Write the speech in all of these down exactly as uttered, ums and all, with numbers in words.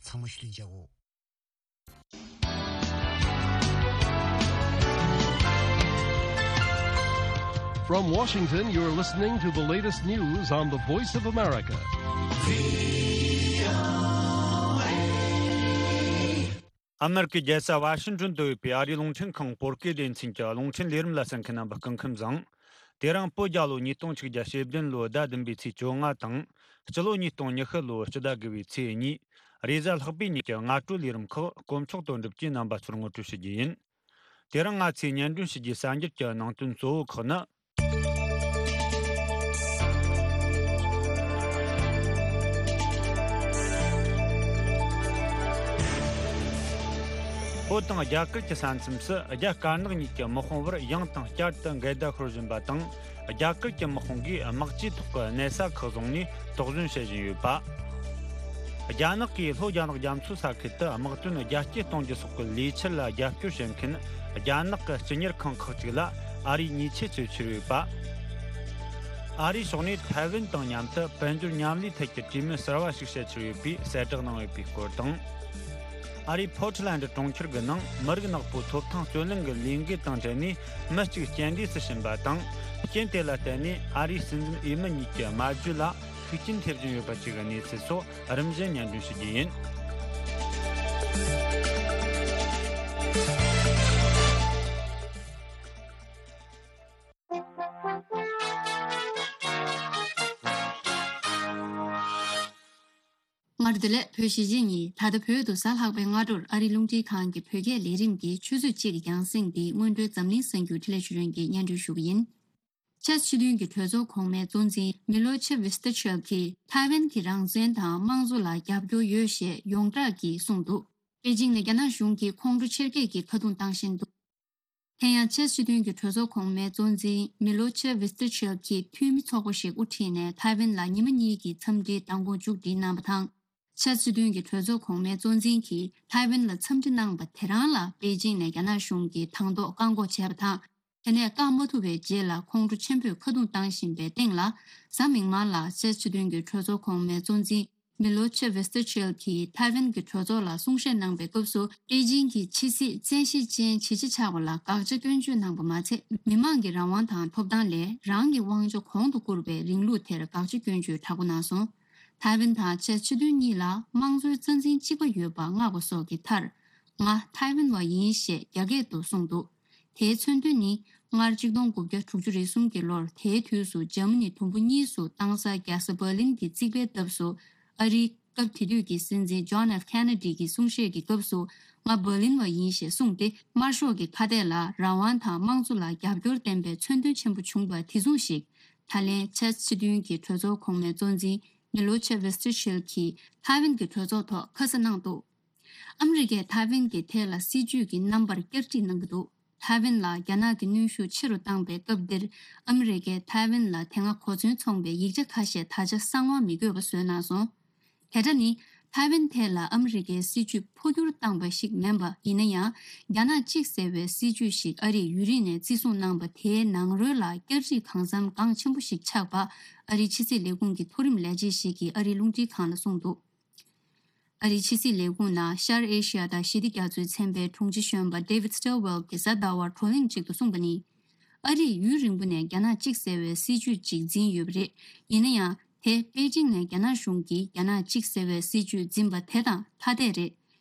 ཐང་མ་ཤུ་ལིན་ཅའོ། From Washington, you're listening to the latest news on the Voice of America. ཨ་མེ་རི་ཀའི་རྒྱལ་ས་ཝ་ཤིང་ཏོན་དུ་ཡོད་པའི་ཨ་རིའི་རླུང་འཕྲིན་ཁང་བོད་སྐད་སྡེ་ཚན་གྱི་རླུང་འཕྲིན་ལས་རིམ་ལ་གསན་མཁན་རྣམ་པ་སྐུ་ཁམས་བཟང་། དེ་རིང་བོད་རྒྱལ་ལོ་ཉིས་སྟོང་ཆིག་བརྒྱ་ཞེ་བདུན་ལོའི་ཟླ་བདུན་པའི་ཚེས་བཅོ་ལྔ་དང་། སྤྱི་ལོ་ཉིས་སྟོང་ཉི་ཤུ་ལོའི་སྤྱི་ཟླ་དགུ་བའི་ཚེས་གཉིས། རེས་གཟའ་ལྷག་པའི་ཉིན་གྱི་སྔ་དྲོའི་ལས་རིམ་ཁག་དཀོན་མཆོག་དོན་གྲུབ་ཀྱིས་རྣམ་པ་ཚོར་ངོ་སྤྲོད་ཞུ་རྒྱུ་ཡིན། དེ་རིང་ང་ཚོས་སྙན་སྒྲོན་ཞུ་རྒྱུའི་གསར་འགྱུར་གྱི་ནང་དོན་གཙོ་བོ་ཁག་ནི། བོད་དང་རྒྱ་གར་གྱི་ས་མཚམས་སུ་རྒྱ་དཀར་ནག་གཉིས་ཀྱི་དམག་དཔུང་བར་ཡང་དང་བསྐྱར་དུ་འགལ་ཟླ་ཤོར་བཞིན་པ་དང་། རྒྱ་གར་གྱི་དམག་དཔུང་གིས་དམག་ཇུས་ཐོག་གི་གནད་ས་ཁག་བཟུང་ནས་དོགས་ཟོན་བྱེད་བཞིན་ཡོད་པ། རྒྱ་ནག་གིས་ལྷོ་རྒྱ་ནག་རྒྱ་མཚོའི་ས་ཁུལ་དུ་དམག་དོན་རྒྱ་སྐྱེད་གཏོང་རྒྱུ་སོགས་ཀྱི་ལས་འཆར་ལ་རྒྱབ་སྐྱོར་བྱེད་མཁན་རྒྱ་ནག་གི་སྤྱི་གཉེར་ཁང་ཁག་ཅིག་ལ་ཨ་རིས་ཉེས་ཆད་གཅོད་འཆར་ཡོད་པ། ཨ་རིའི་ཕྱོགས་ནས་ཐའེ་ཝན་དང་མཉམ་དུ་དཔལ་འབྱོར་མཉམ་ལས་ཐད་ཀྱི་གྲོས་མོལ་གསར་བ་ཞིག་བྱེད་འཆར་ཡོད་པའི་གསལ་བསྒྲགས་གནང་ཡོད་པའི་སྐོར་དང་། ཨ་རིའི་ཕོར་ཊི་ལན་ཌི་གྲོང་ཁྱེར་གྱི་ནང་མི་རིགས་ནག་པོའི་ཐོབ་ཐང་རྩོད་ལེན་གྱི་ལས་འགུལ་དང་འབྲེལ་ནས་མི་གཅིག་རྐྱེན་འདས་སུ་ཕྱིན་པ་དང་། རྐྱེན་དེ་ལ་བརྟེན་ནས་ཨ་རིའི་སྲིད་འཛིན་འོས་མི་གཉིས་ཀྱི་སྨྲ་བརྗོད་ལ་ཤུགས་རྐྱེན་ཐེབས་བཞིན་ཡོད་པ་བཅས་ཀྱི་གནས་ཚུལ་སོགས་རིམ་བཞིན་སྙན་སྒྲོན་ཞུ་རྒྱུ་ཡིན། སྔར་དུ་ལས་བོད་གཞིས་བྱེས་གཉིས་ད་ལྟ་བོད་དུ་གཟའ་ལྷག་པའི་སྔ་དྲོར་ཨ་རིའི་རླུང་འཕྲིན་ཁང་གི་བོད་སྐད་ལས་རིམ་གྱི་ཆུ་ཚོད་གཅིག་གི་རྒྱང་སྲིང་འདི་སྔོན་འགྲོའི་འཛམ་གླིང་གསར་འགྱུར་འཕྲིན་ལས་ཞུ་རྒྱུ་ཡིན། སྐྱབས་སྤྱི་མཐུན་གྱི་གྲོས་ཚོགས་གོང་མའི་གཙོ་འཛིན་མི་ལོ་ཆེ་ཝིས་ཏི་ཆེལ་གྱིས་ཐའེ་ཝན་གྱི་རང་བཙན་དང་དམངས་གཙོ་ལ་རྒྱབ་སྐྱོར་ཡོད་ཞེས་ཡོངས་གྲགས་ཀྱིས་གསུངས་འདུག་པེ་ཅིང་ནས་རྒྱ་ནག་གཞུང་གིས་ཁོང་ཁྲོ་ཆེར་སྐྱེད་ཀྱིས་ཁ་རྡུང་བཏང་བཞིན་འདུག་དེ་ཡང་ཆེས་སྤྱི་མཐུན་གྱི་གྲོས་ཚོགས་གོང་མའི་གཙོ་འཛིན་མི་ལོ་ཆེ་ཝིས་ཏི་ཆེལ་གྱིས་འཐུས་མི་ཚོགས་པ་ཞིག་དབུ་ཁྲིད་ནས་ཐའེ་ཝན་ལ་ཉི་མ་གཉིས་ཀྱི་འཚམས་འདྲིའི་མདང་དགོང་མཇུག་སྒྲིལ་གནང་བ་དང་། ཆེས་སྤྱི་མཐུན་གྱི་གྲོས་ཚོགས་གོང་མའི་གཙོ་འཛིན་གྱིས་ཐའེ་ཝན་ལ་འཚམས་འདྲི་གནང་བ་དེ་རང་ལ་པེ་ཅིང་ནས་རྒྱ་ནག་གཞུང་གིས་དང་ཐོག་བཀག་འགོག་བྱས་པ་དང་། དེ་ནས་བཀག་མ་ཐུབ་པའི་རྗེས་ལ་ཁོང་ཁྲོ་ཆེན་པོས་ཁ་རྡུང་བཏང་བཞིན་པའི་སྟེང་ལ། གཟའ་མིག་དམར་ལ་ཆེས་སྤྱི་མཐུན་གྱི་གྲོས་ཚོགས་གོང་མའི་གཙོ་འཛིན་མི་ལོ་ཆེ་ཝིས་ཏི་ཆེལ་གྱིས་ཐའེ་ཝན་གྱི་གྲོས་ཚོགས་ལ་གསུང་བཤད་གནང་པའི་སྐབས་སུ། པེ་ཅིང་གིས་ཕྱི་སྲིད་བཙན་ཤེད་ཅན་བྱེད་ཆེད་ཆགས་པ་ལ་དགག་བྱ་སྐྱོན་བརྗོད་གནང་པ་མ་ཚད། མི་མང་གི་རང་དབང་དང་ཐོབ་ཐང་ལས་རང་གི་དབང་ཆ་གོང་དུ་བཀུར་བའི་རིང་ལུགས་དེར་དགག་བྱ་སྐྱོན་བརྗོད་དྲག་པོ་གནང་སོང་། ཐའེ་ཝན་དང་ཆེས་སྤྱི་མཐུན་གཉིས་ལ་དམངས་གཙོའི་རྩ་འཛིན་གཅིག་པ་ཡོད་པ་བསྔགས་པ་སོགས་ཀྱི་མཐར། ང་ཐའེ་ཝན་བ་ཡིན་ཞེས་རྒྱ་སྐད་དུ་གསུངས་འདུག་དེའི་མཚོན་དོན་ནི། སྔར་གཅིག་སྟོང་དགུ་བརྒྱ་དྲུག་ཅུ་རེ་གསུམ་གྱི་ལོར་དེའི་དུས་སུ་འཇར་མ་ནི་དུམ་བུ་གཉིས་སུ་བཏང་ས་རྒྱལ་ས་འབར་ལིན་གྱི་རྩིག་པའི་འདབས་སུ། ཨ་རིའི་སྐབས་དེ་དུས་ཀྱི་སྲིད་འཛིན་ཇོན་ཨེཕ་ཁེ་ནེ་ཌི་གྱི་གསུང་བཤད་ཀྱི་སྐབས་སུ། ང་འབར་ལིན་བ་ཡིན་ཞེས་གསུངས་ཏེ། དམར་ཤོག་གི་ཁ་གཏད་ལ་རང་དབང་དང་དམངས་གཙོ་ལ་རྒྱབ་སྐྱོར་བསྟན་པའི་མཚོན་དོན་ཆེན་པོ་བྱུང་བ་དེ་མཚུངས་ཤིག་ད་ལན་ཆེས་སྤྱི་མཐུན་གྱི་གྲོས་ཚོགས་གོང་མའི་གཙོ་འཛིན་མི་ལོ་ཆེ་ཝེ་སྟི་ཆེལ་གྱིས་ཐའེ་ཝན་གྱི་གྲོས་ཚོགས་ཐོག་ཁ་གསལ་གནང་འདུག་ཨ་མི་རི་ཀས་ཐའེ་ཝན་གྱི་ཐད་ལ་སྲིད་ཇུས་ཀྱི་རྣམ་པར་བསྐྱར་སྒྲིག་གནང་གི་འདུག་ཐའེ་ཝན་ལ་རྒྱ་ནག་གི་གནོན་ཤུགས་ཆེ་རུ་བཏང་པའི་སྐབས་འདིར། ཨ་མི་རི་ཀས་ཐའེ་ཝན་ལ་དེ་སྔ་གོ་མཚོན་ཚོང་པའི་ཡིག་ཆ་ཁ་ཤས་ད་ཆ་གསང་བ་མི་དགོས་པ་བཟོས་གནང་སོང་། དེ་འདྲ་ནི། ཐའེ་ཝན་ཐད་ལ་ཨ་མི་རི་ཀའི་སྲིད་ཇུས་འཕོ་འགྱུར་བཏང་པ་ཞིག་མིན་པ་ཡིན་ན་ཡང་། རྒྱ་ནག་གཅིག་ཟེར་བའི་སྲིད་ཇུས་ཤིག་ཨ་རིས་ཡུན་རིང་ནས་བརྩི་སྲུང་གནང་པ་དེའི་ནང་རོལ་ལ་བསྐྱར་སྒྲིག་གང་འཚམ་འགངས་ཆེན་པོ་ཞིག་ཆགས་པ། ཨ་རིའི་ཕྱི་སྲིད་ལས་ཁུངས་ཀྱི་མཐོ་རིམ་ལས་བྱེད་ཞིག་གིས་ཨ་རིའི་རླུང་འཕྲིན་ཁང་ལ་གསུངས་འདུག་ཨ་རིའི་ཕྱི་སྲིད་ལས་ཁུངས་ནང་ཤར་ཨེ་ཤི་ཡ་དང་ཞི་བདེ་རྒྱ་མཚོའི་ཚན་པའི་དྲུང་ཆེ་གཞོན་པ་David Stilwell་གྱིས་གཟའ་ཟླ་བར་བགྲོ་གླེང་ཅིག་ཏུ་གསུངས་པ་ནི། ཨ་རིས་ཡུན་རིང་པོ་ནས་རྒྱ་ནག་གཅིག་ཟེར་བའི་སྲིད་ཇུས་ཅིག་འཛིན་ཡོད་པ་རེད། ཡིན་ན་ཡང་། དེ་པེ་ཅིང་ནས་རྒྱ་ནག་གཞུང་གིས་རྒྱ་ནག་གཅིག་ཟེར་བའི་སྲིད་ཇུས་འཛིན་པ་དེ་དང་ཐ་དད་རེད།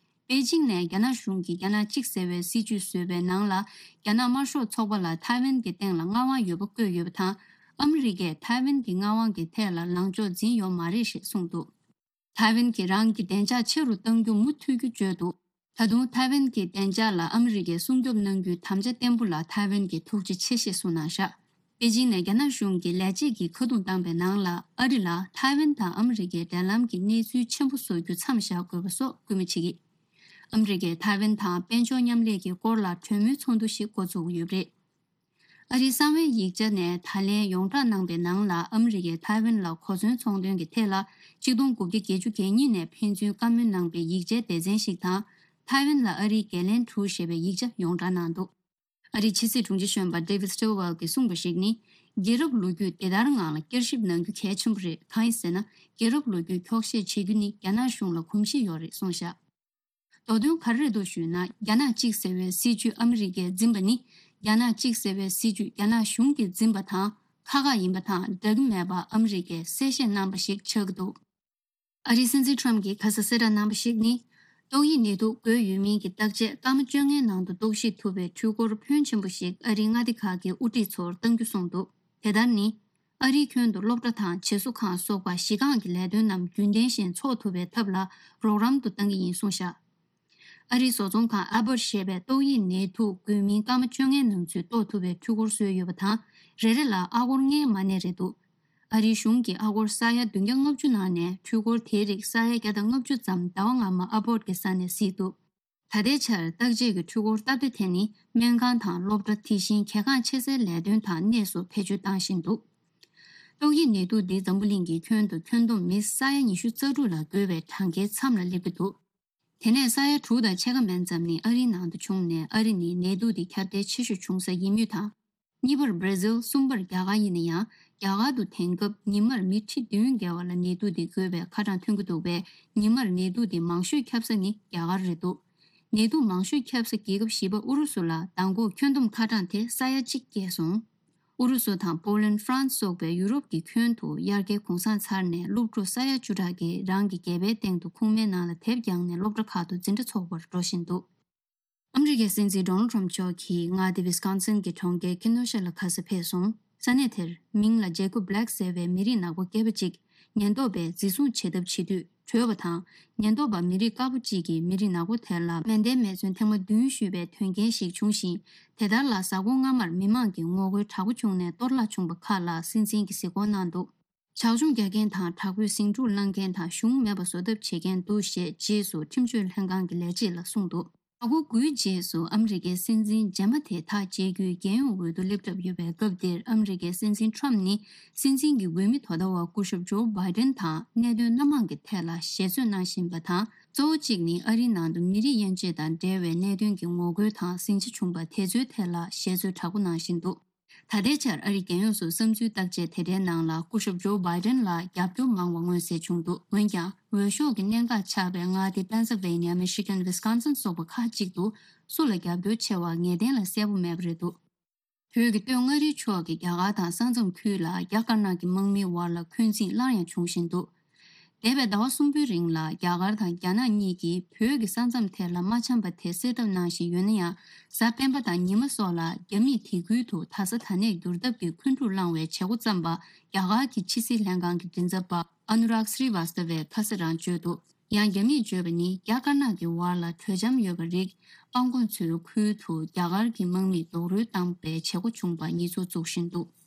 པེ་ཅིང་ནས་རྒྱ་ནག་གཞུང་གིས་རྒྱ་ནག་གཅིག་ཟེར་བའི་སྲིད་ཇུས་བཟོས་པའི་ནང་ལ། རྒྱ་ནག་དམར་ཤོག་ཚོགས་པ་ལ་ཐའེ་ཝན་གྱི་སྟེང་ལ་མངའ་དབང་ཡོད་པ་བཀོད་ཡོད་པ་དང་། ཨ་མི་རི་ཀས་ཐའེ་ཝན་གྱི་མངའ་དབང་གི་ཐད་ལ་ལངས་ཕྱོགས་འཛིན་ཡོད་མ་རེད་ཞེས་གསུངས་འདུག་ཐའེ་ཝན་གྱིས་རང་གི་བདེ་འཇགས་ཆེ་རུ་གཏང་རྒྱུ་མུ་མཐུད་རྒྱུ་བརྗོད་འདུག་ད་དུང་ཐའེ་ཝན་གྱི་བདེ་འཇགས་ལ་ཨ་མི་རི་ཀས་སྲུང་སྐྱོབ་གནང་རྒྱུའི་དམ་བཅའ་བརྟན་པོ་ལ་ཐའེ་ཝན་གྱིས་ཐུགས་རྗེ་ཆེ་ཞེས་གསུངས་གནང་བཞག་པེ་ཅིང་ནས་རྒྱ་ནག་གཞུང་གི་ལས་བྱེད་ཀྱིས་ཁ་རྡུང་བཏང་པའི་ནང་ལ། ཨ་རི་ལ་ཐའེ་ཝན་དང་ཨ་མི་རི་ཀའི་འབྲེལ་ལམ་གྱི་གནས་ཚུལ་ཆེན་པོ་བཟོ་རྒྱུ་མཚམས་བཞག་དགོས་པ་སོགས་སྐུལ་མ་བྱེད་ཀྱི། ཨ་མི་རི་ཀས་ཐའེ་ཝན་དང་དཔལ་འབྱོར་མཉམ་ལས་ཀྱི་སྐོར་ལ་གྲོས་མོལ་ཚོགས་འདུ་ཞིག་འགོ་འཛུགས་ཀྱི་ཡོད་པ་རེད། ཨ་རིའི་གསང་བའི་ཡིག་ཆ་ནས་ད་ལན་ཡོངས་བསྒྲགས་གནང་པའི་ནང་ལ། ཨ་མི་རི་ཀས་ཐའེ་ཝན་ལ་གོ་མཚོན་ཚོང་དོན་གྱི་ཐད་ལ་གཅིག་སྟོང་དགུ་བརྒྱ་བརྒྱད་ཅུ་གྱ་གཉིས་ནས་ཕན་ཚུན་བཀའ་མོལ་གནང་པའི་ཡིག་ཆའི་སྡེ་ཚན་ཞིག་དང་། ཐའེ་ཝན་ལ་ཨ་རིའི་འགན་ལེན་དྲུག་ཞེས་པའི་ཡིག་ཆ་ཡོངས་བསྒྲགས་གནང་འདུག་ཨ་རིའི་ཕྱི་སྲིད་དྲུང་ཆེ་གཞོན་པ་David Stilwell་གྱིས་གསུངས་པ་ཞིག་ནི། རྒྱལ་རབས་ལོ་རྒྱུས་དེ་ལྟར་ངང་ལ་བསྐྱར་ཞིབ་གནང་རྒྱུ་གལ་ཆེན་པོ་རེད། གང་ཡིན་ཟེར་ན། རྒྱལ་རབས་ལོ་རྒྱུས་འཁྱོག་བཤད་བྱེད་རྒྱུ་ནི་རྒྱ་ནག་གཞུང་ལ་གོམས་གཤིས་ཡོད་རེད་གསུངས་བཞག། མདོ་དོན་ག་རེ་རེད་འདུག་ཞུས་ན། རྒྱ་ནག་གཅིག་ཟེར་བའི་སྲིད་ཇུས་ཨ་མི་རི་ཀས་འཛིན་པ་ནི། རྒྱ་ནག་གཅིག་ཟེར་བའི་སྲིད་ཇུས་རྒྱ་ནག་གཞུང་གིས་འཛིན་པ་དང་ཁག་ཁག་ཡིན་པ་དང་འདྲ་གི་མེད་པ་ཨ་མི་རི་ཀས་གསལ་བཤད་གནང་པ་ཞིག་ཆགས་ཀྱི་འདུག། ཨ་རིའི་སྲིད་འཛིན་ཁྲོམ་གྱིས་ཁ་ས་གསལ་བསྒྲགས་གནང་པ་ཞིག་ནི། ཏོག་དབྱིབས་ནད་དུག་འགོས་ཡོད་མིན་གྱི་བརྟག་དཔྱད་སྐར་མ་བཅོ་ལྔའི་ནང་དུ་རྟོག་ཞིབ་ཐུབ་པའི་འཕྲུལ་འཁོར་ཕོན་ཆེན་པོ་ཞིག་ཨ་རིའི་མངའ་སྡེ་ཁག་གི་དབུ་ཁྲིད་ཚོར་གཏང་རྒྱུ་གསུངས་འདུག། དེ་ལྟར་ནི། ཨ་རིའི་ཁྱོན་དུ་སློབ་གྲྭ་དང་བྱེས་སོ་ཁང་སོགས་པ་གཞི་རྐང་གི་ལས་དོན་རྣམས་རྒྱུན་ལྡན་བཞིན་འཚོགས་ཐུབ་པའི་ཐབས་ལ་རོགས་རམ་དུ་གཏང་གི་ཡིན་གསུངས་བཞག། ཨ་རིའི་བཟོ་ཚོང་ཁང་ཨ་པར་ཞེས་པས་ཏོག་དབྱིབས་ནད་དུག་འགོས་མིན་སྐར་མ་བཅོ་ལྔའི་ནང་ཚུད་རྟོགས་ཐུབ་པའི་འཕྲུལ་འཁོར་བཟོས་ཡོད་པ་དང་། རེ་རེ་ལ་ཨ་སྒོར་ལྔའི་མ་གནས་རེད་འདུག། ཨ་རིའི་གཞུང་གིས་ཨ་སྒོར་ས་ཡ་བདུན་བརྒྱ་ལྔ་བཅུ་ནང་ནས་འཕྲུལ་འཁོར་དེའི་རིགས་ས་ཡ་བརྒྱ་དང་ལྔ་བཅུ་ཙམ་ཟླ་བ་སྔ་མ་ཨ་པོར་གྱི་ས་ནས་གཟིགས་འདུག། ད་ལྟའི་ཆར་བརྟག་དཔྱད་ཀྱི་འཕྲུལ་འཁོར་སྟབས་བདེ་དེ་ནི་སྨན་ཁང་དང་སློབ་གྲྭ། དེ་བཞིན་གལ་འགངས་ཆེ་སའི་ལས་དོན་དང་གནས་སུ་བེད་སྤྱོད་བཏང་བཞིན་འདུག། ཏོག་དབྱིབས་ནད་དུག་འདི་འཛམ་བུ་གླིང་གི་ཁྱོན་དུ་ཁྱོན་བསྡོམས་མི་ས་ཡ་ཉི་ཤུ་རྩ་དྲུག་ལ་འགོས་པའི་གྲངས་ཀའི་མཚམས་ལ་སླེབས་ཀྱི་འདུག། དེ་ནས་ས་ཡ་དྲུག་དང་ཕྱེད་ཀ་མན་ཙམ་ནི་ཨ་རིའི་ནང་དུ་བྱུང་ནས། ཨ་རི་ནི་ནད་དུག་འདི་ཁྱབ་གདལ་ཆེ་ཤོས་བྱུང་ས་ཡིན་མུས་དང་། གཉིས་པར་བྷར་ཛིལ། གསུམ་པར་རྒྱ་གར་ཡིན་ན་ཡང་། རྒྱ་གར་དུ་དེང་སྐབས་ཉི་མར་མི་ཁྲི་བདུན་བརྒལ་བ་ལ་ནད་དུག་འདི་འགོས་པའི་ཁ་གྲངས་ཐོན་གྱི་འདུག་པས། ཉི་མར་ནད་དུག་འདི་མང་ཤོས་ཁྱབ་ས་ནི་རྒྱ་གར་རེད་འདུག། ནད་དུག་མང་ཤོས་ཁྱབ་ས་རྒྱལ་ཁབ་བཞི་པ་ཨུ་རུ་སུ་ལ་མདང་དགོང་ཁྱོན་བསྡོམས་ཁ་གྲངས་དེ་ས་ཡ་གཅིག་བརྒལ་སོང་། ཨུ་རུ་སུ་དང་པོ་ལན། ཧྥ་རན་སི་སོགས་པའི་ཡུ་རོབ་ཀྱི་ཁྱོན་དུ་དབྱར་ཁའི་གུང་སེང་ཚར་ནས་སློབ་ཕྲུག་ས་ཡ་བཅུ་ཕྲག་གིས་རང་གི་སྒལ་པའི་སྟེང་དུ་ཁུག་མའི་ནང་ལ་དེབ་བརྒྱངས་ནས་སློབ་གྲྭ་ཁག་ཏུ་འཛིན་གྲྭ་འཚོགས་པར་འགྲོ་བཞིན་འདུག། ཨ་མི་རི་ཀའི་སྲིད་འཛིན་ཌོ་ནལ་ཊམ་མཆོག་གིས་མངའ་སྡེ་ཝི་སི་ཀོན་སིན་གྱི་གྲོང་ཁྱེར་ཁི་ནོ་ཤ་ལ་ཁ་སང་ཕེབས་སོང་། ས་གནས་དེར་མིང་ལ་ཇེ་ཀོབ་བྷི་ལེག་ཟེར་བའི་མི་རིགས་ནག་པོ་སྐྱེས་པ་གཅིག་ཉེན་རྟོག་པས་འཛིན་བཟུང་བྱེད་ཐབས་བྱེད་དུས་བྲོས་པ་དང་། ཉེན་རྟོག་པ་མི་རིགས་དཀར་པོ་གཅིག་གིས་མི་རིགས་ནག་པོ་དེ་ལ་མེ་མདའི་མེ་མཚོན་ཐེངས་མ་བདུན་གཞུས་པའི་དོན་རྐྱེན་ཞིག་བྱུང་ཞིང་། དེ་ལྟར་ལ་གཟའ་འཁོར་སྔ་མར་མི་མང་གི་ངོ་རྒོལ་དྲག་པོ་བྱུང་ནས་གཏོར་བརླག་བྱུང་བ་ཁག་ལ་སྲིད་འཛིན་གྱིས་གཟིགས་སྐོར་གནང་འདུག། བྱག་སྐྱོང་རྒྱག་མཁན་དང་དྲག་པོའི་ཟིང་འཁྲུག་བསླང་མཁན་དང་གཞུང་མེད་པ་བཟོ་ཐབས་བྱེད་མཁན་འདུག་ཞེས་རྗེས་སུ་ཁྲིམས་གཅོད་ལྷན་ཁང་གི་ལས་བྱེད་ལ་གསུངས་འདུག། ཟླ་འགོ་དགུའི་རྗེས་སུ་ཨ་མི་རི་ཀའི་སྲིད་འཛིན་རྗེས་མ་དེ་ཐག་བཅད་རྒྱུའི་རྒྱལ་ཡོངས་འོས་བསྡུ་སླེབས་གྲབས་ཡོད་པའི་སྐབས་འདིར། ཨ་མི་རི་ཀའི་སྲིད་འཛིན་ཁྲོམ་ནི་སྲིད་འཛིན་གྱི་འོས་མི་དོ་ཟླ་བ་སྐུ་ཞབས་ཇོ་བྷའི་ཌེན་དང་གནད་དོན་སྣ་མང་གི་ཐད་ལ་ཞལ་འཚོལ་གནང་བཞིན་པ་དང་། གཙོ་བོ་གཅིག་ནི་ཨ་རིའི་ནང་དུ་མི་རིགས་དབྱེ་འབྱེད་དང་འབྲེལ་བའི་གནད་དོན་གྱི་ངོ་རྒོལ་དང་ཟིང་ཆ་བྱུང་པ་དེ་ཚོའི་ཐད་ལ་ཞལ་འཚོལ་དྲག་པོ་གནང་བཞིན་འདུག། ད་ལྟའི་ཆར་ཨ་རིའི་རྒྱལ་ཡོངས་སུ་བསམ་ཚུལ་བརྟག་དཔྱད་དེ་འདྲའི་ནང་ལ་སྐུ་ཞབས་ཇོ་བྷའི་ཌེན་ལ་རྒྱབ་སྐྱོར་མང་བ་མངོན་གསལ་བྱུང་འདུག། འོན་ཀྱང་། འོས་ཤོག་གི་གནད་འགག་ཆགས་པའི་མངའ་སྡེ་པེན་སིལ་ཝེ་ནི་ཡ། མི་ཤི་གན། ཝི་སི་ཀོན་སིན་སོགས་པ་ཁག་ཅིག་ཏུ་སུ་ལ་རྒྱབ་སྐྱོར་ཆེ་བ་ངེས་གཏན་ལ་གསལ་པོ་མེད་པ་རེད་འདུག། བོད་ཀྱི་སྟོད་མངའ་རིས་ཕྱོགས་ཀྱི་རྒྱ་གར་དང་ས་མཚམས་ཁུལ་ལ་རྒྱ་དཀར་ནག་གི་དམག་མིའི་བར་ལ་འཁོན་འཛིང་སླར་ཡང་བྱུང་བཞིན་འདུག། འདས་པའི་ཟླ་བ་གསུམ་པོའི་རིང་ལ་རྒྱ་གར་དང་རྒྱ་ནག་གཉིས་ཀྱིས་བོད་ཀྱི་ས་མཚམས་དེ་ལ་མ་འཆམ་པ་དེ་སེལ་ཐབས་གནང་བཞིན་ཡོད་ན་ཡང་། གཟའ་སྤེན་པ་དང་ཉི་མ་སོགས་ལ་རྒྱ་མིས་དེ་ཁུལ་དུ་ད་ས་ད་གནས་བསྒྱུར་ཐབས་ཀྱི་འཁོན་འཁྲུག་བསླངས་བའི་བྱེད་སྒོ་བརྩམས་པ་རྒྱ་གར་གྱི་ཕྱི་སྲིད་ལྷན་ཁང་གི་མགྲིན་ཚབ་པ་ཨ་ནུ་རཱག་སི་རི་ཝཱ་སྟ་བས་ཁ་སང་རང་བརྗོད་འདུག། ཡང་རྒྱ་མིས་བརྗོད་པ་ནི། རྒྱ་དཀར་ནག་གི་བར་ལ་གྲོས་འཆམ་ཡོད་པ་རིགས་པང་ཀོང་མཚོའི་ཁུལ་དུ་རྒྱ་གར་གྱི་དམག་མིས་རྡོག་རོལ་བཏང་པའི་བྱེད་སྒོ་བྱུང་པ་ཉེས་འཛུགས་བཙུགས་བཞིན་འདུག།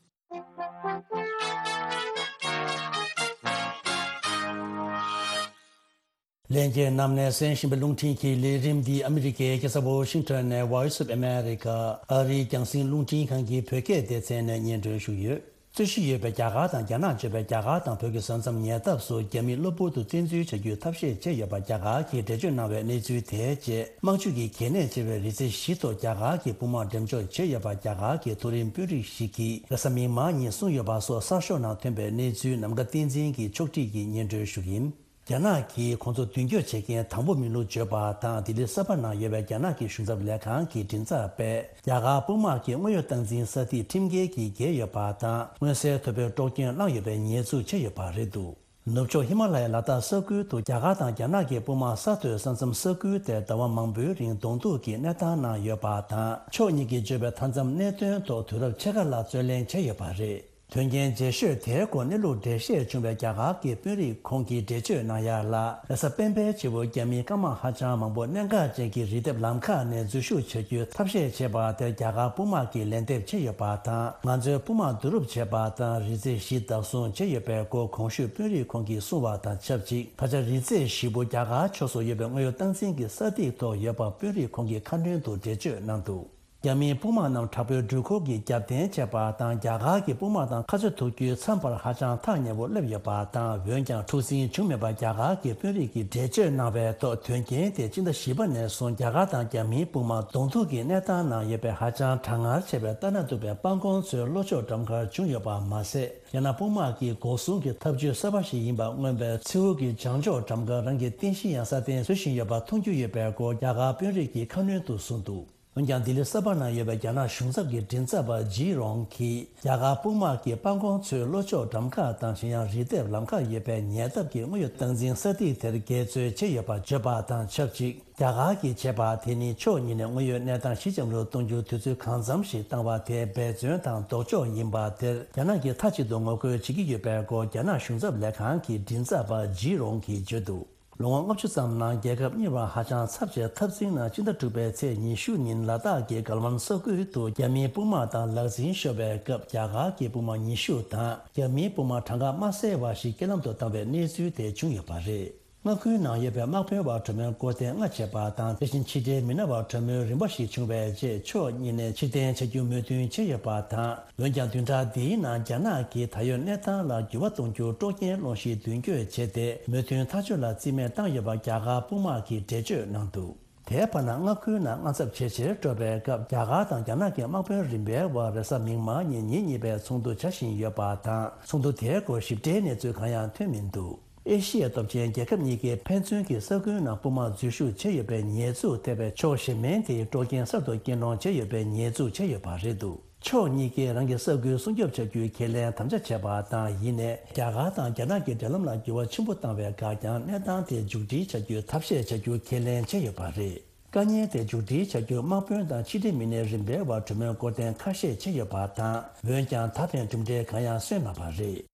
ལྷན་རྒྱས་རྣམས་ནས་གསན་བཞིན་པའི་རླུང་འཕྲིན་གྱི་ལས་རིམ་འདི་ཨ་མི་རི་ཀའི་རྒྱལ་ས་ཝོ་ཤིང་ཊོན་ནས་Voice of America ཨ་རིའི་རྒྱང་སྲིང་རླུང་འཕྲིན་ཁང་གི་བོད་སྐད་སྡེ་ཚན་ནས་སྙན་སྒྲོན་ཞུས་ཡོད། རྩོད་གཞི་ཡོད་པའི་རྒྱ་གར་དང་རྒྱ་ནག་བརྗོད་པའི་རྒྱ་གར་དང་བོད་ཀྱི་ས་མཚམས་ཉེ་འདབས་སུ་རྒྱ་མིས་གློ་བུར་དུ་བཙན་འཛུལ་བྱ་རྒྱུའི་ཐབས་ཤེས་བྱས་ཡོད་པ་རྒྱ་གར་གྱིས་འགྲེལ་བརྗོད་གནང་བའི་གནས་ཚུལ་དེའི་རྗེས། དམག་ཇུས་ཀྱི་གལ་གནད་ཆེ་བའི་རི་རྩེ་བཞི་ཐོག་རྒྱ་གར་གྱི་དཔུང་དམག་འགྲེམས་འཇོག་བྱས་ཡོད་པ་རྒྱ་གར་གྱི་མཐོ་རིམ་དཔོན་རིགས་ཤིག་གིས་རེས་གཟའ་མིག་དམར་ཉིན་གསུངས་ཡོད་པ་སོགས་གསར་ཤོག་ནང་ཐོན་པའི་གནས་ཚུལ་ནམ་མཁའ་བསྟན་འཛིན་གྱིས་ཕྱོགས་སྒྲིག་གིས་སྙན་སྒྲོན་ཞུ་གི་ཡིན། རྒྱ་ནག་གིས་ཁོང་ཚོ་མདུན་སྐྱོད་བྱེད་མཁན་དང་པོ་མིན་ལུགས་བརྗོད་པ་དང་། ལྡི་ལི་གསར་པ་ནང་ཡོད་པའི་རྒྱ་ནག་གི་གཞུང་ཚབ་ལས་ཁང་གི་མགྲིན་ཚབ་པས། རྒྱ་གར་དཔུང་དམག་གི་དངོས་ཡོད་སྟངས་འཛིན་ས་ཐིག་ཁྲིམས་འགལ་གྱིས་བརྒལ་ཡོད་པ་དང་། མངོན་གསལ་དོད་པོས་དཀྲོག་སྐྱོན་བསླངས་ཡོད་པའི་ཉེས་འཛུགས་བྱས་ཡོད་པ་རེད་འདུག། ནུབ་ཕྱོགས་ཧི་མ་ལ་ཡའི་ལ་དྭགས་ས་ཁུལ་དུ་རྒྱ་གར་དང་རྒྱ་ནག་གི་དཔུང་དམག་ས་མཐོའི་ས་མཚམས་ས་ཁུལ་དེར་ཟླ་བ་མང་པོའི་རིང་གདོང་ཐུག་གི་གནས་སྟངས་ནང་ཡོད་པ་དང་། ཕྱོགས་གཉིས་ཀྱིས་བརྗོད་པའི་མཐའ་མཚམས་གནད་དོན་ཐོག་དུས་རབས་ཕྱེད་ཀ་ལ་རྩོད་གླེང་བྱས་ཡོད་པ་རེད། དོན་རྐྱེན་རྗེས་ཤོས་དེའི་སྐོར་གནས་ལུགས་འགྲེལ་བཤད་བྱུང་བའི་རྒྱ་གར་གྱི་དཔོན་རིགས་ཁོང་གིས་འགྲེལ་བརྗོད་གནང་ཡ་ལ། རེས་གཟའ་སྤེན་པའི་ཕྱི་པོ་རྒྱ་མིའི་སྐར་མ་ཧ་ཅང་མང་པོ་གནད་འགག་ཅན་གྱི་རི་ལྡེབས་ལམ་ཁ་ནས་འཛུལ་ཞུགས་བྱ་རྒྱུའི་ཐབས་ཤེས་བྱས་པ་དེར་རྒྱ་གར་དཔུང་དམག་གིས་ལན་འདེབས་བྱས་ཡོད་པ་དང་། ང་ཚོའི་དཔུང་དམག་བསྡུ་རུབ་བྱས་པ་དང་། རི་རྩེ་བཞི་བདག་བཟུང་བྱས་ཡོད་པའི་སྐོར་གོང་ཞུས་དཔོན་རིགས་ཁོང་གིས་གསུངས་པ་དང་ཆབས་ཅིག། ད་ཆ་རི་རྩེ་བཞི་པོ་རྒྱ་གར་ཕྱོགས་སུ་ཡོད་པའི་དངོས་ཡོད་སྟངས་འཛིན་གྱི་ས་ཐིག་ཐོག་ཡོད་པ་དཔོན་རིགས་ཁོང་གིས་ཁ་སྣོན་དུ་འགྲེལ་བརྗོད་གནང་འདུག། རྒྱ་མིའི་དཔུང་དམག་རྣམས་དྲག་པོའི་འགྲུལ་འཁོར་གྱིས་རྒྱབ་རྟེན་བྱས་པ་དང་། རྒྱ་གར་གྱི་དཔུང་དམག་དང་ཁ་ཕྱོགས་ཐུག་རྒྱུའི་མཚམས་བར་ཧ་ཅང་ཐག་ཉེ་བོར་སླེབས་ཡོད་པ་དང་། འོན་ཀྱང་འཁྲུག་ཟིང་བྱུང་མེད་པར་རྒྱ་གར་གྱི་དཔོན་རིགས་ཀྱིས་འགྲེལ་བརྗོད་གནང་བའི་ཐོག་དོན་རྐྱེན་དེ་སྤྱི་ཟླ་བཞི་པ་ནས་བཟུང་རྒྱ་གར་དང་རྒྱ་མིའི་དཔུང་དམག་གདོང་ཐུག་གི་གནས་སྟངས་ནང་ཡོད་པའི་ཧ་ཅང་གྲང་ངར་ཆེ་བའི་ལྟ་ན་སྡུག་པའི་སྤང་གོང་མཚོའི་ལྷོ་ཕྱོགས་འགྲམ་ཁར་བྱུང་ཡོད་པ་མ་ཟད། རྒྱ་ནག་དཔུང་དམག་གིས་འགོག་སྲུང་གི་ཐབས་ཇུས་གསར་པ་ཞིག་ཡིན་པར་མངོན་པའི་མཚེའུ་གི་བྱང་ཕྱོགས་འགྲམ་ཁར་རང་གི་རྟེན་གཞི་ཡང་སྲ་བརྟན་བཟོ་བཞིན་ཡོད་པ་མཐོང་རྒྱུ་ཡོད་པའི་སྐོར་རྒྱ་གར་དཔོན་རིགས་ཀྱིས་ཁ་སྣོན་དུ་གསུངས་འདུག་འོན་ཀྱང་ལྡི་ལི་གསར་པ་ནང་ཡོད་པའི་རྒྱ་ནག་གཞུང་ཚབ་ཀྱི་མགྲིན་ཚབ་པ་ཇི་རོང་གིས། རྒྱ་གར་དཔུང་དམག་གིས་སྤང་གོང་མཚོའི་ལྷོ་ཕྱོགས་འགྲམ་ཁ་དང་གཞན་ཡང་རི་ལྡེབས་ལམ་ཁ་ཡོད་པའི་ཉེ་འདབས་ཀྱི་དངོས་ཡོད་སྟངས་འཛིན་ས་ཐིག་དེར་འགལ་རྩོད་བྱས་ཡོད་པ་བརྗོད་པ་དང་ཆབས་ཅིག་རྒྱ་གར་གྱིས་བྱས་པ་དེ་ནི་ཕྱོགས་གཉིས་ནས་དངོས་ཡོད་གནས་སྟངས་ཞི་འཇམ་རུ་གཏོང་རྒྱུར་དུས་ཚོད་གང་འཚམ་ཞིག་བཏང་བ་དེ་འབད་བརྩོན་དང་ལྡོག་ཕྱོགས་ཡིན་པ་དེར་རྒྱ་ནག་གིས་མཐའ་གཅིག་ཏུ་ངོ་རྒོལ་བྱེད་ཀྱི་ཡོད་པའི་སྐོར་རྒྱ་ནག་གཞུང་ཚབ་ལས་ཁང་གི་མགྲིན་ཚབ་པ་ཇི་རོང་གིས་བརྗོད་འདུག་ལོ་ངོ་ལྔ་བཅུ་ཙམ་ནང་རྒྱལ་ཁབ་གཉིས་བར་ཧ་ཅང་ཚབས་ཆེའི་འཐབ་འཛིང་ནང་སྤྱི་ཟླ་དྲུག་པའི་ཚེས་ཉི་ཤུ་ཉིན་ལ་དྭགས་ཀྱི་གལ་ཝན་ས་ཁུལ་དུ་རྒྱ་མིའི་དཔུང་དམག་དང་ལག་འཛིང་ཤོར་བའི་སྐབས་རྒྱ་གར་གྱི་དཔུང་དམག་ཉི་ཤུ་དང་རྒྱ་མིའི་དཔུང་དམག་གྲངས་ཀ་མ་གསལ་བ་ཞིག་རྐྱེན་ལམ་དུ་བཏང་བའི་གནས་ཚུལ་དེ་བྱུང་ཡོད་པ་རེད། མངའ་ཁུལ་ནང་ཡོད་པའི་དམག་དཔོན་བར་གྲོས་མོལ་སྐོར་གཏན་ལྔ་བྱས་པ་དང་། དེ་བཞིན་ཕྱི་འབྲེལ་མི་སྣ་བར་གྲོས་མོལ་རིམ་པ་ཞིག་བྱུང་བའི་རྗེས་ཕྱོགས་གཉིས་ནས་ཕྱིར་འཐེན་བྱ་རྒྱུ་མོས་མཐུན་བྱས་ཡོད་པ་དང་། འོན་ཀྱང་བདུན་ཕྲག་འདིའི་ནང་རྒྱ་ནག་གིས་ད་ཡོད་གནས་སྟངས་ལ་འགྱུར་བ་གཏོང་རྒྱུར་དཀྲོག་རྐྱེན་སློང་གཞི་མདུན་སྐྱོད་བྱས་ཏེ་མོས་མཐུན་ཐག་གཅོད་ལ་རྩིས་མེད་བཏང་ཡོད་པ་རྒྱ་གར་དཔུང་དམག་གིས་འགྲེལ་བརྗོད་གནང་འདུག་དེའི་བར་ན་མངའ་ཁུལ་ནང་དངངས་འཚབ་ཇེ་ཆེར་འགྲོ་བའི་སྐབས་རྒྱ་གར་དང་རྒྱ་ནག་གི་དམག་དཔོན་རིམ་པའི་བར་རེས་གཟའ་མིག་དམར་ཉིན་ཉིན་གཉིས་པའི་ཚོགས་འདུ་བྱ་བཞིན་ཡོད་པ་དང་། ཚོགས་འདུ་དེའི་སྐོར་ཞིབ་ཕྲའི་གནས་ཚུལ་གང་ཡང་ཐོན་མི་འདུག་ཨེ་ཤི་ཡའི་སྟོབས་ཆེན་རྒྱལ་ཁབ་གཉིས་ཀས་ཕན་ཚུན་གྱི་ས་ཁུལ་ནང་དཔུང་དམག་འཛུལ་ཞུགས་བྱས་ཡོད་པའི་ཉེས་འཛུགས་ཐེབས་པའི་ཕྱོགས་གཞན་མིན་དེའི་དཀྲོག་རྐྱེན་གསར་དུ་སྐྱེལ་གནང་བྱས་ཡོད་པའི་ཉེས་འཛུགས་བྱས་ཡོད་པ་རེད་འདུག་ཕྱོགས་གཉིས་ཀས་རང་གི་ས་ཁུལ་སྲུང་སྐྱོབ་བྱ་རྒྱུའི་ཁས་ལེན་དམ་བཅའ་བྱས་པ་དང་། ཡིན་ནའི་རྒྱ་གར་དང་རྒྱ་ནག་གི་འབྲེལ་ལམ་ལ་འགྱུར་བ་ཆེན་པོ་བཏང་བའི་འགག་རྐྱང་གནས་སྟངས་དེ་མཇུག་སྒྲིལ་བྱ་རྒྱུའི་ཐབས་ཤེས་བྱ་རྒྱུ་ཁས་ལེན་བྱས་ཡོད་པ་རེད། དཀའ་ངལ་དེ་མཇུག་སྒྲིལ་བྱ་རྒྱུར་དམག་དཔོན་དང་ཕྱི་འབྲེལ་མི་སྣའི་རིམ་པའི་བར་གྲོས་མོལ་སྐོར་གཏན་ཁ་ཤས་བྱས་ཡོད་པ་དང་། འོན་ཀྱང་ད་ཕན་གྲུབ་འབྲས་གང་ཡང་སོན་མེད་པ་རེད།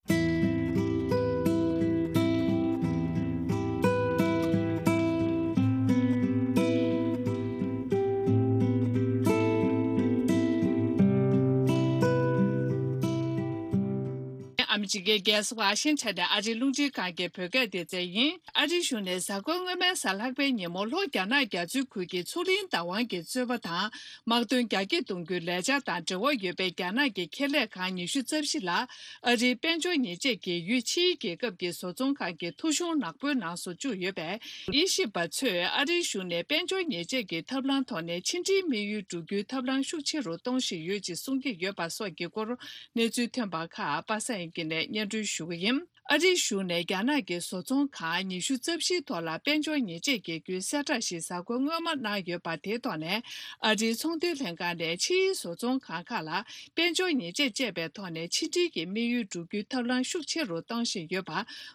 ཨ་མི་རི་ཀའི་རྒྱལ་ས་ཝ་ཤིང་ཊོན་ནས་ཨ་རིའི་རླུང་འཕྲིན་ཁང་གི་བོད་སྐད་སྡེ་ཚན་ཡིན། ཨ་རིའི་གཞུང་ནས་གཟའ་འཁོར་སྔོན་མའི་གཟའ་ལྷག་པའི་ཉིན་མོ་ལྷོ་རྒྱ་ནག་རྒྱ་མཚོའི་ཁུལ་གྱི་མཚོ་གླིང་བདག་དབང་གི་རྩོད་པ་དང་། དམག་དོན་རྒྱ་སྐྱེད་གཏོང་རྒྱུའི་ལས་འཆར་དང་འབྲེལ་བ་ཡོད་པའི་རྒྱ་ནག་གི་ཁེ་ལས་ཁང་ཉི་ཤུ་རྩ་བཞི་ལ་ཨ་རིའི་དཔལ་འབྱོར་ཉེས་ཆད་འགེལ་ཡུལ་ཕྱིའི་རྒྱལ་ཁབ་ཀྱི་བཟོ་ཚོང་ཁང་གི་ཐོ་གཞུང་ནག་པོའི་ནང་སོར་བཅུག་ཡོད་པས། དབྱེ་ཞིབ་པ་ཚོས་ཨ་རིའི་གཞུང་ནས་དཔལ་འབྱོར་ཉེས་ཆད་ཀྱི་ཐབས་ལམ་ཐོག་ནས་ཕྱི་འབྲེལ་དམིགས་ཡུལ་བསྒྲུབ་རྒྱུའི་ཐབས་ལམ་ཤུགས་ཆེ་རུ་གཏོང་བཞིན་ཡོད་ཅེས་གསུང་གི་ཡོད་པ་སོགས་ཀྱི་སྐོར་གནས་ཚུལ་ཐོན་པ་ཁག་པ་སངས་དབྱངས་སྐྱིད་ནས་སྙན་སྒྲོན་ཞུ་གི་ཡིན། ཨ་རིའི་གཞུང་ནས་རྒྱ་ནག་གི་བཟོ་ཚོང་ཁང་ཉི་ཤུ་རྩ་བཞིའི་ཐོག་ལ་དཔལ་འབྱོར་ཉེས་ཆད་འགེལ་རྒྱུའི་གསལ་བསྒྲགས་ཤིག་གཟའ་འཁོར་སྔོན་མ་གནང་ཡོད་པ་དེའི་ཐོག་ནས། ཨ་རིའི་ཚོང་དོན་ལྷན་ཁང་ནས་ཕྱིའི་བཟོ་ཚོང་ཁང་ཁག་ལ་དཔལ་འབྱོར་ཉེས་ཆད་བཅད་པའི་ཐོག་ནས་ཕྱི་འབྲེལ་གྱི་དམིགས་ཡུལ་བསྒྲུབ་རྒྱུའི་ཐབས་ལམ་ཤུགས་ཆེ་རུ་གཏོང་བཞིན་ཡོད་པ་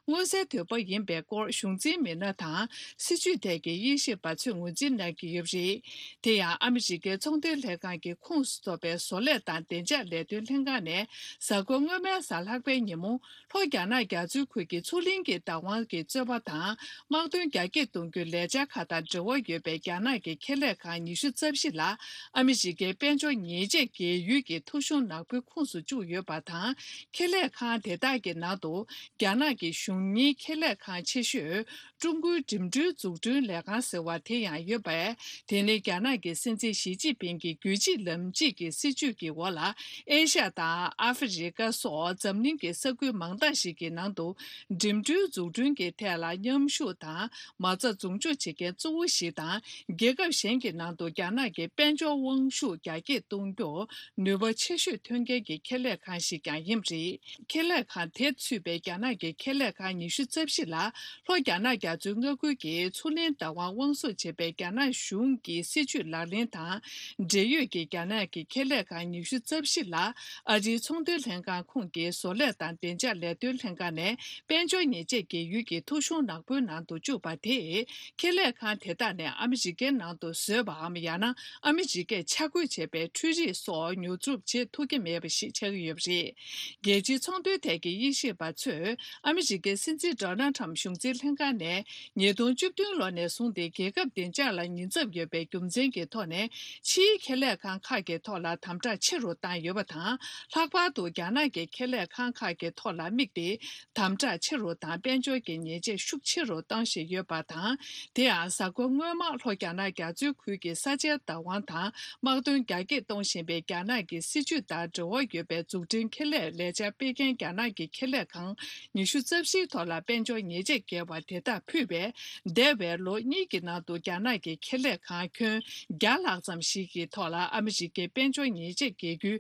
མངོན་གསལ་དོད་པོ་ཡིན་པའི་སྐོར་གཞུང་འཛིན་མི་སྣ་དང་སྲིད་བྱུས་ཐད་ཀྱི་དབྱེ་ཞིབ་པ་ཚོས་ངོས་འཛིན་གནང་གི་ཡོད་པ་རེད། དེ་ཡང་ཨ་མི་རི་ཀའི་ཚོང་དོན་ལྷན་ཁང་གི་ཁོངས་སུ་གཏོགས་པའི་བཟོ་ལས་དང་བདེ་འཇགས་ལས་དོན་ལྷན་ཁང་ནས་གཟའ་འཁོར་སྔོན་མའི་གཟའ་ལྷག་པའི་ཉིན་མོ། ལྷོ་རྒྱ་ནག་རྒྱ་མཚོའི་ཁུལ་གྱི་མཚོ་གླིང་གི་བདག་དབང་གི་རྩོད་པ་དང་། དམག་དོན་རྒྱ་སྐྱེད་གཏོང་རྒྱུའི་ལས་འཆར་ཁག་དང་འབྲེལ་བ་ཡོད་པའི་རྒྱ་ནག་གི་ཁེ་ལས་ཁང་ཉི་ཤུ་རྩ་བཞི་ལ་ཨ་མི་རི་ཀའི་དཔལ་འབྱོར་ཉེས་ཆད་འགེལ་ཡུལ་གྱི་ཐོ་གཞུང་ནག་པོའི་ཁོངས་སུ་བཅུག་ཡོད་པ་དང་། ཁེ་ལས་ཁང་དེ་དག་གི་ནང་དུ་རྒྱ་ནག་གི་གཞུང་གཉེར་ཁེ་ལས་ཁང་ཆེ་ཤོས་ཀྲུང་གོའི་འགྲིམ་འགྲུལ་འཛུགས་སྐྲུན་ལས་ཁང་ཟེར་བ་དེ་ཡང་ཡོད་པས། དེ་ནི་རྒྱ་ནག་གི་སྲིད་འཛིན་ཞི་ཅིན་ཕིང་གི་རྒྱུད་གཅིག་ལམ་གཅིག་གི་སྲིད་བྱུས་ཀྱི་འོག་ལ། ཨེ་ཤ་ཡ་དང་ཨ་ཧྥེ་རི་ཀ་སོགས་འཛམ་གླིང་གི་ས་ཁུལ་མང་དག་ཞིག་གི་ནང་དུ་འགྲིམ་འགྲུལ་འཛུགས་སྐྲུན་གྱི་ཐད་ལ་མཉམ་ཞུགས་དང་མ་རྩ་འཛུགས་འཇུག་བྱེད་མཁན་གཙོ་བོ་ཞིག་དང་། རྒྱལ་ཁབ་གཞན་གྱི་ནང་དུ་རྒྱ་ནག་གི་དཔལ་འབྱོར་དབང་ཤུགས་རྒྱ་སྐྱེད་གཏོང་རྒྱུར་ནུས་པ་ཆེ་ཤོས་ཐོན་མཁན་གྱི་ཁེ་ལས་ཁང་ཞིག་ཀྱང་ཡིན་པ་རེད། ཁེ་ལས་ཁང་དེ་ཚུད་པའི་རྒྱ་ནག་གི་ཁེ་ལས་ཁང་ཉི་ཤུ་རྩ་བཞི་ལ། ལྷོ་རྒྱ་ནག་རྒྱ་མཚོའི་མངའ་ཁུལ་གྱི་མཚོ་གླིང་བདག་དབང་དབང་བཟུང་བྱེད་པའི་རྒྱ་ནག་གཞུང་གི་སྲིད་བྱུས་ལག་ལེན་དང་འབྲེལ་ཡོད་ཀྱི་རྒྱ་ནག་གི་ཁེ་ལས་ཁང་ཉི་ཤུ་རྩ་བཞི་ལ་ཨ་རིའི་ཚོང་དོན་ལྷན་ཁང་ཁོངས་ཀྱི་བཟོ་ལས་དང་བདེ་འཇགས་ལས་དོན་ལྷན་ཁང་ནས་དཔལ་འབྱོར་ཉེས་ཆད་འགེལ་ཡུལ་གྱི་ཐོ་གཞུང་ནག་པོའི་ནང་དུ་བཅུག་པ་དེས། ཁེ་ལས་ཁང་དེ་དག་ནས་ཨ་མི་རི་ཀའི་ནང་དུ་བཟོས་པའམ་ཡང་ན་ཨ་མི་རི་ཀས་ཆ་བགོས་བྱས་པའི་འཕྲུལ་རིག་སོགས་ཉོ་སྒྲུབ་བྱེད་ཐུབ་ཀྱི་མེད་པ་ཞིག་ཆགས་ཀྱི་ཡོད་པ་རེད། རྒྱལ་སྤྱིའི་ཚོང་དོན་ཐད་ཀྱི་དབྱེ་ཞིབ་པ་ཚོས། ཨ་མི་རི་ཀའི་སྲིད་འཛིན་ཌོ་ནལ་ཁྲམ་གཞུང་འཛིན་ལྷན་ཁང་ནས་ཉིས་སྟོང་བཅུ་བདུན་ལོ་ནས་བཟུང་སྟེ་རྒྱལ་ཁབ་བདེ་འཇགས་ལ་ཉེན་ཚབས་ཡོད་པའི་རྒྱུ་མཚན་གྱི་ཐོག་ནས་ཕྱིའི་ཁེ་ལས་ཁང་ཁག་གི་ཐོག་ལ་དམ་དྲག་ཆེ་རུ་བཏང་ཡོད་པ་དང་། ལྷག་པར་དུ་རྒྱ་ནག་གི་ཁེ་ལས་ཁང་ཁག་གི་ཐོག་ལ་དམིགས་ཏེ། དམ་དྲག་ཆེ་རུ་དང་། དཔལ་འབྱོར་གྱི་ཉེས་ཆད་ཤུགས་ཆེ་རུ་གཏོང་བཞིན་ཡོད་པ་དང་། དེ་ཡང་གཟའ་འཁོར་སྔོན་མ་ལྷོ་རྒྱ་ནག་རྒྱ་མཚོའི་ཁུལ་གྱི་ས་ཆའི་བདག་དབང་དང་དམག་དོན་རྒྱ་སྐྱེད་གཏོང་བཞིན་པའི་རྒྱ་ནག་གི་སྲིད་ཇུས་དང་འབྲེལ་བ་ཡོད་པའི་འཛུགས་སྐྲུན་ཁེ་ལས་ལས་འཆར་སྤེལ་མཁན་རྒྱ་ནག་གི་ཁེ་ལས་ཁང་ཉི་ཤུ་རྩ་བཞིའི་ཐོག་ལ་དཔལ་འབྱོར་ཉེས་ཆད་བཀལ་བ་དེ་དག་ཕུད་པས། འདས་པའི་ལོ་གཉིས་ཀྱི་ནང་དུ་རྒྱ་ནག་གི་ཁེ་ལས་ཁང་ཁྱོན་བརྒྱ་ལྷག་ཙམ་ཞིག་གི་ཐོག་ལ་ཨ་མི་རི་ཀའི་དཔལ་འབྱོར་ཉེས་ཆད་འགེལ་རྒྱུའི་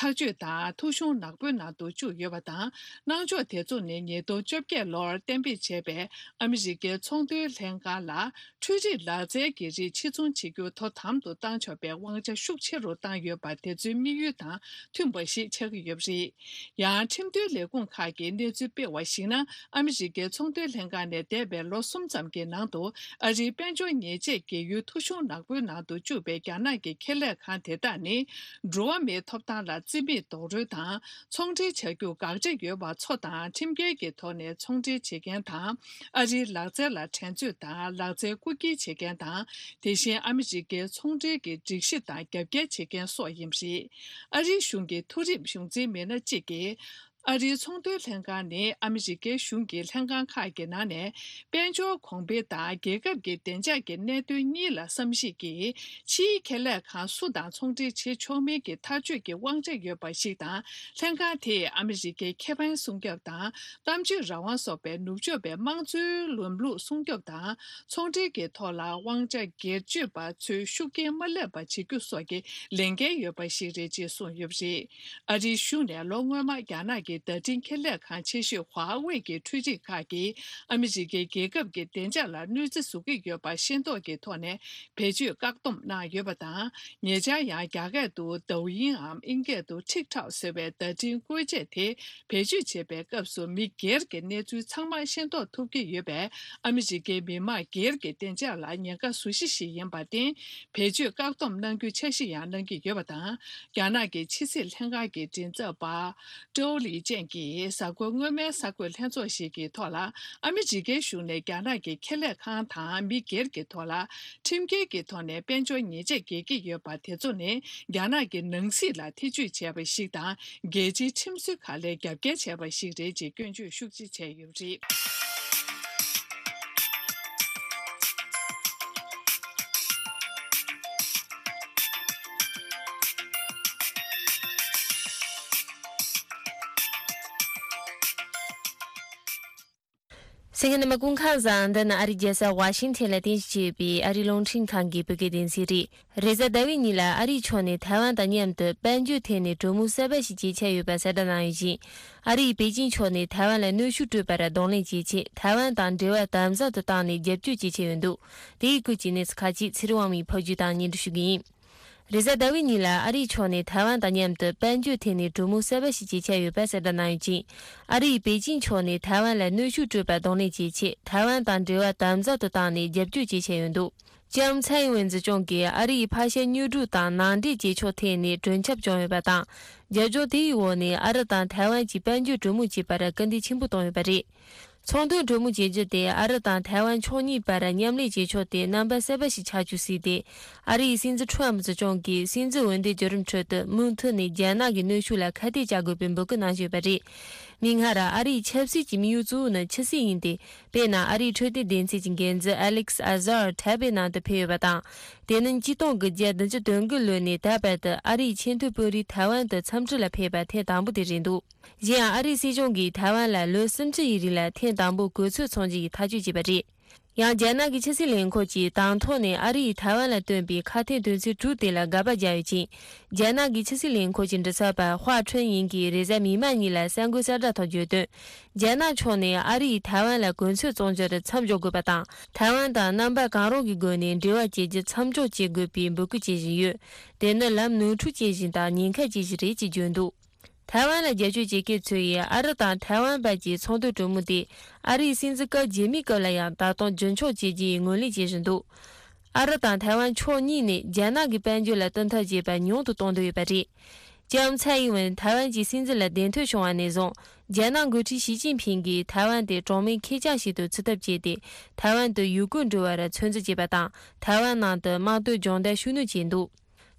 ཐག་གཅོད་དང་ཐོ་གཞུང་ནག་པོའི་ནང་དུ་བཅུག་ཡོད་པ་དང་། གནང་ཕྱོགས་དེ་ཚོ་ནི་ཉིས་སྟོང་བཅོ་བརྒྱད་ལོར་གཏན་འབེབས་བྱས་པའི་ཨ་མི་རི་ཀའི་ཚོང་དོན་ལྷན་ཁང་ལ་འཕྲུལ་རིག་ལག་རྩལ་གྱི་རིགས་ཕྱིར་ཚོང་བྱེད་རྒྱུ་དོ་དམ་དུ་བཏང་ཆོག་པའི་དབང་ཆ་ཤུགས་ཆེ་རུ་བཏང་ཡོད་པ་དེ་ཚོའི་དམིགས་ཡུལ་དང་མཐུན་པ་ཞིག་ཆགས་ཀྱི་ཡོད་པ་རེད། ཡང་ཁྲིམས་མཐུན་ལས་ཁུངས་ཁག་གིས་གནས་ཚུལ་སྤེལ་བར་གཞིགས་ན། ཨ་མི་རི་ཀའི་ཚོང་དོན་ལྷན་ཁང་ནས་འདས་པའི་ལོ་གསུམ་ཙམ་གྱི་ནང་དུ་ཨ་རིའི་དཔལ་འབྱོར་ཉེས་ཆད་འགེལ་ཡུལ་ཐོ་གཞུང་ནག་པོའི་ནང་དུ་བཅུག་པའི་རྒྱ་ནག་གི་ཁེ་ལས་ཁང་དེ་དག་ནི། འགྲོ་བ་མིའི་ཐོབ་ཐང་ལ་བརྩི་མེད་རྡོག་རོལ་དང་། ཚོང་འབྲེལ་བྱ་རྒྱུར་དགག་བྱ་ཡོད་པ་ཚོ་དང་ཁྲིམས་འགལ་གྱི་ཐོག་ནས་ཚོང་འབྲེལ་བྱེད་མཁན་དང་། ཨ་རིའི་ལག་རྩལ་ལ་འགྲན་རྩོད་དང་ལག་རྩལ་རྐུ་འཁྱེར་བྱེད་མཁན་དང་། དེ་བཞིན་ཨ་མི་རི་ཀའི་ཚོང་འབྲེལ་གྱི་སྒྲིག་གཞི་དང་རྒྱབ་འགལ་བྱེད་མཁན་སོགས་ཡིན་པ་རེད། ཨ་རིའི་གཞུང་གི་མཐོ་རིམ་གཞུང་འཛིན་མི་སྣ་གཅིག་གིས། ཨ་རིའི་ཚོང་དོན་ལྷན་ཁང་ནི་ཨ་མི་རི་ཀའི་གཞུང་གི་ལྷན་ཁང་ཁག་གི་ནང་ནས། དཔལ་འབྱོར་གོང་འཕེལ་དང་རྒྱལ་ཁབ་ཀྱི་བདེ་འཇགས་ཀྱི་གནད་དོན་གཉིས་ལ་བསམ་གཞིག་གིས། ཕྱིའི་ཁེ་ལས་ཁང་སུ་དང་ཚོང་འབྲེལ་བྱེད་ཆོག་མིན་གྱི་ཐག་གཅོད་ཀྱི་དབང་ཆ་ཡོད་པ་ཞིག་དང་། ལྷན་ཁང་དེས་ཨ་མི་རི་ཀའི་ཁེ་ཕན་སྲུང་སྐྱོབ་དང་། གཏམ་བརྗོད་རང་དབང་སོགས་པའི་ནུབ་ཕྱོགས་པའི་དམངས་གཙོའི་ལམ་ལུགས་སྲུང་སྐྱོབ་དང་། ཚོང་འབྲེལ་གྱི་ཐོག་ལ་དབང་ཆ་སྒེར་གཅོད་པ་ཚོས་ཤུགས་རྐྱེན་མ་སླེབས་པ་བྱེད་རྒྱུ་སོགས་ཀྱི་ལས་འགན་ཡོད་པ་ཞིག་རེད་ཅེས་གསུངས་ཡོད་པ་རེད། ཨ་རིའི་གཞུང་ནས་ལོ་སྔོན་མ་རྒྱ་ནག་གི་བརྡ་འཕྲིན་ཁེ་ལས་ཁང་ཆེ་ཤོས་ཧྭ་ཝེ་གི་འཕྲུལ་རིག་ཁག་གིས་ཨ་མི་རི་ཀའི་རྒྱལ་ཁབ་ཀྱི་བདེ་འཇགས་ལ་གནོད་འཚེ་བཟོ་གི་ཡོད་པ་ཤེས་རྟོགས་ཀྱི་ཐོག་ནས་བེད་སྤྱོད་བཀག་སྡོམ་གནང་ཡོད་པ་དང་། ཉེ་ཆར་ཡང་རྒྱ་སྐད་དུ་Douyin་འམ་དབྱིན་སྐད་དུ་TikTok་ཟེར་བའི་བརྡ་འཕྲིན་བཀོལ་ཆས་དེ་བེད་སྤྱོད་བྱེད་པའི་སྐབས་སུ་མི་སྒེར་གྱི་གནས་ཚུལ་ཚང་མ་ཤེས་རྟོགས་ཐུབ་ཀྱི་ཡོད་པས། ཨ་མི་རི་ཀའི་མི་དམངས་སྒེར་གྱི་བདེ་འཇགས་ལ་ཉེན་ཁ་བཟོ་གཞི་ཞིག་ཡིན་པར་བརྟེན། བེད་སྤྱོད་བཀག་སྡོམ་གནང་རྒྱུའི་འཆར་གཞི་ཡང་གནང་གི་ཡོད་པ་དང་། རྒྱ་ནག་གི་ཕྱི་སྲིད་ལྷན་ཁང་གི་མགྲིན་ཚབ་པ་ཀྲོའུ་ལི་ཅན་གྱིས་གཟའ་འཁོར་སྔོན་མའི་གསར་འགོད་ལྷན་ཚོགས་ཤིག་གི་ཐོག་ལ། ཨ་མི་རི་ཀའི་གཞུང་ནས་རྒྱ་ནག་གི་ཁེ་ལས་ཁང་དང་མི་སྒེར་གྱི་ཐོག་ལ་ཁྲིམས་འགལ་གྱི་ཐོག་ནས་དཔལ་འབྱོར་ཉེས་ཆད་འགེལ་གྱི་ཡོད་པ་དེ་ཚོ་ནི་རྒྱ་ནག་གི་ནང་སྲིད་ལ་ཐེ་ཇུས་བྱས་པ་ཞིག་དང་། རྒྱལ་སྤྱིའི་ཁྲིམས་སྲོལ་ཁག་ལ་རྒྱབ་འགལ་བྱས་པ་ཞིག་རེད་ཅེས་སྐྱོན་བརྗོད་ཤུགས་ཆེ་བྱས་ཡོད་པ་རེད། གསན་མཁན་རྣམ་པ་སྐུ་ཁམས་བཟང་། འདི་ནི་ཨ་རིའི་རྒྱལ་ས་ཝ་ཤིང་ཐན་ལ་རྟེན་གཞི་བྱས་པའི་ཨ་རིའི་རླུང་འཕྲིན་ཁང་གི་བོད་སྐད་སྡེ་ཚན་རེད། རེས་གཟའ་ཟླ་བའི་ཉིན་ལ་ཨ་རིའི་ཕྱོགས་ནས་ཐའེ་ཝན་དང་མཉམ་དུ་དཔལ་འབྱོར་ཐད་ནས་གྲོས་མོལ་གསར་པ་ཞིག་བྱེད་འཆར་ཡོད་པ་གསལ་བསྒྲགས་གནང་ཡོད་ཅིང་། ཨ་རིའི་པེ་ཅིང་ཕྱོགས་ནས་ཐའེ་ཝན་ལ་གནོན་ཤུགས་སྤྲོད་པར་གདོང་ལེན་བྱེད་ཆེད། ཐའེ་ཝན་དང་འབྲེལ་བ་དམ་ཟབ་ཏུ་བཏང་ནས་རྒྱབ་སྐྱོར་བྱེད་འཆར་ཡོད་འདུག་དེའི་སྐོར་གྱི་གནས་ཚུལ་ཁག་ཅིག་ཚེ་རིང་དབང་མོས་ཕབ་སྒྱུར་དང་སྙན་སྒྲོན་ཞུ་གི་ཡིན། རེས་གཟའ་ཟླ་བའི་ཉིན་ལ་ཨ་རིའི་ཕྱོགས་ནས་ཐའེ་ཝན་དང་མཉམ་དུ་དཔལ་འབྱོར་ཐད་ནས་གྲོས་མོལ་གསར་པ་ཞིག་བྱེད་འཆར་ཡོད་པ་གསལ་བསྒྲགས་གནང་ཡོད་ཅིང་། ཨ་རིའི་པེ་ཅིང་ཕྱོགས་ནས་ཐའེ་ཝན་ལ་གནོན་ཤུགས་སྤྲོད་པར་གདོང་ལེན་བྱེད་ཆེད། ཐའེ་ཝན་དང་འབྲེལ་བ་དམ་ཟབ་ཏུ་བཏང་ནས་རྒྱབ་སྐྱོར་བྱེད་འཆར་ཡོད་འདུག་ལྕམ་ཚའེ་ཨིན་ཝེན་གཙོ་སྐྱོང་གིས་ཨ་རིའི་ཕར་བཤད་གཉོས་སྒྲིག་དང་ནང་འདྲེན་བྱེད་ཕྱོགས་ཐད་ནས་གྲོས་འཆར་བྱུང་ཡོད་པ་དང་། རྒྱབ་ལྗོངས་དེའི་འོག་ནས་ཨ་རི་དང་ཐའེ་ཝན་གྱིས་དཔལ་འབྱོར་གྲོས་མོལ་བྱེད་པར་སྐུལ་འདེད་ཆེན་པོ་བཏང་ཡོད་པ་རེད། ཚོང་དོན་གྲོས་མོལ་བྱེད་རྒྱུ་དེ་ཨ་རི་དང་ཐའེ་ཝན་ཕྱོགས་གཉིས་བར་མཉམ་ལས་བྱེད་ཕྱོགས་དེ་རྣམ་པ་གསར་པ་ཞིག་ཆགས་རྒྱུ་སྲིད་དེ། ཨ་རིའི་སྲིད་འཛིན་ཁྲོམ་གཙོ་སྐྱོང་གིས་སྲིད་འཛིན་འོས་འདེམས་བརྒྱུད་རིམ་ཁྲོད་དུ་མུ་མཐུད་ནས་རྒྱ་ནག་གི་གནོན་ཤུགས་ལ་ཁ་གཏད་བཅག་དགོས་པའི་འབོད་སྐུལ་གནང་བཞིན་ཡོད་པ་རེད། མིག་སྔར་ཨ་རིའི་ཆབ་སྲིད་ཀྱི་དམིགས་ཡུལ་གཙོ་བོ་ནི་ཕྱི་སྲིད་ཡིན་ཏེ། དཔེར་ན་ཨ་རིའི་འཕྲོད་བསྟེན་སྡེ་ཚན་གྱི་འགན་འཛིན་ཨ་ལེག་ཨ་ཟར་ཐའེ་པེ་ནང་དུ་ཕེབས་ཡོད་པ་དང་། དེ་ནི་ཉིས་སྟོང་དགུ་བརྒྱ་བདུན་ཅུ་དོན་དགུ་ལོ་ནས་ད་བར་དུ་ཨ་རིའི་ཆེས་མཐོའི་དཔོན་རིགས་ཐའེ་ཝན་དུ་འཚམས་འདྲི་ལ་ཕེབས་པ་ཐེངས་དང་པོ་དེ་རེད་འདུག་གཞན་ཡང་ཨ་རིའི་སྲིད་གཞུང་གིས་ཐའེ་ཝན་ལ་ལོ་སུམ་ཅུ་ཡི་རིང་ལ་ཐེངས་དང་པོ་གོ་ཚོད་ཚོང་རྒྱུ་ཡི་ཐག་གཅོད་བྱས་པ་རེད། ཡང་རྒྱ་ནག་གི་ཕྱི་སྲིད་ལས་ཁུངས་ཀྱིས་དང་ཐོག་ནས་ཨ་རི་ཡིས་ཐའེ་ཝན་ལ་བཏོན་པའི་ཁ་གཏད་དོན་ཚན་དྲུག་དེ་ལ་དགག་པ་བརྒྱབ་ཡོད་ཅིང་། རྒྱ་ནག་གི་ཕྱི་སྲིད་ལས་ཁུངས་ཀྱི་མགྲིན་ཚབ་པ་ཧྭ་ཁྲུན་ཡིན་གྱིས་རེས་གཟའ་མིག་དམར་ཉིན་ལ་གསར་འགོད་གསལ་བསྒྲགས་ཐོག་བརྗོད་དོན། རྒྱ་ནག་ཕྱོགས་ནས་ཨ་རི་ཡིས་ཐའེ་ཝན་ལ་གོ་མཚོན་བཙོང་རྒྱུར་མཚམས་འཇོག་དགོས་པ་དང་། ཐའེ་ཝན་དང་རྣམ་པ་གང་རུང་གི་སྒོ་ནས་འབྲེལ་བ་བྱེད་རྒྱུ་མཚམས་འཇོག་བྱེད་དགོས་པའི་འབོད་སྐུལ་བྱེད་བཞིན་ཡོད། དེ་ནི་ལམ་ནོར་འཁྲུལ་བྱེད་བཞིན་དང་ཉེན་ཁ་བྱེད་བཞིན་རེད་ཅེས་བརྗོད་འདུག་ཐའེ་ཝན་ལ་རྒྱབ་སྐྱོར་བྱེད་མཁན་ཚོ་ཡིས་ཨ་རི་དང་ཐའེ་ཝན་བར་གྱི་ཚོང་དོན་གྲོས་མོལ་དེ་ཨ་རིའི་སྲིད་འཛིན་སྐབས་རྗེས་མའི་སྐབས་ལ་ཡང་ད་དུང་རྒྱུན་འཁྱོངས་བྱེད་རྒྱུའི་ངོས་ལེན་བྱེད་བཞིན་འདུག་ཨ་རི་དང་ཐའེ་ཝན་ཕྱོགས་གཉིས་ནས་རྒྱ་ནག་གི་དཔལ་འབྱོར་ལ་བསྟུན་ཐབས་བྱེད་པ་ཉུང་དུ་གཏོང་འདོད་ཡོད་པ་རེད། ལྕམ་ཚའེ་ཨིན་ཝེན་ཐའེ་ཝན་གྱི་སྲིད་འཛིན་ལ་གདན་ཐོན་བྱུང་བ་ནས་བཟུང་། རྒྱ་ནག་འགོ་ཁྲིད་ཞི་ཅིན་ཕིང་གིས་ཐའེ་ཝན་དེ་གྲོང་མིའི་ཁེར་རྐྱང་ཞིག་ཏུ་བརྩི་ཐབས་བྱས་ཏེ། ཐའེ་ཝན་དུ་ཡུལ་སྐོར་འགྲོ་བར་ཚོད་འཛིན་བྱས་པ་དང་། ཐའེ་ཝན་ནང་དུ་དམག་དོན་སྦྱོང་བརྡར་ཤུགས་སྣོན་བྱས་འདུག་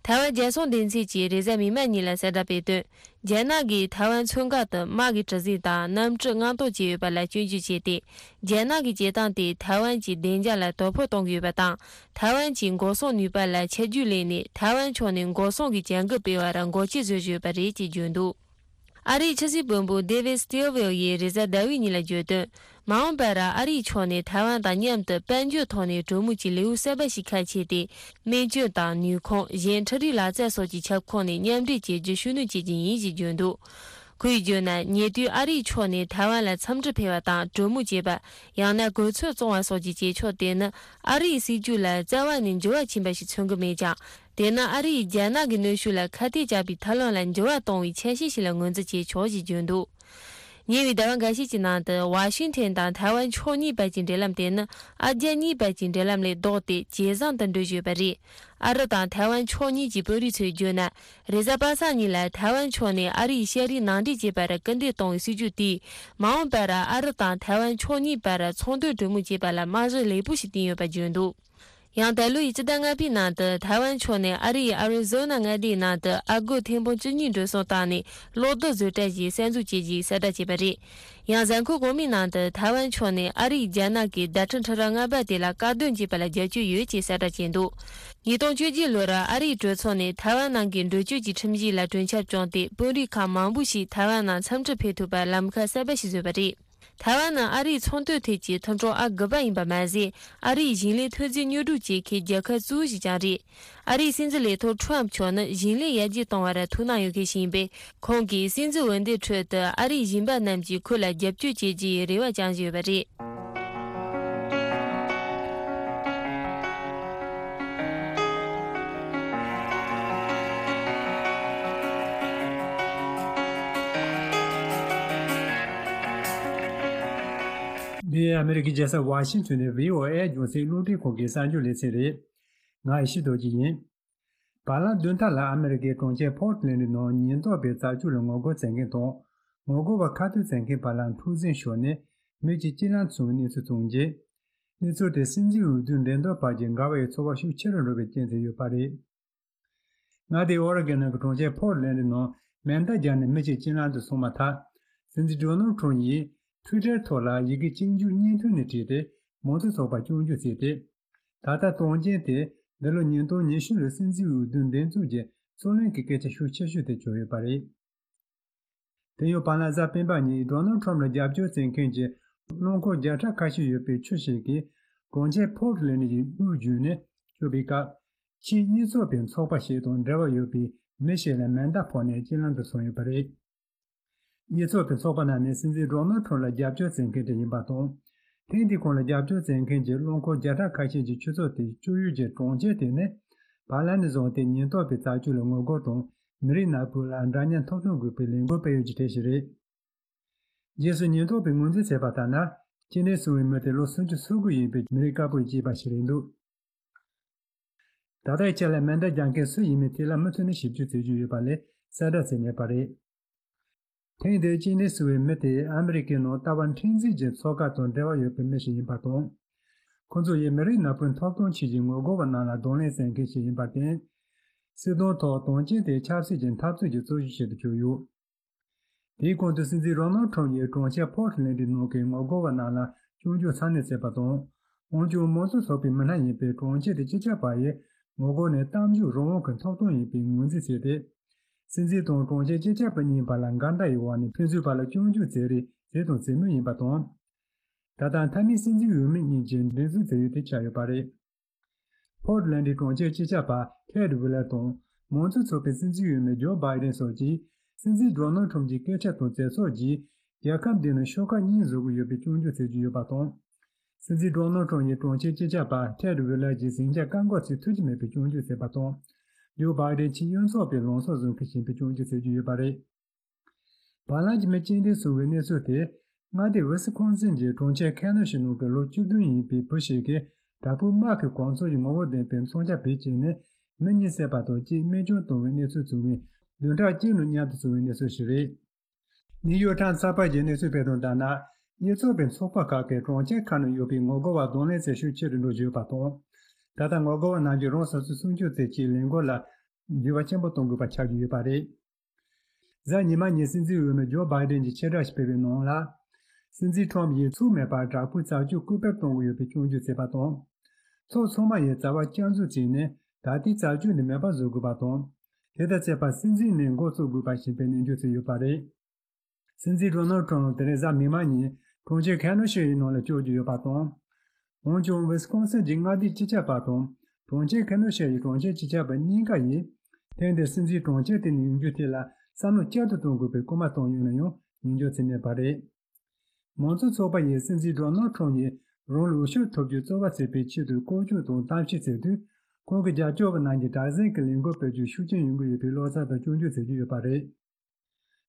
ཐའེ་ཝན་རྒྱལ་སྲུང་སྡེ་ཚན་གྱིས་རེས་གཟའ་མིག་དམར་ཉིན་ལ་གསལ་བསྒྲགས་སྤེལ་དོན། རྒྱ་ནག་གིས་ཐའེ་ཝན་མཚོ་འགག་ཏུ་དམག་གི་གྲུ་གཟིངས་དང་གནམ་གྲུ་མངགས་གཏོང་བྱས་ཡོད་པ་ལ་སྐྱོན་བརྗོད་བྱས་ཏེ། རྒྱ་ནག་གི་བྱེད་སྟངས་དེས་ཐའེ་ཝན་གྱི་བདེ་འཇགས་ལ་དོ་ཕོག་གཏོང་གི་ཡོད་པ་དང་། ཐའེ་ཝན་གྱི་འགོག་སྲུང་ནུས་པ་ལ་ཆད་རྒྱུ་ལེན་ནས། ཐའེ་ཝན་ཕྱོགས་ནས་འགོག་སྲུང་གི་བྱ་འགུལ་སྤེལ་བར་འགོག་རྐྱེན་བཟོ་བཞིན་ཡོད་པ་རེད་ཅེས་བརྗོད་འདུག་ཨ་རིའི་ཕྱི་སྲིད་དཔོན་པོ་David Stilwell ཡིས་རེས་གཟའ་ཟླ་བའི་ཉིན་ལ་བརྗོད་དོན། མ་འོངས་པར་ཨ་རིའི་ཕྱོགས་ནས་ཐའེ་ཝན་དང་མཉམ་དུ་དཔལ་འབྱོར་ཐོག་ནས་གྲོས་མོལ་གྱི་ལེའུ་གསར་པ་ཞིག་ཁ་ཕྱེ་སྟེ། སྨན་བཅོས་དང་ནུས་ཁུངས། གཞན་འཕྲུལ་རིག་ལག་རྩལ་སོགས་ཀྱི་ཁྱབ་ཁོངས་ནས་མཉམ་འབྲེལ་བྱེད་རྒྱུ་ཤུགས་སྣོན་བྱེད་ཀྱི་ཡིན་ཞེས་བརྗོད་འདུག་ཁོས་བརྗོད་ན། ཉེ་དུས་ཨ་རིའི་ཕྱོགས་ནས་ཐའེ་ཝན་ལ་འཚམས་འདྲི་ཕེབས་པ་དང་གྲོས་མོལ་བྱེད་པ། ཡང་ན་གོ་མཚོན་བཙོང་བ་སོགས་ཀྱི་བྱེད་ཕྱོགས་དེ་ནི། ཨ་རིའི་སྲིད་ཇུས་ལ་རྩ་བ་ནས་འགྱུར་བ་ཕྱིན་པ་ཞིག་མཚོན་གྱི་མེད་ཀྱང་། དེ་ནི་ཨ་རིས་རྒྱ་ནག་གི་གནོན་ཤུགས་ལ་ཁ་གཏད་བཅག་པའི་ཐབས་ལམ་ལ་འགྱུར་བ་གཏོང་བའི་ཆ་ཤས་ཤིག་ལ་ངོས་འཛིན་བྱེད་ཆོག་ཅེས་བརྗོད་འདུག་ཉེ་བའི་ཟླ་བ་འགའ་ཤས་ཀྱི་ནང་དུ། ཝ་ཤིང་ཐན་དང་ཐའེ་ཝན་ཕྱོགས་གཉིས་བར་གྱི་འབྲེལ་ལམ་དེ་ནི། ཨ་རྒྱ་གཉིས་བར་གྱི་འབྲེལ་ལམ་ལས་ལྡོག་སྟེ། ཇེ་བཟང་དུ་འགྲོ་བཞིན་ཡོད་པ་རེད། ཨ་རི་དང་ཐའེ་ཝན་ཕྱོགས་གཉིས་ཀྱི་དཔོན་རིགས་ཚོས་བརྗོད་ན། རེས་གཟའ་པ་སངས་ཉིན་ལ་ཐའེ་ཝན་ཕྱོགས་ནས་ཨ་རིའི་ཤ་རིགས་ནང་འདྲེན་བྱེད་པར་སྐུལ་འདེད་གཏོང་བའི་སྲིད་ཇུས་དེས། མ་འོངས་པར་ཨ་རི་དང་ཐའེ་ཝན་ཕྱོགས་གཉིས་བར་ཚོང་དོན་གྲོས་མོལ་བྱེད་པ་ལ་རྨང་གཞི་ལེགས་པོ་ཞིག་བཏིང་ཡོད་པ་བརྗོད་འདུག་ཡང་ད་ལོའི་སྤྱི་ཟླ་ལྔ་པའི་ནང་དུ། ཐའེ་ཝན་ཕྱོགས་ནས་ཨ་རིའི་ཨ་རི་ཛོ་ན་མངའ་སྡེའི་ནང་དུ་ཨ་སྒོར་ཐེར་འབུམ་བཅུ་གཉིས་འགྲོ་སོང་བཏང་ནས། གློག་རྡུལ་བཟོ་གྲྭ་ཞིག་གསར་འཛུགས་བྱེད་རྒྱུའི་གསལ་བསྒྲགས་བྱས་པ་རེད། ཡང་། གཟའ་འཁོར་གོང་མའི་ནང་དུ། ཐའེ་ཝན་ཕྱོགས་ནས་ཨ་རིས་རྒྱ་ནག་གི་བརྡ་འཕྲིན་འཕྲུལ་རིག་མངའ་འབེབས་དེ་ལ་བཀག་སྡོམ་བྱས་པ་ལ་རྒྱབ་སྐྱོར་ཡོད་ཅེས་གསལ་བསྒྲགས་བྱས་འདུག་ཉིས་སྟོང་བཅོ་བརྒྱད་ལོར་ཨ་རིའི་གྲོས་ཚོགས་ནས་ཐའེ་ཝན་ནང་གི་འགྲུལ་སྐྱོད་ཀྱི་ཁྲིམས་གཞི་ལ་གྲོས་འཆར་བསྐྱངས་ཏེ། དཔོན་རིགས་ཁག་མང་པོ་ཞིག་ཐའེ་ཝན་ནང་འཚམས་འདྲི་ཕེབས་ཐུབ་པར་ལམ་ཁ་གསར་པ་ཞིག་བཟོས་པ་རེད། ཐའེ་ཝན་ནི་ཨ་རིའི་ཚོང་དོན་ཐད་ཀྱི་མཐུན་གྲོགས་ཨང་དགུ་པ་ཡིན་པ་མ་ཟད། ཨ་རིའི་ཞིང་ལས་ཐོན་རྫས་ཉོ་སྒྲུབ་བྱེད་མཁན་རྒྱལ་ཁབ་གཙོ་བོ་ཞིག་ཀྱང་རེད། ཨ་རིའི་སྲིད་འཛིན་ལས་ཐོག་ཁྲོམ་མཆོག་ནི་ཞིང་ལས་ཡར་རྒྱས་གཏོང་བར་ཐུགས་སྣང་ཡོད་མཁན་ཞིག་ཡིན་པས། ཁོང་གིས་སྲིད་འཛིན་འོས་འདེམས་ཁྲོད་དུ་ཨ་རིའི་ཞིང་པ་རྣམས་ཀྱིས་ཁོ་ལ་རྒྱབ་སྐྱོར་བྱེད་རྒྱུའི་རེ་བ་བཅངས་བཞིན་ཡོད་པ་རེད། འདི་ཨ་མེ་རི་ཀའི་རྒྱལ་ས་ཝ་ཤིང་ཐོན་ནས་བྷི་ཨོ་ཨེ་རྒྱང་སྲིང་རླུང་འཕྲིན་ཁང་གི་གསར་འགྱུར་ལེ་ཚན་རེད། ང་ཡེ་ཤེས་རྡོ་རྗེ་ཡིན། བར་ལམ་བདུན་ཕྲག་ལ་ཨ་མེ་རི་ཀའི་གྲོང་ཁྱེར་ཕོར་ཊ་ལན་ཌི་ནང་ཉེན་རྟོག་པས་རྩད་གཅོད་ལ་ངོ་རྒོལ་བྱེད་མཁན་དང་། ངོ་རྒོལ་བ་ཁ་གཏད་བྱེད་མཁན་བར་ལ་འཁྲུག་འཛིང་ཤོར་ནས་མི་གཅིག་རྐྱེན་ལམ་སོང་བའི་གནས་ཚུལ་བྱུང་རྗེས། གནས་ཚུལ་དེ་སྲིད་འཛིན་འོས་བསྡུའི་འགྲན་བསྡུར་བར་གྱི་འགལ་བ་ཡི་ཚོར་བ་ཤུགས་ཆེ་རུ་འགྲོ་བའི་རྐྱེན་དུ་ཡོད་པ་རེད། མངའ་སྡེ་ཨོ་རེ་གོན་ནང་གི་གྲོང་ཁྱེར་ཕོར་ཊ་ལན་ཌི་ནང་མེ་མདའ་བརྒྱབ་ནས་མི་གཅིག་རྐྱེན་ལམ་དུ་སོང་མ་ཐག་སྲིད་འཛིན་ཌོ་ནལ་ཊམ་ཡིས་ཊུའི་ཊར་ཐོག་ལ་ཡི་གེ་གཅིག་མཇུག་གཉིས་མཐུད་ནས་བྲིས་ཏེ། མང་གཙོ་ཚོགས་པར་སྐྱོན་བརྗོད་བྱས་ཏེ། ད་ལྟ་སྟོན་རྐྱེན་དེ་འདི་ལོ་ཉིས་སྟོང་ཉི་ཤུ་ལོའི་སྲིད་འཛིན་འོས་བསྡུའི་འགྲན་ཚོགས་ཀྱི་རྩོད་གླེང་གི་སྐད་ཆ་ཤུགས་ཆེ་ཤོས་དེ་གྱུར་ཡོད་པ་རེད། དེ་ཡང་བར་ལམ་གཟའ་སྤེན་པ་ཉིན་ཌོ་ནལ་ཊམ་ལ་རྒྱབ་སྐྱོར་བྱེད་མཁན་གྱི་རླངས་འཁོར་བརྒྱ་ཕྲག་ཁ་ཤས་ཡོད་པའི་ཁྱུ་ཞིག་གིས་གྲོང་ཁྱེར་ཕོར་ཊ་ལན་ཌི་ཡི་དབུས་བརྒྱུད་ནས་སྐྱོད་པའི་སྐབས། ཕྱིའི་གཉེན་ཚོགས་པའི་ཚོགས་པ་ཞིག་དང་འབྲེལ་བ་ཡོད་པའི་མི་ཞིག་ལ་མེ་མདའ་ཕོག་ནས་རྐྱེན་ལམ་དུ་སོང་ཡོད་པ་རེད། གཉེན་ཚོགས་པའི་ཚོགས་པ་རྣམས་ནི་སྲིད་འཛིན་ཌོ་ནལ་ཊམ་ལ་རྒྱབ་སྐྱོར་བྱེད་མཁན་དེ་ཡིན་པ་དང་། ཐེངས་འདིའི་ཁོང་ལ་རྒྱབ་སྐྱོར་བྱེད་མཁན་གྱི་རླངས་འཁོར་བརྒྱ་ཕྲག་ཁ་ཤས་ཀྱི་ཆུ་ཚོད་དེ་སྐྱོད་ཡུལ་གྱི་གྲོང་ཁྱེར་དེ་ནི། བར་ལམ་ནས་བཟུང་སྟེ་ཉེན་རྟོག་པའི་རྩད་གཅོད་ལ་ངོ་རྒོལ་དང་། མི་རིགས་ནག་པོ་ལ་འདྲ་མཉམ་ཐོབ་ཐང་དགོས་པའི་ལས་འགུལ་སྤེལ་ཡུལ་གྱི་གྲས་ཤིག་རེད། རྗེས་སུ་ཉེན་རྟོག་པས་ངོས་འཛིན་བྱས་པ་ལྟར་ན། རྐྱེན་ངན་བྱུང་བའི་མི་དེ་ལོ་སུམ་ཅུ་སོ་དགུ་ཡིན་པའི་མི་རིགས་དཀར་པོ་ཡིས་སྐྱེས་པ་ཞིག་རེད་འདུག་ད་ལྟའི་ཆར་ལ་མེ་མདའ་རྒྱག་མཁན་སུ་ཡིན་མིན་དེ་ལ་མུ་མཐུད་ནས་ཞིབ་འཇུག་བྱེད་ཀྱི་ཡོད་པ་ལས་གསལ་བསྒྲགས་བྱས་མེད་པ་རེད། ཐེངས་འདིའི་རྐྱེན་ངན་བྱུང་བའི་མི་དེ་ཨ་མི་རི་ཀའི་ནང་ལྟ་བ་མཁྲེགས་འཛིན་གྱི་ཚོགས་ཁག་དང་འབྲེལ་བ་ཡོད་པའི་མི་ཞིག་ཡིན་པ་དང་། ཁོ་ཚོ་ཡིས་མི་རིགས་ནག་པོའི་ཐོབ་ཐང་ཆེད་ཀྱི་ངོ་རྒོལ་བ་རྣམས་ལ་གདོང་ལེན་བྱེད་མཁན་ཞིག་ཡིན་པར་བརྟེན། སྲིད་དོན་ཐོག་དོན་རྐྱེན་དེ་ཆབ་སྲིད་ཀྱི་འཐབ་རྩོད་ཀྱི་རྩོད་གཞི་ཞིག་ཏུ་གྱུར་ཡོད། དེའི་གོང་དུ་སྲིད་འཛིན་ཌོ་ནལ་ཊམ་ཡིས་གྲོང་ཁྱེར་ཕོར་ཊ་ལན་ཌི་ནང་གི་ངོ་རྒོལ་བ་རྣམས་ལ་སྐྱོན་བརྗོད་ཚ་ནན་བྱས་པ་དང་། འོན་ཀྱང་མང་གཙོ་ཚོགས་པའི་མི་སྣ་ཡིན་པའི་གྲོང་ཁྱེར་དེ་སྤྱི་ཁྱབ་པ་ཡིས་ངོ་རྒོལ་ནི་གཏམ་བརྗོད་རང་དབང་གི་ཐོབ་ཐང་ཡིན་པའི་ངོས་འཛིན་བྱས་ཏེ། སྲིད་འཛིན་དང་གྲོང་ཁྱེར་སྤྱི་ཁྱབ་པ་གཉིས་བར་ལ་འགལ་ཟླ་ཡི་འོག་ནས་ཕན་ཚུན་བར་ལ་སྐྱོན་བརྗོད་བྱེད་རེས་བྱས་དང་བྱེད་མུས་ཡིན་པ་དང་། ད་ལྟ་མཐའ་མའི་སྲིད་འཛིན་འོས་མི་གཉིས་ཀྱི་འགྲན་རྩོད་བྱེད་ཡུལ་དེ་ཆགས་ཡོད་པ་རེད། ཕོར་ཊ་ལན་ཌིའི་གྲོང་ཁྱེར་སྤྱི་ཁྱབ་པ་ཐེཌ་ཝི་ལར་དང་མང་གཙོ་ཚོགས་པའི་སྲིད་འཛིན་འོས་མི་ཇོ་བྷའི་ཌེན་སོགས་ཀྱིས་སྲིད་འཛིན་ཌོ་ནལ་ཊམ་གྱི་སྐད་ཆ་དང་མཛད་ཕྱོགས་ཀྱིས་རྒྱལ་ཁབ་འདི་ནི་ཤོག་ཁག་གཉིས་བཟོ་གི་ཡོད་པའི་སྐྱོན་བརྗོད་བྱེད་ཀྱི་ཡོད་པ་དང་། སྲིད་འཛིན་ཌོ་ནལ་ཊམ་ཡིས་གྲོང་ཁྱེར་སྤྱི་ཁྱབ་པ་ཐེཌ་ཝི་ལར་གྱི་ཟིང་ཆ་བཀག་འགོག་བྱེད་ཐུབ་ཀྱི་མེད་པའི་སྐྱོན་བརྗོད་བྱས་པ་དང་། ཇོ་བྷའི་ཌེན་ཕྱིའི་གཡོན་ཕྱོགས་པའི་ལངས་ཕྱོགས་བཟུང་མཁན་ཡིན་པའི་སྐྱོན་བརྗོད་བྱེད་ཀྱི་ཡོད་པ་རེད། བར་ལམ་གྱི་མི་རྐྱེན་འདས་སོང་བའི་གནས་ཚུལ་དེ། མངའ་སྡེ་ཝི་སི་ཁོན་སིན་གྱི་གྲོང་ཁྱེར་ཁེ་ནོ་ཤི་ནང་གི་ལོ་བཅུ་བདུན་ཡིན་པའི་བུ་ཞིག་གིས་དྲག་པོའི་དམག་གི་གོ་མཚོན་གྱི་ངོ་བོ་ལྡན་པའི་མཚོན་ཆ་བེད་སྤྱད་ནས་མི་གཉིས་བསད་པ་དང་གཅིག་རྨས་སྐྱོན་བཏང་བའི་གནས་ཚུལ་བྱུང་བའི་བདུན་ཕྲག་གཅིག་ནང་མཉམ་དུ་བྱུང་བའི་གནས་ཚུལ་ཞིག་རེད། ནིའུ་ཡོག་ཊའིམ་ཚགས་པར་གྱི་གནས་ཚུལ་སྤེལ་དོན་ལྟར་ན། གཉེན་ཚོགས་པའི་ཚོགས་པ་ཁག་གིས་གྲོང་ཁྱེར་ཁག་ནང་ཡོད་པའི་ངོ་རྒོལ་བར་གདོང་ལེན་བྱེད་ཤུགས་ཆེ་རུ་འགྲོ་བཞིན་ཡོད་པ་དང་། ད་ལྟ་ངོ་རྒོལ་བ་རྣམས་ཀྱིས་རང་སོ་སོའི་སྲུང་སྐྱོབ་ཚད་ཀྱི་ལས་འགུལ་ལ་ འགྱུར་བ་ཆེན་པོ་གཏོང་དགོས་པ་ཆགས་ཀྱི་ཡོད་པ་རེད། གཟའ་ཉི་མ་ཉིན་སྲིད་འཛིན་འོས་མི་ཇོ་བྷའི་ཌེན་གྱིས་ཕྱིར་བསྒྲགས་ཤིག་སྤེལ་བའི་ནང་ལ། སྲིད་འཛིན་ཁྲོམ་ཡིས་ཚུགས་མེད་པར་དྲག་པོའི་རྩད་གཅོད་སྐུལ་སྤེལ་གཏོང་གི་ཡོད་པའི་སྐྱོན་བརྗོད་བྱས་པ་དང་། ཚོགས་ཚང་མ་ཡིས་རྩ་བ་བསྐྱར་འཛུགས་བྱས་ནས་ད་ལྟའི་རྩད་གཅོད་འདི་མེད་པར་བཟོ་དགོས་པ་དང་། དེ་ལྟར་བྱས་པར་སྲིད་འཛིན་ནས་འགོ་བཙུགས་དགོས་པ་ཞེས་པའི་ནན་བརྗོད་བྱས་ཡོད་པ་རེད། སྲིད་འཛིན་ཌོ་ནལ་ཁྲོམ་དེ་རིང་གཟའ་མིག་དམར་ཉིན་གྲོང་ཁྱེར་ཁེ་ནོ་ཤི་ཡི་ནང་ལ་བསྐྱོད་རྒྱུ་ཡོད་པ་དང་། འོན་ཀྱང་ཝི་སི་ཀོན་སིན་གྱི་མངའ་སྡེའི་སྤྱི་ཁྱབ་པ་དང་གྲོང་ཁྱེར་ཁེ་ནོ་ཤི་ཡི་གྲོང་ཁྱེར་སྤྱི་ཁྱབ་པ་གཉིས་ཀ་ཡིས་ཐེངས་འདིར་སྲིད་འཛིན་གྲོང་ཁྱེར་དེ་ནས་ཡོང་རྒྱུའི་ཐད་ལ་བསམ་བློ་བསྐྱར་དུ་གཏོང་དགོས་པའི་སྐུལ་མ་བཏང་ཡོད་ན་ཡང་ཉན་འཇོག་བྱས་མེད་པ་རེད། མང་གཙོ་ཚོགས་པ་ཡིས་སྲིད་འཛིན་ཌོ་ནལ་ཁྲོམ་ཡིས་རང་ལ་འོས་ཤོག་ཐོབ་རྒྱུ་རྩོལ་བ་བྱེད་པའི་ཆེད་དུ་སྐོར་སྐྱོད་དང་གཏམ་བཤད་བྱས་དུས། ཁོང་གི་རྒྱབ་སྐྱོར་བ་རྣམས་ཀྱིས་དྲག་ཟིང་གི་ལས་འགུལ་སྤེལ་རྒྱུར་ཤུགས་རྐྱེན་ཡོང་གི་ཡོད་པའི་བློ་འཚབ་དང་སྐྱོན་བརྗོད་བྱེད་ཀྱི་ཡོད་པ་རེད།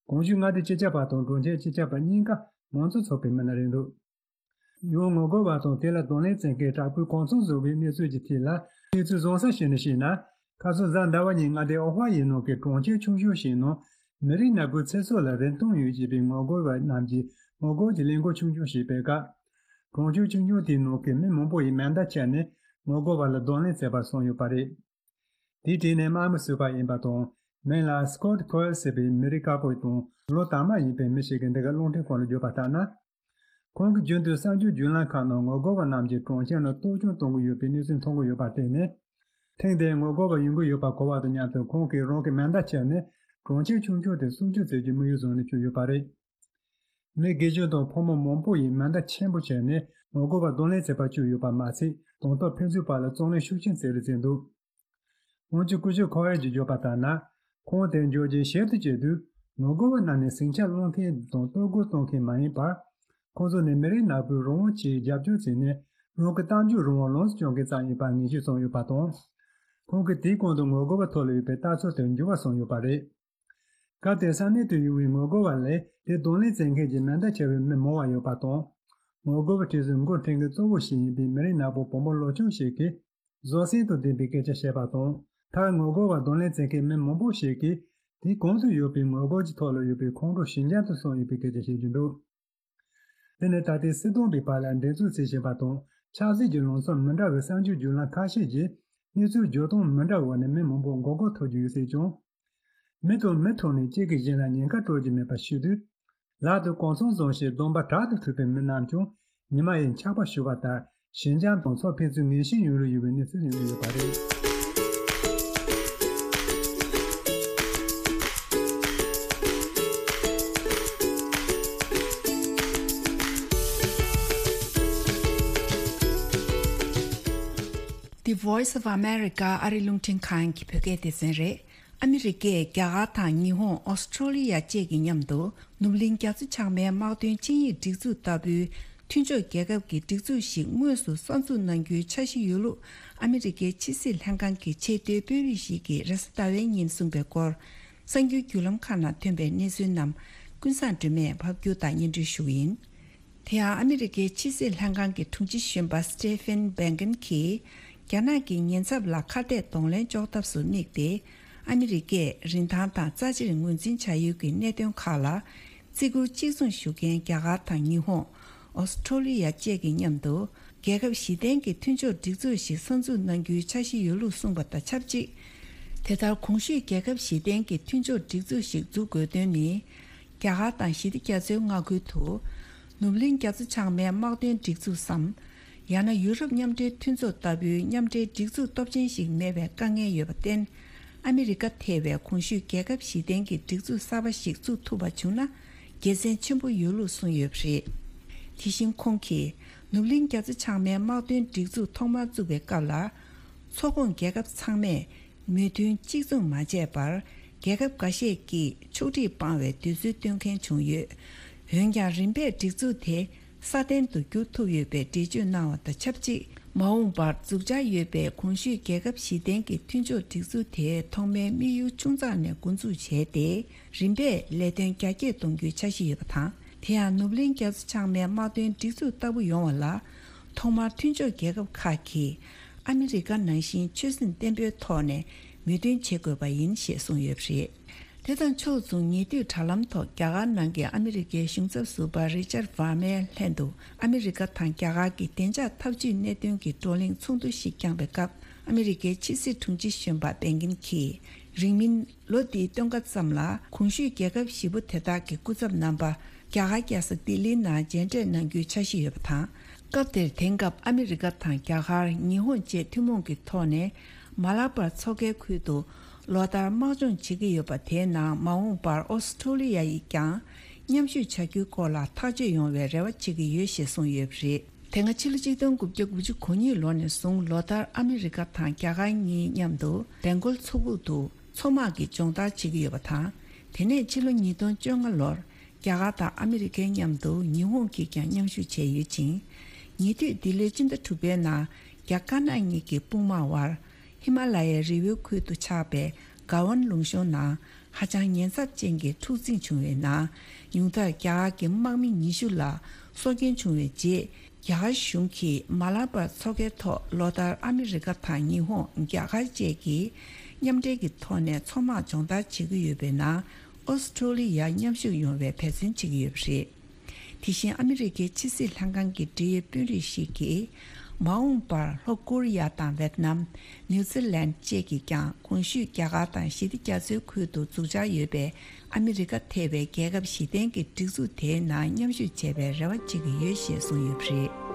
གོང་ཞུས་མངའ་སྡེའི་སྤྱི་ཁྱབ་པ་དང་གྲོང་ཁྱེར་སྤྱི་ཁྱབ་པ་གཉིས་ཀ་མང་གཙོ་ཚོགས་པའི་མི་སྣ་རེད་འདུག་ཡང་ངོ་རྒོལ་བ་དང་དེ་ལ་གདོང་ལེན་བྱེད་མཁན་དྲག་པོའི་གོ་མཚོན་བཟོ་བའི་གནས་ཚུལ་གྱི་ཐད་ལ་གནས་ཚུལ་བཟང་ས་ཞིག་ནས་བཤད་ན། ཁ་སང་གཟའ་ཟླ་བ་ཉིན་མངའ་སྡེ་ཨོ་ཧྥ་ཡེ་ནང་གི་གྲོང་ཁྱེར་ཆུང་ཆུང་ཞིག་ནང་མི་རིགས་ནག་པོའི་ཚེ་སྲོག་ལ་རིན་ཐང་ཡོད་ཅེས་པའི་ངོ་རྒོལ་བ་རྣམས་ཀྱིས་ངོ་རྒོལ་གྱི་ལས་འགུལ་ཆུང་ཆུང་ཞིག་སྤེལ་སྐབས། གྲོང་ཁྱེར་ཆུང་ཆུང་དེའི་ནང་གི་མི་མང་པོ་ཡིས་མེ་མདའ་ཁྱེར་ནས་ངོ་རྒོལ་བ་ལ་གདོང་ལེན་བྱས་པ་གསུངས་ཡོད་པ་རེད། དེའི་གྲས་ནས་དམག་མི་ཟུར་པ་ཡིན་པ་དང་། མིང་ལ་སྐོད་ཁོལ་ཟེར་བའི་མི་རིགས་དཀར་པོ་དང་ལོ་དར་མ་ཡིན་པའི་མི་ཞིག་གིས་འདི་ག་རླུང་འཕྲིན་ཁང་ལ་བརྗོད་པ་ལྟར་ན། ཁོང་གིས་རྒྱུན་དུ་གསར་འགྱུར་བརྒྱུད་ལམ་ཁག་ནང་ངོ་རྒོལ་བ་རྣམས་ཀྱིས་གྲོང་ཁྱེར་ནང་གཏོར་སྐྱོན་གཏོང་གི་ཡོད་པའི་གནས་ཚུལ་མཐོང་གི་ཡོད་པར་བརྟེན་ནས། ཐེངས་འདིར་ངོ་རྒོལ་བ་ཡོང་གི་ཡོད་པ་གོ་བ་དང་མཉམ་དུ་ཁོང་གིས་རང་གི་མེ་མདའ་ཁྱེར་ནས་གྲོང་ཁྱེར་ཆུང་ཆུང་དེར་སྲུང་སྐྱོབ་བྱེད་རྒྱུའི་དམིགས་ཡུལ་བཟུང་ནས་བསྐྱོད་ཡོད་པ་རེད། མི་དགེ་སྦྱོང་དང་ཕོ་མོ་མང་པོ་ཡིས་མེ་མདའ་ཆེན་པོ་ཁྱེར་ནས་ངོ་རྒོལ་བར་གདོང་ལེན་བྱེད་པར་བསྐྱོད་ཡོད་པ་མ་ཚད། དང་ཐོག་ཕན་ཚུན་བར་ལ་བརྩོན་ལེན་ཤུགས་ཆེན་བྱས་རེད་ཟེར་འདུག་འོན་ཀྱང་སྐུ་ཞབས་ཁོ་ཝེར་གྱིས་བརྗོད་པ་ལྟར་ན། ཁོང་དེར་འབྱོར་རྗེས་ཞིབ་ཏུ་དཔྱད་དུས། ངོ་རྒོལ་བ་རྣམས་ནས་ཟིང་ཆ་སློང་མཁན་དང་གཏོར་རྒོལ་གཏོང་མཁན་མ་ཡིན་པར། ཁོང་ཚོ་ནི་མི་རིགས་ནག་པོའི་རང་དབང་ཆེད་རྒྱབ་སྐྱོར་བྱས་ནས་རང་གི་གཏམ་བརྗོད་རང་དབང་ལོངས་སུ་སྤྱོད་མཁན་ཙམ་ཡིན་པར་ངེས་ཤེས་བྱུང་ཡོད་པ་དང་། ཁོང་གིས་དེའི་གོང་དུ་ངོ་རྒོལ་བ་ཐོག་ལ་ཡོད་པའི་ལྟ་ཚུལ་དེར་འགྱུར་བ་སོང་ཡོད་པ་རེད། སྐབས་དེར་ས་གནས་དུ་ཡོང་བའི་ངོ་རྒོལ་བ་ལས་དེ་གདོང་ལེན་བྱེད་མཁན་གྱི་མེ་མདའ་ཁྱེར་བའི་མི་མང་བ་ཡོད་པ་དང་། ངོ་རྒོལ་བའི་གྲས་སུ་འགོ་འཁྲིད་མཁན་གཙོ་བོ་ཞིག་ཡིན་པའི་མི་རིགས་ནག་པོ་བུ་མོ་ལོ་ཆུང་ཞིག་གིས། བཟོད་བསྲན་དང་ལྡན་པའི་སྐད་ཆ་བཤད་པ་དང་། མཐར་ངོ་རྒོལ་བ་གདོང་ལེན་བྱེད་མཁན་མི་མང་པོ་ཞིག་གིས། དེའི་གོང་དུ་ཡོད་པའི་ངོ་རྒོལ་གྱི་ཐོག་ལ་ཡོད་པའི་ཁོང་ཁྲོ་ཞི་འཇམ་དུ་སོང་ཡོད་པའི་སྐད་ཆ་བཤད་ཀྱི་འདུག་དེ་ནི་ད་ལྟའི་སྲིད་དོན་པའི་བར་ལ་འགྲན་རྩོད་བྱེད་བཞིན་པ་དང་། ཆབ་སྲིད་ཀྱི་ལངས་ཕྱོགས་མི་འདྲ་བའི་གསར་འགྱུར་བརྒྱུད་ལམ་ཁ་ཤས་ཀྱིས། གནས་ཚུལ་བརྗོད་སྟངས་མི་འདྲ་བའི་འོག་ནས་མི་མང་པོ་མགོ་སྐོར་ཐོབ་ཀྱི་ཡོད་སྲིད་ཀྱང་། མི་དང་མི་ཐོག་ནས་གཅིག་གིས་གཞན་ལ་ཉེན་ཁ་སྤྲོད་ཀྱི་མེད་པ་ཤེས་དུས། ལག་ཏུ་གོ་མཚོན་བཟུང་ཞིང་གདོང་པ་དྲག་ཏུ་གྲུབ་པའི་མི་རྣམས་ཀྱང་ཉི་མ་ཡི་འཁྱག་པ་བཞུ་བ་ལྟར་ཞི་འཇམ་དང་ཚོར་ཕན་ཚུན་ངན་ཞེན་ཡོང་རོལ་ཡོད་པའི་གནས་ཚུལ་ཡོང་གི་ཡོད་པ་རེད། The Voice of America ཨ་རི་རླུང་འཕྲིན་ཁང་གི་བོད་སྐད་སྡེ་ཚན་རེད། ཨ་མི་རི་ཀས་རྒྱ་གར་དང་ཉི་ཧོང་། ཨོ་སི་ཁྲོ་ལི་ཡ་བཅས་ཀྱི་མཉམ་དུ་ནུབ་གླིང་རྒྱ་མཚོ་བྱང་མའི་དམག་དོན་ཆིངས་ཡིག་སྒྲིག་འཛུགས་ལྟ་བུའི་མཐུན་ཕྱོགས་རྒྱལ་ཁབ་ཀྱི་སྒྲིག་འཛུགས་ཤིག་དངོས་སུ་གསར་འཛུགས་གནང་རྒྱུའི་འཆར་གཞི་ཡོད་ལུགས་ཨ་མི་རི་ཀའི་ཕྱི་སྲིད་ལྷན་ཁང་གི་ཆེས་མཐོའི་དཔོན་རིགས་ཤིག་གིས་རེས་གཟའ་ཟླ་བའི་ཉིན་གསུངས་པའི་སྐོར། གསར་འགྱུར་བརྒྱུད་ལམ་ཁག་ནང་ཐོན་པའི་གནས་ཚུལ་རྣམས་ཀུན་བཟང་སྒྲོལ་མས་ཕབ་སྒྱུར་དང་སྙན་སྒྲོན་ཞུ་གི་ཡིན། དེ་ཡང་ཨ་མི་རི་ཀའི་ཕྱི་སྲིད་ལྷན་ཁང་གི་དྲུང་ཆེ་གཞོན་པ་སི་ཏེ་ཕེན་བྷེན་ཀིན་གྱིས། རྒྱ་ནག་གི་ཉེན་ཚབས་ལ་ཁ་གཏད་གདོང་ལེན་གཅོག་ཐབས་སུ་དམིགས་ཏེ། ཨ་མི་རི་ཀས་རིན་ཐང་དང་རྩ་ཆེར་ངོས་འཛིན་བྱ་ཡུལ་གྱི་གནད་དོན་ཁག་ལ། བརྩི་བཀུར་གཅིག་མཚུངས་ཞུ་མཁན་རྒྱ་གར་དང་ཉི་ཧོང་། ཨོ་སི་ཁྲོ་ལི་ཡ་བཅས་ཀྱི་མཉམ་དུ། རྒྱལ་ཁབ་བཞི་ལྡན་གྱི་མཐུན་ཕྱོགས་སྒྲིག་འཛུགས་ཤིག་གསར་འཛུགས་གནང་རྒྱུའི་འཆར་གཞི་ཡོད་ལུགས་གསུངས་པ་དང་ཆབས་ཅིག་དེ་ལྟར་གོང་ཞུས་རྒྱལ་ཁབ་བཞི་ལྡན་གྱི་མཐུན་ཕྱོགས་སྒྲིག་འཛུགས་ཤིག་འཛུགས་དགོས་དོན་ནི། རྒྱ་གར་དང་ཞི་བདེ་རྒྱ་མཚོའི་མངའ་ཁུལ་དུ། ནུབ་གླིང་རྒྱ་མཚོ་བྱང་མའི་དམག་དོན་སྒྲིག་འཛུགས་སམ། ཡང་ན་ཡུ་རོབ་མཉམ་འབྲེལ་མཐུན་ཚོགས་ལྟ་བུའི་མཉམ་འབྲེལ་སྒྲིག་འཛུགས་སྟོབས་ཆེན་ཞིག་མེད་པའི་དཀའ་ངལ་ཡོད་པར་བརྟེན། ཨ་མི་རི་ཀ་ཐེ་བའི་གོང་ཞུས་རྒྱལ་ཁབ་བཞི་ལྡན་གྱི་སྒྲིག་འཛུགས་གསར་པ་ཞིག་བཙུགས་ཐུབ་པ་བྱུང་ན། དགེ་མཚན་ཆེན་པོ་ཡོད་ལུགས་གསུངས་ཡོད་པ་རེད། དེ་བཞིན་ཁོང་གིས། ནུབ་གླིང་རྒྱ་མཚོ་བྱང་མའི་དམག་དོན་སྒྲིག་འཛུགས་ཐོག་མར་བཙུགས་པའི་སྐབས་ལ། ཚོགས་ཁོངས་རྒྱལ་ཁབ་ཚང་མས་མོས་མཐུན་གཅིག་མཚུངས་མ་བྱས་པར། རྒྱལ་ཁབ་འགའ་ཤས་ཀྱིས་ཕྱོགས་སྒྲིག་སྤང་བའི་འདོད་ཚུལ་སྟོན་མཁན་བྱུང་ཡོད། འོན་ཀྱང་རིམ་པས་སྒྲིག་འཛུགས་དེ་སྲ་བརྟན་དུ་བསྒྱུར་ཐུབ་ཡོད་པའི་འགྲེལ་བརྗོད་གནང་བ་དང་ཆབས་ཅིག་མ་འོངས་པར་འཛུགས་འཆར་ཡོད་པའི་གོང་ཞུས་རྒྱལ་ཁབ་བཞི་ལྡན་གྱི་མཐུན་ཕྱོགས་སྒྲིག་འཛུགས་དེ་ཐོག་མའི་དམིགས་ཡུལ་ཆུང་ཙག་ནས་འགོ་འཛུགས་བྱས་ཏེ། རིམ་པས་ལས་དོན་རྒྱ་སྐྱེད་གཏོང་རྒྱུའི་འཆར་གཞི་ཡོད་པ་དང་། དེ་ཡང་ནུབ་གླིང་རྒྱ་མཚོ་བྱང་མའི་དམག་དོན་སྒྲིག་འཛུགས་ལྟ་བུ་ཡོང་བ་ལ། ཐོག་མར་མཐུན་ཕྱོགས་རྒྱལ་ཁབ་ཁག་གིས་ཨ་མི་རི་ཀ་ནང་བཞིན་ཆོད་སེམས་བརྟན་པོའི་ཐོག་ནས་མོས་མཐུན་བྱེད་དགོས་པ་ཡིན་ཞེས་གསུངས་ཡོད་པ་རེད། དེ་དང་ཕྱོགས་མཚུངས། ཉེ་དུས་དྲ་ལམ་ཐོག་རྒྱ་གར་ནང་གི་ཨ་མི་རི་ཀའི་གཞུང་ཚབ་ཟུར་པ་རི་ཅར་ཝར་མའི་ལྷན་དུ་ཨ་མི་རི་ཀ་དང་རྒྱ་གར་གྱི་བདེ་འཇགས་འཐབ་ཇུས་གནད་དོན་གྱི་བགྲོ་གླེང་ཚོགས་འདུ་ཞིག་བསྐྱངས་པའི་སྐབས། ཨ་མི་རི་ཀའི་ཕྱི་སྲིད་དྲུང་ཆེ་གཞོན་པ་བྷེན་ཀིན་གྱིས། རིང་མིན་ལོ་འདིའི་སྟོན་ཁ་ཙམ་ལ་གོང་ཞུས་རྒྱལ་ཁབ་བཞི་པོ་དེ་དག་གི་སྐུ་ཚབ་རྣམ་པ་རྒྱ་གར་རྒྱལ་ས་ལྡི་ལིའི་ནང་མཇལ་འཕྲད་གནང་རྒྱུའི་འཆར་གཞི་ཡོད་པ་དང་། སྐབས་དེར་དེང་སྐབས་ཨ་མི་རི་ཀ་དང་རྒྱ་གར། ཉི་ཧོང་བཅས་ཐུན་མོང་གི་ཐོག་ནས་མ་ལ་པར་མཚོ་ཁའི་ཁུལ་དུ་ལོ་ལྟར་དམག་སྦྱོང་བྱེད་ཀྱི་ཡོད་པ་དེའི་ནང་མ་འོངས་པར་ཨོ་སི་ཁྲུ་ལི་ཡ་ཡིས་ཀྱང་མཉམ་ཞུགས་བྱ་རྒྱུའི་སྐོར་ལ་ཐག་གཅོད་ཡོང་བའི་རེ་བ་བྱེད་ཀྱི་ཡོད་ཞེས་གསུངས་ཡོད་པ་རེད། དེ་སྔ་ཕྱི་ལོ་ཆིག་སྟོང་དགུ་བརྒྱ་དགུ་བཅུ་གོ་གཉིས་ལོ་ནས་བཟུང་ལོ་ལྟར་ཨ་མི་རི་ཀ་དང་རྒྱ་གར་གཉིས་མཉམ་དུ་བེང་གོལ་མཚོ་ཁུག་ཏུ་མཚོ་དམག་གི་སྦྱོང་བརྡར་བྱེད་ཀྱི་ཡོད་པ་དང་། དེ་ནས་ཕྱི་ལོ་ཉིས་སྟོང་བཅོ་ལྔ་ལོར་རྒྱ་གར་དང་ཨ་མི་རི་ཀའི་མཉམ་དུ་ཉི་ཧོང་གིས་ཀྱང་མཉམ་ཞུགས་བྱས་ཡོད་ཅིང་། ཉེ་དུས་འདི་ལོའི་སྤྱི་ཟླ་དྲུག་པའི་ནང་རྒྱ་དཀར་ནག་གཉིས་ཀྱི་དཔུང་དམག་དབར་ཧི་མ་ལ་ཡའི་རི་བོའི་ཁུལ་དུ་ཆགས་པའི་ག་ཝན་ལུང་གཤོང་ནང་ཧ་ཅང་ཉེན་ཚབས་ཅན་གྱི་འཁྲུག་འཛིང་བྱུང་བའི་ནང་། ཉུང་མཐར་རྒྱ་གར་གྱི་དམག་མི་ཉི་ཤུ་ལ་སྲོག་སྐྱོན་བྱུང་བའི་རྗེས། རྒྱ་གར་གཞུང་གིས་མ་ལ་པར་མཚོ་ཁའི་ཐོག་ལོ་ལྟར་ཨ་མི་རི་ཀ་དང་ཉི་ཧོང་། རྒྱ་གར་བཅས་ཀྱིས་མཉམ་འབྲེལ་གྱི་ཐོག་ནས་མཚོ་དམག་སྦྱོང་བརྡར་བྱེད་ཀྱི་ཡོད་པའི་ནང་། ཨོ་སི་ཁྲུ་ལི་ཡ་མཉམ་ཞུགས་ཡོང་བའི་འབད་བརྩོན་བྱེད་ཀྱི་ཡོད་པ་རེད། དེ་བཞིན་ཨ་མི་རི་ཀའི་ཕྱི་སྲིད་ལྷན་ཁང་གི་འབྲེལ་ཡོད་དཔོན་རིགས་ཤིག་གིས། མ་འོངས་པར་ལྷོ་ཀོ་རི་ཡ་དང་ཝེད་ནམ། ནིའུ་ཛི་ལན་བཅས་ཀྱིས་ཀྱང་གོང་ཞུས་རྒྱ་གར་དང་ཞི་བདེ་རྒྱ་མཚོའི་ཁུལ་དུ་འཛུགས་འཆར་ཡོད་པའི་ཨ་མི་རི་ཀ་ཐེ་བའི་རྒྱལ་ཁབ་བཞི་ལྡན་གྱི་སྒྲིག་འཛུགས་དེའི་ནང་མཉམ་ཞུགས་བྱེད་པའི་རེ་བ་བྱེད་ཀྱི་ཡོད་ཞེས་གསུངས་ཡོད་པ་རེད།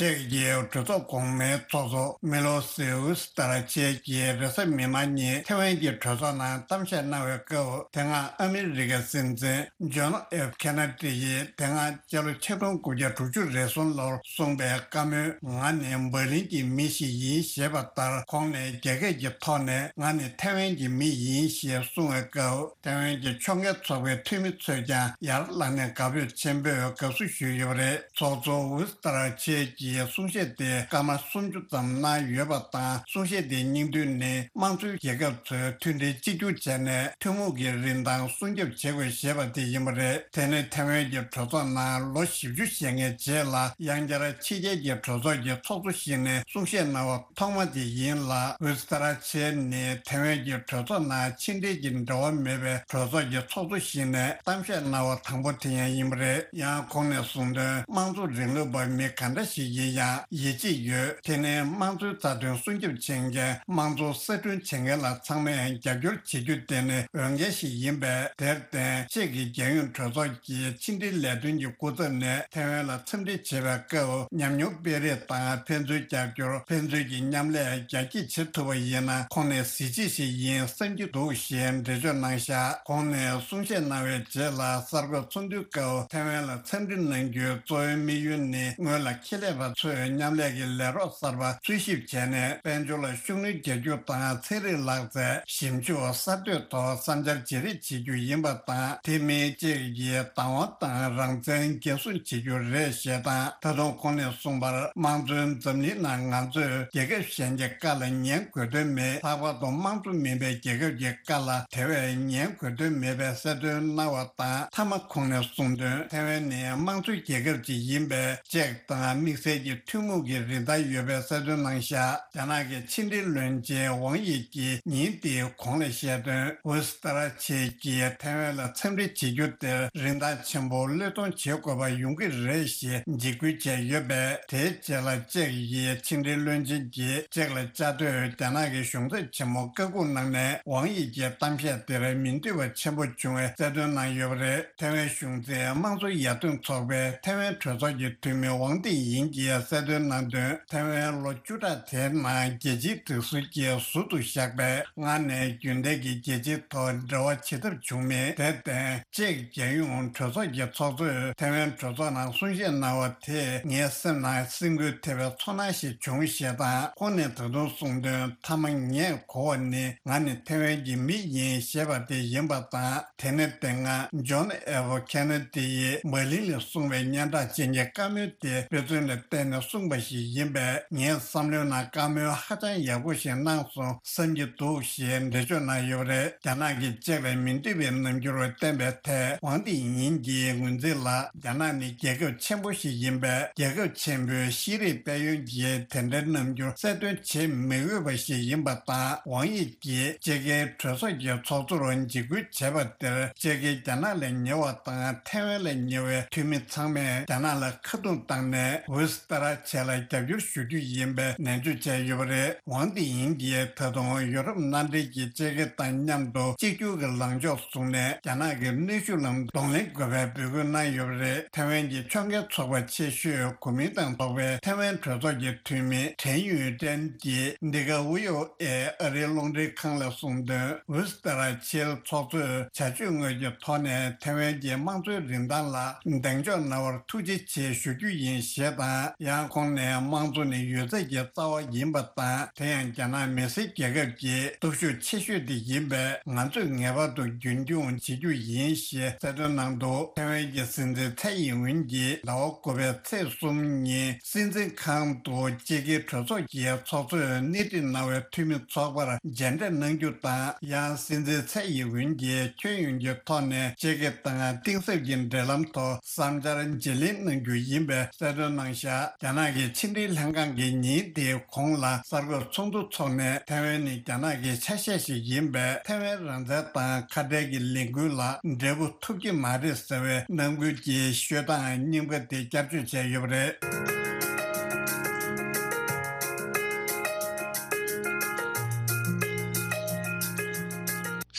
ཅེཀ་གི་གྲོས་ཚོགས་གོང་མའི་ཚོགས་གཙོ་མི་ལོ་སི་ཝི་སི་ཏར་ཆེ་གིས་རེས་གཟའ་མིག་དམར་ཉིན་ཐེ་ཝན་གྱི་གྲོས་ཚོགས་ནང་གཏམ་བཤད་གནང་བའི་སྐབས། དེ་སྔ་ཨ་མི་རི་ཀའི་སྲིད་འཛིན་ཇོན་ཨེཕ་ཁེ་ན་ཏི་ཡིས་དེ་སྔ་སྤྱི་ལོ་ཆིག་སྟོང་དགུ་བརྒྱ་དྲུག་ཅུ་རེ་གསུམ་ལོར་གསུངས་པའི་བཀའ་མོལ། ང་ནི་འབར་ལིན་གྱི་མི་ཞིག་ཡིན་ཞེས་པ་ལྟར། ཁོང་ནི་རྒྱ་སྐད་ཀྱི་ཐོག་ནས་ང་ནི་ཐེ་ཝན་གྱི་མི་ཡིན་ཞེས་གསུངས་བའི་སྐབས། ཐེ་ཝན་གྱི་ཕྱོགས་འགལ་ཚོགས་པའི་འཐུས་མི་ཚོས་ཀྱང་ཡར་ལངས་ནས་དགའ་འབོད་ཆེན་པོས་དགའ་བསུ་ཞུས་ཡོད་པ་རེད། ཚོགས་གཙོ་ཝུ་སི་ཏར་ཆེ་གྱི་གསུང་བཤད་དེ་སྐར་མ་སུམ་ཅུ་ཙམ་གནང་ཡོད་པ་དང་། གསུང་བཤད་དེའི་སྙིང་བསྡུས་ནི། དམངས་གཙོའི་རྒྱལ་ཁབ་ཚོས་མཐུན་སྒྲིལ་གཅིག་གྱུར་བྱས་ནས་ཐུན་མོང་གི་རིན་ཐང་སྲུང་སྐྱོབ་བྱེད་དགོས་ཞེས་པ་དེ་ཡིན་པ་རེད། དེ་ནི་ཐེ་ཝན་གྱི་གྲོས་ཚོགས་ནང་ལོ་བཞི་བཅུ་ཞེ་ལྔའི་རྗེས་ལ་དབྱང་འབྱར་ཕྱི་རྒྱལ་གྱི་གྲོས་ཚོགས་ཀྱི་ཚོགས་གཙོ་ཞིག་ནས་གསུང་བཤད་གནང་བ་ཐོག་མ་དེ་ཡིན་ལ། ཝུ་སི་ཏར་ཆེ་ནི་ཐེ་ཝན་གྱི་གྲོས་ཚོགས་ནང་ཕྱི་འབྲེལ་གྱི་འབྲེལ་བ་མེད་པའི་གྲོས་ཚོགས་ཀྱི་ཚོགས་གཙོ་ཞིག་ནས་གཏམ་བཤད་གནང་བ་དང་པོ་དེ་ཡང་ཡིན་པ་རེད། ཡང་ཁོང་ནས་གསུངས་དོན། དམངས་གཙོ་རིང་ལུགས་པ་མི་ག་འདྲ་ཞིག་ཡིན་ཡང་ཡིད་ཆེས་ཡོད། དེ་ནི་དམངས་གཙོའི་རྩ་དོན་སྲུང་སྐྱོབ་བྱེད་མཁན། དམངས་གཙོ་གསར་སྐྲུན་བྱེད་མཁན་ལ་ཚང་མས་རྒྱབ་སྐྱོར་བྱེད་རྒྱུ་དེ་ནི་འོས་འགན་ཞིག་ཡིན་པས། དེར་བརྟེན་ཅེཀ་གི་རྒྱལ་ཡོངས་གྲོས་ཚོགས་ཀྱི་ཕྱི་འབྲེལ་ལས་དོན་གྱི་སྐུ་ཚབ་ནས་ཐེ་ཝན་ལ་འཚམས་འདྲི་བྱེད་པའི་སྐབས། ཉམས་མྱོང་སྤེལ་རེས་དང་ཕན་ཚུན་རྒྱབ་སྐྱོར། ཕན་ཚུན་གྱི་མཉམ་ལས་རྒྱ་སྐྱེད་བྱེད་ཐུབ་པ་ཡིན་ན། ཁོང་ནི་གཟི་བརྗིད་ཞིག་ཡིན་བསམ་གྱི་འདུག་ཞེས་འགྲེལ་བརྗོད་གནང་བཞག་ཁོང་ནས་གསུང་བཤད་གནང་བའི་རྗེས་ལ་གསར་འགོད་ཚོགས་འདུའི་སྐབས། ཐེ་ཝན་ལ་འཚམས་འདྲི་གནང་རྒྱུའི་གཙོ་བོའི་དམིགས་ཡུལ་ནི། སྔོན་ལ་ཁེ་ལས་པ་ཚོས་མཉམ་ལས་ཀྱི་ལས་རོགས་གསར་པ་འཚོལ་ཞིབ་བྱས་ནས། དཔལ་འབྱོར་ལ་ཤུགས་སྣོན་རྒྱག་རྒྱུ་དང་། ཚན་རིག་ལག་རྩལ། ཞིབ་འཇུག་གསར་གཏོད་ཐོག་བསམ་འཆར་བརྗེ་རེས་བྱེད་རྒྱུ་ཡིན་པ་དང་། དེ་མིན་ཅེཀ་གིས་བདག་དབང་དང་རང་བཙན་འགན་སྲུང་བྱེད་རྒྱུ་རེད་ཞེས་དང་། ད་དུང་ཁོང་ནས་གསུངས་པར། དམངས་གཙོའི་འཛམ་གླིང་ནང་ང་ཚོས་རྒྱལ་ཁབ་གཞན་གྱི་བཀའ་ལ་ཉན་དགོས་དོན་མེད། ལྷག་པར་དུ་དམངས་གཙོ་མིན་པའི་རྒྱལ་ཁབ་ཀྱི་བཀའ་ལ་དེ་བས་ཉན་དགོས་དོན་མེད་པའི་གསལ་སྟོན་གནང་བ་དང་། མཐའ་མ་ཁོང་ནས་གསུངས་དོན། ཐེ་ཝན་ནི་དམངས་གཙོའི་རྒྱལ་ཁབ་ཅིག་ཡིན་པས། ཅེཀ་དང་དམིགས་བསལ་གྱི་ཐུན་མོང་གི་རིན་ཐང་ཡོད་པའི་གསལ་སྟོན་གནང་བཞག་རྒྱ་ནག་གི་ཕྱི་འབྲེལ་བློན་ཆེན་ཝང་ཡི་ཀྱིས་ཉིན་དེའི་གོང་ལ་བཤད་དོན། ཝུ་སི་ཏར་ཆེ་གིས་ཐེ་ཝན་ལ་འཚམས་འདྲི་བྱེད་རྒྱུ་དེར་རིན་ཐང་ཆེན་པོ་བློས་གཏོང་བྱེད་དགོས་པ་ཡོང་གི་རེད་ཞེས་འཇིགས་སྐུལ་བྱས་ཡོད་པས། དེའི་རྗེས་ལ་ཅེཀ་ཡི་ཕྱི་འབྲེལ་བློན་ཆེན་གྱིས་ཅེཀ་ལ་བཅའ་སྡོད་རྒྱ་ནག་གི་གཞུང་ཚབ་ཆེན་མོ་བཀའ་འགུག་གནང་ནས། ཝང་ཡི་ཀྱི་གཏམ་བཤད་དེར་མི་འདོད་པ་ཆེན་པོ་བྱུང་བའི་གསལ་སྟོན་གནང་ཡོད་པ་རེད། ཐེ་ཝན་གཞུང་འཛིན་དམངས་གཙོ་ཡར་ཐོན་ཚོགས་པའི་ཐེ་ཝན་གྲོས་ཚོགས་ཀྱི་འཐུས་མི་ཝང་ཏིང་ཡིན་གྱིས་གསལ་སྟོན་གནང་དོན། ཐེ་ཝན་ལོ་བཅུ་ཕྲག་དེའི་ནང་རྒྱལ་སྤྱིའི་སྒྲིག་སྲོལ་གྱིས་ཟུར་དུ་བཞག་པས། སྔར་ནས་རྒྱུན་ལྡན་གྱི་རྒྱལ་སྤྱིའི་ཐོག་འབྲེལ་བ་བྱེད་ཐབས་བྱུང་མེད། དེར་བརྟེན། ཅེཀ་རྒྱལ་ཡོངས་གྲོས་ཚོགས་ཀྱི་ཚོགས་གཙོས་ཐེ་ཝན་གྲོས་ཚོགས་ནང་གསུང་བཤད་གནང་བ་དེས་ངའི་སེམས་ནང་སེམས་འགུལ་ཐེབས་པའི་ཚོར་སྣང་ཞིག་བྱུང་ཞེས་དང་། ཁོང་ནས་ད་དུང་གསུངས་དོན། མཐའ་མ་ངས་གོ་བ་ནི། ང་ནི་ཐེ་ཝན་གྱི་མི་ཡིན་ཞེས་པ་དེ་ཡིན་པ་དང་། དེ་ནི་དེ་སྔ་ཇོན་ཨེཕ་ཁེ་ན་ཏི་ཡིས་འབར་ལིན་ལ་གསུངས་པའི་སྙན་གྲགས་ཅན་གྱི་བཀའ་མོལ་དེ་དཔེ་མཚོན་ལ་ བརྟེན་ནས་གསུངས་པ་ཞིག་ཡིན་པས། ངའི་བསམ་བློའི་ནང་བཀའ་མོལ་ཧ་ཅང་ཡག་པོ་ཞིག་གནང་སོང་བསམ་གྱི་འདུག་ཞེས་འགྲེལ་བརྗོད་གནང་ཡོད་པ་རེད། རྒྱ་ནག་གིས་གཅིག་ལ་མི་འདོད་པའི་རྣམ་འགྱུར་བསྟན་པའི་ཐད། ཝང་ཏི་ཡིན་གྱིས་ངོས་འཛིན་ལ། རྒྱ་ནག་ནི་རྒྱལ་ཁབ་ཆེན་པོ་ཞིག་ཡིན་པས། རྒྱལ་ཁབ་ཆེན་པོའི་ཤེས་རིག་དཔལ་ཡོན་གྱིས་དེ་འདྲའི་རྣམ་འགྱུར་གསལ་སྟོན་བྱེད་མི་འོས་པ་ཞིག་ཡིན་པ་དང་། ཝང་དབྱི་གིས་ཅེ་ཀེ་གྲོས་ཚོགས་ཀྱི་ཚོགས་གཙོར་འཇིགས་སྐུལ་བྱས་པ་དེར། ཅེ་ཀེ་རྒྱ་ནག་ལ་ཉེ་བ་དང་། ཐའེ་ཝན་ལ་ཉེ་བའི་འཐུས་མི་ཚང་མས་རྒྱ་ནག་ལ་ཁ་རྡུང་བཏང་ནས། ཝུ་སི་ཏ་ར་ཆེ་ལ་རྒྱབ་སྐྱོར་ཞུ་རྒྱུ་ཡིན་པའི་ནན་བརྗོད་བྱས་ཡོད་པ་རེད། ཝང་ཏི་ཡིན་གྱིས་ད་དུང་ཡོ་རོབ་མནའ་འབྲེལ་གྱི་ཅེ་ཀེ་དང་མཉམ་དུ་གཅིག་གྱུར་གྱི་ལངས་ཕྱོགས་བཟུང་ནས། རྒྱ་ནག་གི་གནོན་ཤུགས་ལ་གདོང་ལེན་དགོས་པའི་འབོད་སྐུལ་གནང་ཡོད་པ་རེད། ཐའེ་ཝན་གྱི་ཕྱོགས་འགལ་ཚོགས་པ་ཆེ་ཤོས་གོ་མིན་ཏང་ཚོགས་པའི་ཐའེ་ཝན་གྲོས་ཚོགས་ཀྱི་འཐུས་མི་ཁྲེན་ཡུས་ཀྲེན་གྱིས་འདི་ག་ཝི་ཨོ་ཨེ་ཨ་རིའི་རླུང་འཕྲིན་ཁང་ལ་གསུངས་དོན། ཝུ་སི་ཏ་ར་ཆེལ་ཚོགས་གཙོས་བྱ་སྤྱོད་དངོས་ཀྱི་ཐོག་ནས་ཐའེ་ཝན་གྱི་དམངས་གཙོའི་རིན་ཐང་ལ་གདེང་འཇོག་གནང་བར་ཐུགས་རྗེ་ཆེ་ཞུ་རྒྱུ་ཡིན་ཞེས་དང་། ཡང་ཁོང་ནས་དམངས་གཙོ་ནི་ཡོད་ཚད་ཀྱི་རྩ་བ་ཡིན་པ་དང་། དེ་ཡང་རྒྱ་ནག་མི་སེར་རྒྱལ་ཁབ་ཀྱི་སྟོབས་ཤུགས་ཆེ་ཤོས་དེ་ཡིན་པས། ང་ཚོས་ངེས་པར་དུ་རྒྱུན་འཁྱོངས་བྱེད་རྒྱུ་ཡིན་ཞེས་གསལ་སྟོན་གནང་འདུག་ཐའེ་ཝན་གྱི་སྲིད་འཛིན་ཚའེ་ཡིན་ཝིན་གྱིས་ཟླ་བ་དགུ་པའི་ཚེས་གསུམ་ཉིན་སྲིད་འཛིན་ཁང་དུ་ཅེ་ཀེ་གྲོས་ཚོགས་ཀྱི་ཚོགས་གཙོས་སྣེ་ཁྲིད་གནང་བའི་འཐུས་མི་ཚོགས་པར་མཇལ་འཕྲད་གནང་རྒྱུ་དང་། ཡང་སྲིད་འཛིན་ཚའེ་ཡིན་ཝིན་གྱིས་ཁྱོན་ཡོངས་ཀྱི་ཐོག་ནས་ཅེ་ཀེ་དང་གཏིང་ཟབ་ཀྱི་འབྲེལ་ལམ་ཐོག་བསམ་འཆར་བརྗེ་ལེན་གནང་རྒྱུ་ཡིན་པའི་གསལ་སྟོན་གནང་བཞག་རྒྱ་ནག་གི་ཕྱི་འབྲེལ་ལྷན་ཁང་གིས་ཉིན་དེའི་གོང་ལ་གསར་འགོད་ཚོགས་འདུ་འཚོགས་ནས། ཐའེ་ཝན་ནི་རྒྱ་ནག་གི་ཆ་ཤས་ཤིག་ཡིན་པས། ཐའེ་ཝན་རང་བཙན་དང་ཁ་བྲལ་གྱི་ལས་འགུལ་ལ་འབྲས་བུ་ཐོབ་ཀྱི་མ་རེད་ཟེར་བའི་ནང་ཁུལ་གྱི་ཤོད་སྟངས་རྙིང་པ་དེ་བསྐྱར་བཅོས་བྱས་ཡོད་པ་རེད།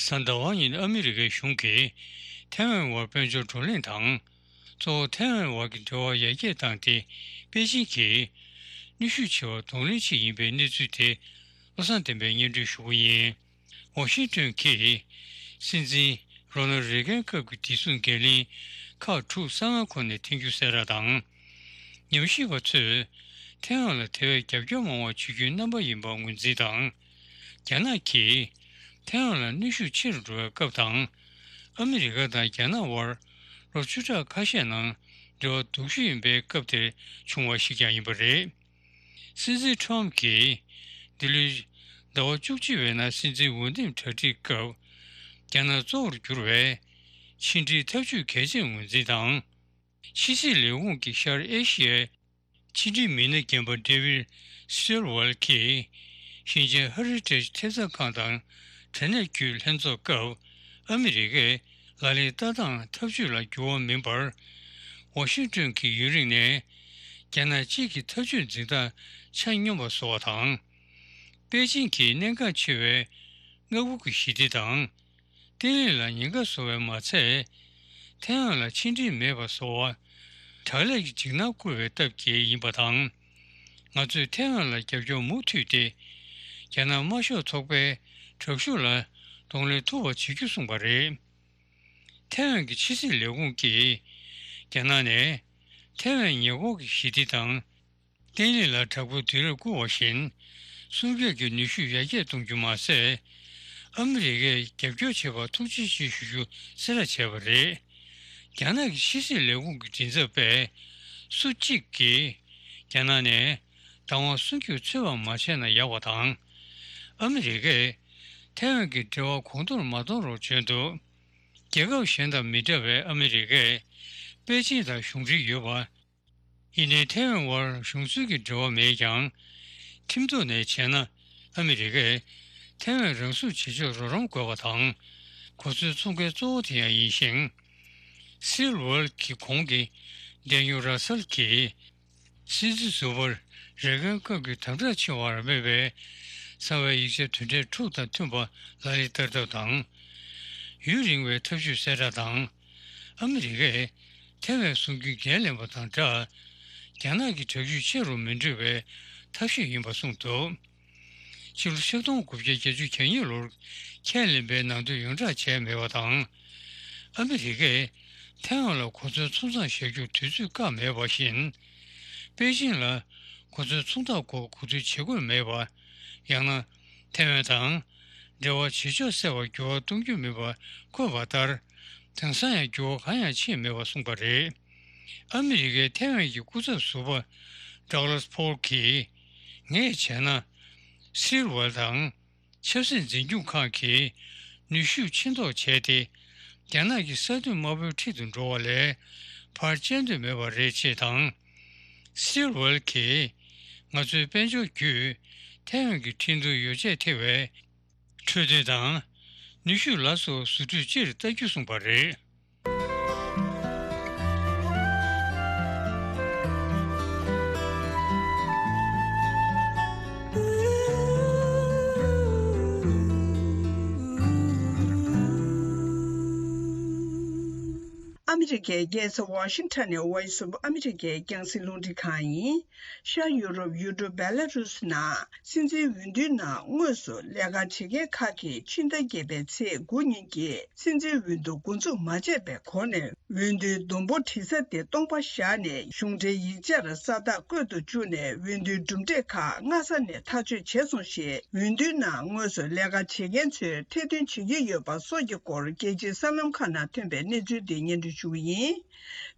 གཟའ་ཟླ་བ་ཉིན་ཨ་མི་རི་ཀའི་གཞུང་གིས་ཐའེ་ཝན་བར་དཔལ་འབྱོར་བགྲོ་གླེང་དང་། གཙོ་བོ་ཐའེ་ཝན་བར་གྱི་འབྲེལ་བ་ཡར་རྒྱས་བཏང་སྟེ། པེ་ཅིན་གྱིས་ནུས་ཤུགས་ཆེ་བ་གདོང་ལེན་བྱེད་ཀྱི་ཡིན་པའི་གནས་ཚུལ་དེ་བློ་བཟང་བསྟན་པས་སྙན་སྒྲོན་ཞུ་གི་ཡིན། ཝ་ཤིང་ཏོན་གྱིས་སྲིད་འཛིན་རོ་ནལ་རེ་གན་སྐབས་ཀྱི་བདེ་སྲུང་འགན་ལེན་ཁག་དྲུག་གསང་བའི་ཁོངས་ནས་འཐེན་རྒྱུ་གསལ་བསྒྲགས་དང་། ཉམས་ཞིབ་པ་ཚོས་ཐའེ་ཝན་ལ་དེ་བས་རྒྱབ་སྐྱོར་མང་བ་བྱེད་རྒྱུའི་རྣམ་པ་ཡིན་པར་ངོས་འཛིན་དང་། རྒྱ་ནག་གིས་ཐའེ་ཝན་ལ་གནོན་ཤུགས་ཆེ་རུ་འགྲོ་བའི་སྐབས་དང་། ཨ་མི་རི་ཀ་དང་རྒྱ་ནག་དབར་ལོ་བཅུ་ཕྲག་ཁ་ཤས་ནང་འབྲེལ་བ་སྡུག་ཤོས་ཡིན་པའི་སྐབས་དེར་བྱུང་བ་ཞིག་ཀྱང་ཡིན་པ་རེད། སྲིད་འཛིན་ཁྲོམ་གྱིས་འདི་ལོའི་ཟླ་བ་བཅུ་གཅིག་པའི་ནང་སྲིད་འཛིན་འོས་འདེམས་གྲ་སྒྲིག་སྐབས། རྒྱ་ནག་གཙོ་བོར་གྱུར་བའི་ཕྱི་འབྲེལ་འཐབ་ཇུས་གལ་ཆེར་ངོས་འཛིན་དང་། ཕྱི་སྲིད་ལས་ཁུངས་ཀྱི་ཤར་ཨེ་ཤི་ཡའི་ཕྱི་འབྲེལ་མི་སྣ་རྒན་པ་ཌེ་ཝིད་སི་ཊེལ་ཝེལ་གྱིས་ཞིང་ཆེན་ཧ་རི་ཊེཇ་ཐེབས་རྩ་ཁང་དང་དྲ་གནས་བརྒྱུད་ལྷན་ཚོགས་སྐབས། ཨ་མི་རི་ཀས་ལག་ལེན་ལྟ་སྟངས་ཐབས་ཇུས་ལ་འགྱུར་བ་མིན་པར། ཝ་ཤིང་ཏོན་གྱིས་ཡུན་རིང་ནས་རྒྱ་ནག་གཅིག་གི་ཐབས་ཇུས་འཛིན་སྟངས་ཆ་སྙོམས་པ་བཟོ་བ་དང་། པེ་ཅིང་གིས་གནད་འགག་ཆེ་བའི་མངའ་ཁུལ་གྱི་ཞི་བདེ་དང་། བརྟན་ལྷིང་ལ་ཉེན་ཁ་བཟོ་བས་མ་ཚད། ཐའེ་ཝན་ལ་ཕྱི་འབྲེལ་མེད་པ་བཟོ་བར་དྲག་ལས་ཀྱི་འཇིགས་སྣང་བསྐུལ་བའི་སྟབས་ཀྱིས་ཡིན་པ་དང་། ང་ཚོས་ཐའེ་ཝན་ལ་རྒྱབ་སྐྱོར་མུ་མཐུད་དེ། རྒྱ་ནག་དམར་ཤོག་ཚོགས་པའི་དྲག་ཤུགས་ལ་གདོང་ལེན་ཐུབ་པ་བྱེད་རྒྱུ་གསུངས་པ་རེད། ཐའེ་ཝན་གྱི་ཕྱི་སྲིད་ལས་ཁུངས་ཀྱིས་རྒྱ་ནག་ནས་ཐའེ་ཝན་ཉེ་འཁོར་གྱི་ཞི་བདེ་དང་། བརྟན་ལྷིང་ལ་དྲག་པོའི་དུས་རབས་བསྐུལ་བ་བཞིན། སྲུང་སྐྱོབ་ཀྱི་ནུས་ཤུགས་ཡར་རྒྱས་གཏོང་རྒྱུ་མ་ཟད། ཨ་མི་རི་ཀས་རྒྱབ་སྐྱོར་བྱས་པར་ཐུགས་རྗེ་ཆེ་ཞུ་རྒྱུ་གསལ་བསྒྲགས་བྱས་པ་རེད། རྒྱ་ནག་གི་ཕྱི་སྲིད་ལས་ཁུངས་ཀྱི་མགྲིན་ཚབ་པས། སུ་གཅིག་གིས་རྒྱ་ནག་ནས་བདག་དབང་སྲུང་སྐྱོབ་འཚོལ་བ་མ་བྱས་ན་ཡག་པ་དང་། ཨ་མི་རི་ཀས་ཐའེ་ཝན་གྱི་འབྲེལ་བ་གོང་མཐོར་མ་གཏོང་རོགས་བྱས་འདུག་རྒྱལ་ཁབ་གཞན་དང་མི་འདྲ་བའི་ཨ་མི་རི་ཀས་པེ་ཅིང་དང་གཞུང་འབྲེལ་ཡོད་པ། ཡིན་ནའི་ཐའེ་ཝན་དབར་གཞུང་འཛིན་གྱི་འབྲེལ་བ་མེད་ཀྱང་། ཁྲིམས་ཐོག་ནས་བྱས་ན་ཨ་མི་རི་ཀས་ཐའེ་ཝན་རང་སྲུང་བྱེད་ཕྱོགས་རོགས་རམ་དགོས་པ་དང་། གོ་མཚོན་འཚོང་མཁན་གཙོ་བོ་དེ་ཡང་ཡིན་ཞིང་། སིལ་ཝར་གྱི་གོང་གི་ཌེ་ནིལ་ར་སལ་གྱིས། སྲིད་འཛིན་ཟུར་པ་རེ་གན་སྐབས་ཀྱི་དམ་དྲག་ཆེ་བར་སྨྲས་པའི་གསང་བའི་ཡིག་ཆ་དོན་ཕྲན་དྲུག་དང་མཐུན་པ་ལག་ལེན་བསྟར་ཐབས་དང་། ཡུན་རིང་བའི་ཐབས་ཇུས་གསལ་བསྒྲགས་དང་། ཨ་མི་རི་ཀས་ཐའེ་ཝན་སྲུང་སྐྱོབ་འགན་ལེན་པ་དང་སྦྲགས། རྒྱ་ནག་གི་དྲག་ཤུགས་ཆེ་རུ་མི་འགྲོ་བའི་ཐབས་ཤེས་ཡིན་པ་གསུངས་འདུག་ཕྱི་ལོ་ཆིག་སྟོང་དགུ་བརྒྱ་བརྒྱད་ཅུ་གྱ་གཉིས་ལོར་ཁས་ལེན་པའི་ནང་དོན་ཡོངས་བསྒྲགས་བྱས་མེད་པ་དང་། ཨ་མི་རི་ཀས་ཐའེ་ཝན་ལ་གོ་མཚོན་ཚོང་ཟོག་བཞག་རྒྱུར་དུས་ཚོད་བཀག་མེད་པ་བཞིན། པེ་ཅིང་ལ་གོ་མཚོན་ཚོང་རྟགས་སྐོར་གོ་བསྡུར་བྱེད་དགོས་མེད་པ། ཡང་ན། ཐའེ་ཝན་དང་འབྲེལ་བ་བྱེད་ཕྱོགས་གསལ་བར་འགྱུར་བ་གཏོང་རྒྱུ་མིན་པ་འཁོད་པ་ལྟར། དེང་སང་ཡང་འགྱུར་བ་གང་ཡང་ཕྱིན་མེད་པ་གསུངས་པ་རེད། ཨ་མི་རི་ཀའི་ཐའེ་ཝན་གྱི་སྐུ་ཚབ་ཟུར་པ་ ཌག་ལཱས་ཕོལ་གྱིས། ངས་བྱས་ན། སིལ་ཝལ་དང་། ཆབ་སྲིད་འཛིན་སྐྱོང་ཁང་གིས་ནུས་ཤུགས་ཆེ་མདོག་བྱས་ཏེ། རྒྱ་ནག་གི་ས་མཐོའི་དམག་དཔོན་ཁྲིད་དུ་འགྲོ་བ་ལས་ཕར་བཅད་འདོད་མེད་པ་རེད་ཅེས་དང་། སིལ་ཝལ་གྱིས། ང་ཚོའི་དཔལ་འབྱོར་བརྒྱུད་ཐའེ་ཝན་གྱི་ཁྲིན་ཏུའུ་ཡོ་བྱད་ཐེ་བའི་འཕྲོད་བསྟེན་དང་། ནུས་ཤུགས་ལ་སོགས་བཟོ་སྐྲུན་སྤྱིར་ལྟ་རྒྱུ་གསུངས་པ་རེད། ཨ་མི་རི་ཀའི་རྒྱལ་ས་ཝ་ཤིང་ཊོན་ནས་Voice of America རྒྱང་སྲིང་རླུང་འཕྲིན་ཁང་ཡིན། ཤར་ཡུ་རོབ་ཡུལ་གྲུ་བེ་ལ་རུས་ནང་སྲིད་འཛིན་འོས་བསྡུའི་ནང་དངོས་སུ་ལས་ཀ་བྱེད་མཁན་ཁག་གིས་ཕྱི་ཟླ་བརྒྱད་པའི་ཚེས་དགུ་ཉིན་གྱི་སྲིད་འཛིན་འོས་བསྡུ་འགོ་འཛུགས་མ་བྱས་པའི་སྒོ་ནས་འོས་བསྡུའི་སྡོང་པོ་བྲི་ས་དེ་སྟོང་པ་བཞག་ནས་གཞུང་འབྲེལ་ཡིག་ཆར་ས་རྟགས་བཀོད་དུ་བཅུག་ནས་འོས་བསྡུའི་གྲུབ་འབྲས་ཁག་སྔ་ས་ནས་ཐག་གཅོད་བྱས་སོང་ཞེས་འོས་བསྡུའི་ནང་དངོས་སུ་ལས་ཀ་བྱེད་མཁན་ཚོས་ཐེར་འདོན་བྱེད་ཀྱི་ཡོད་པ་སོགས་ཀྱི་སྐོར་རྒྱལ་སྤྱིའི་གསར་ལམ་ཁག་ནང་ཐོན་པའི་གནས་ཚུལ་འདི་སྙན་སྒྲོན་ཞུ་གི་ཡིན།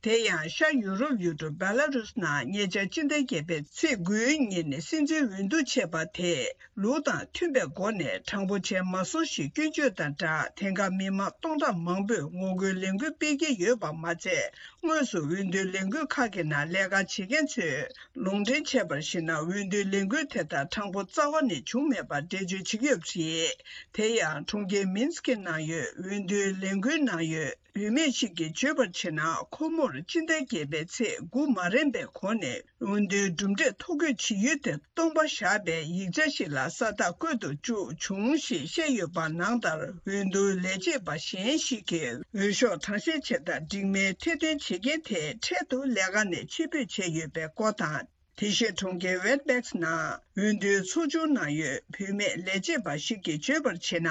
དེ་ཡང་ཤར་ཡུ་རོབ་ཡུལ་གྲུ་བེ་ལ་རུས་ནང་ཉེ་ཆར་སྤྱི་ཟླ་བརྒྱད་པའི་ཚེས་དགུའི་ཉིན་སྲིད་འཛིན་འོས་བསྡུ་བྱས་པ་དེས་ལུགས་དང་མཐུན་པའི་སྒོ་ནས་དྲང་པོ་བྱས་མ་སོང་ཞེས་སྐྱོན་བརྗོད་དང་སྦྲགས་དེང་སྐབས་མི་མང་སྟོང་ཕྲག་མང་པོས་ངོ་རྒོལ་ལས་འགུལ་སྤེལ་གྱི་ཡོད་པ་མ་ཚད། དངོས་སུ་འོས་བསྡུའི་ལས་འགུལ་ཁག་གི་ནང་ལས་ཀ་བྱེད་མཁན་ཚོས་ལུང་འདྲེན་བྱས་པར་གཞིགས་ན་འོས་བསྡུའི་ལས་འགུལ་དེ་དག་དྲང་པོ་རྩ་བ་ནས་བྱུང་མེད་པར་འགྲེལ་བརྗོད་བྱེད་ཀྱི་ཡོད་པ་རེད། དེ་ཡང་གྲོང་ཁྱེར་མིན་སི་ཀི་ནང་ཡོད་འོས་བསྡུའི་ལས་འགུལ་ནང་ཡོད། བུད་མེད་ཞིག་གིས་བརྗོད་པར་བྱས་ན། ཁོ་མོར་སྤྱི་ཟླ་བརྒྱད་པའི་ཚེས་དགུ་མ་རན་པའི་གོང་ནས་འོས་བསྡུའི་གྲུབ་འབྲས་ཐོ་འགོད་བྱེད་ཡུལ་དེ་སྟོང་པ་བཞག་པའི་ཡིག་ཆ་ཞིག་ལ་ས་རྟགས་བཀོད་དུ་བཅུག་བྱུང་ཞེས་བཤད་ཡོད་པ་ནང་ལྟར། འོས་བསྡུའི་ལས་བྱེད་པ་གཞན་ཞིག་གིས་འོས་ཤོག་གྲངས་བཤེར་བྱེད་སྟངས་འགྲིག་མིན་ཐེར་འདོན་བྱེད་མཁན་དེ་འཕྲལ་དུ་ལས་ཀ་ནས་ཕྱིར་འབུད་བྱས་ཡོད་པའི་སྐོར་དང་། དེ་བཞིན་གྲོང་ཁྱེར་ཝེད་བེག་སི་ནང་འོས་བསྡུའི་ཚོགས་ཆུང་ནང་ཡོད་བུད་མེད་ལས་བྱེད་པ་ཞིག་གིས་བརྗོད་པར་བྱས་ན།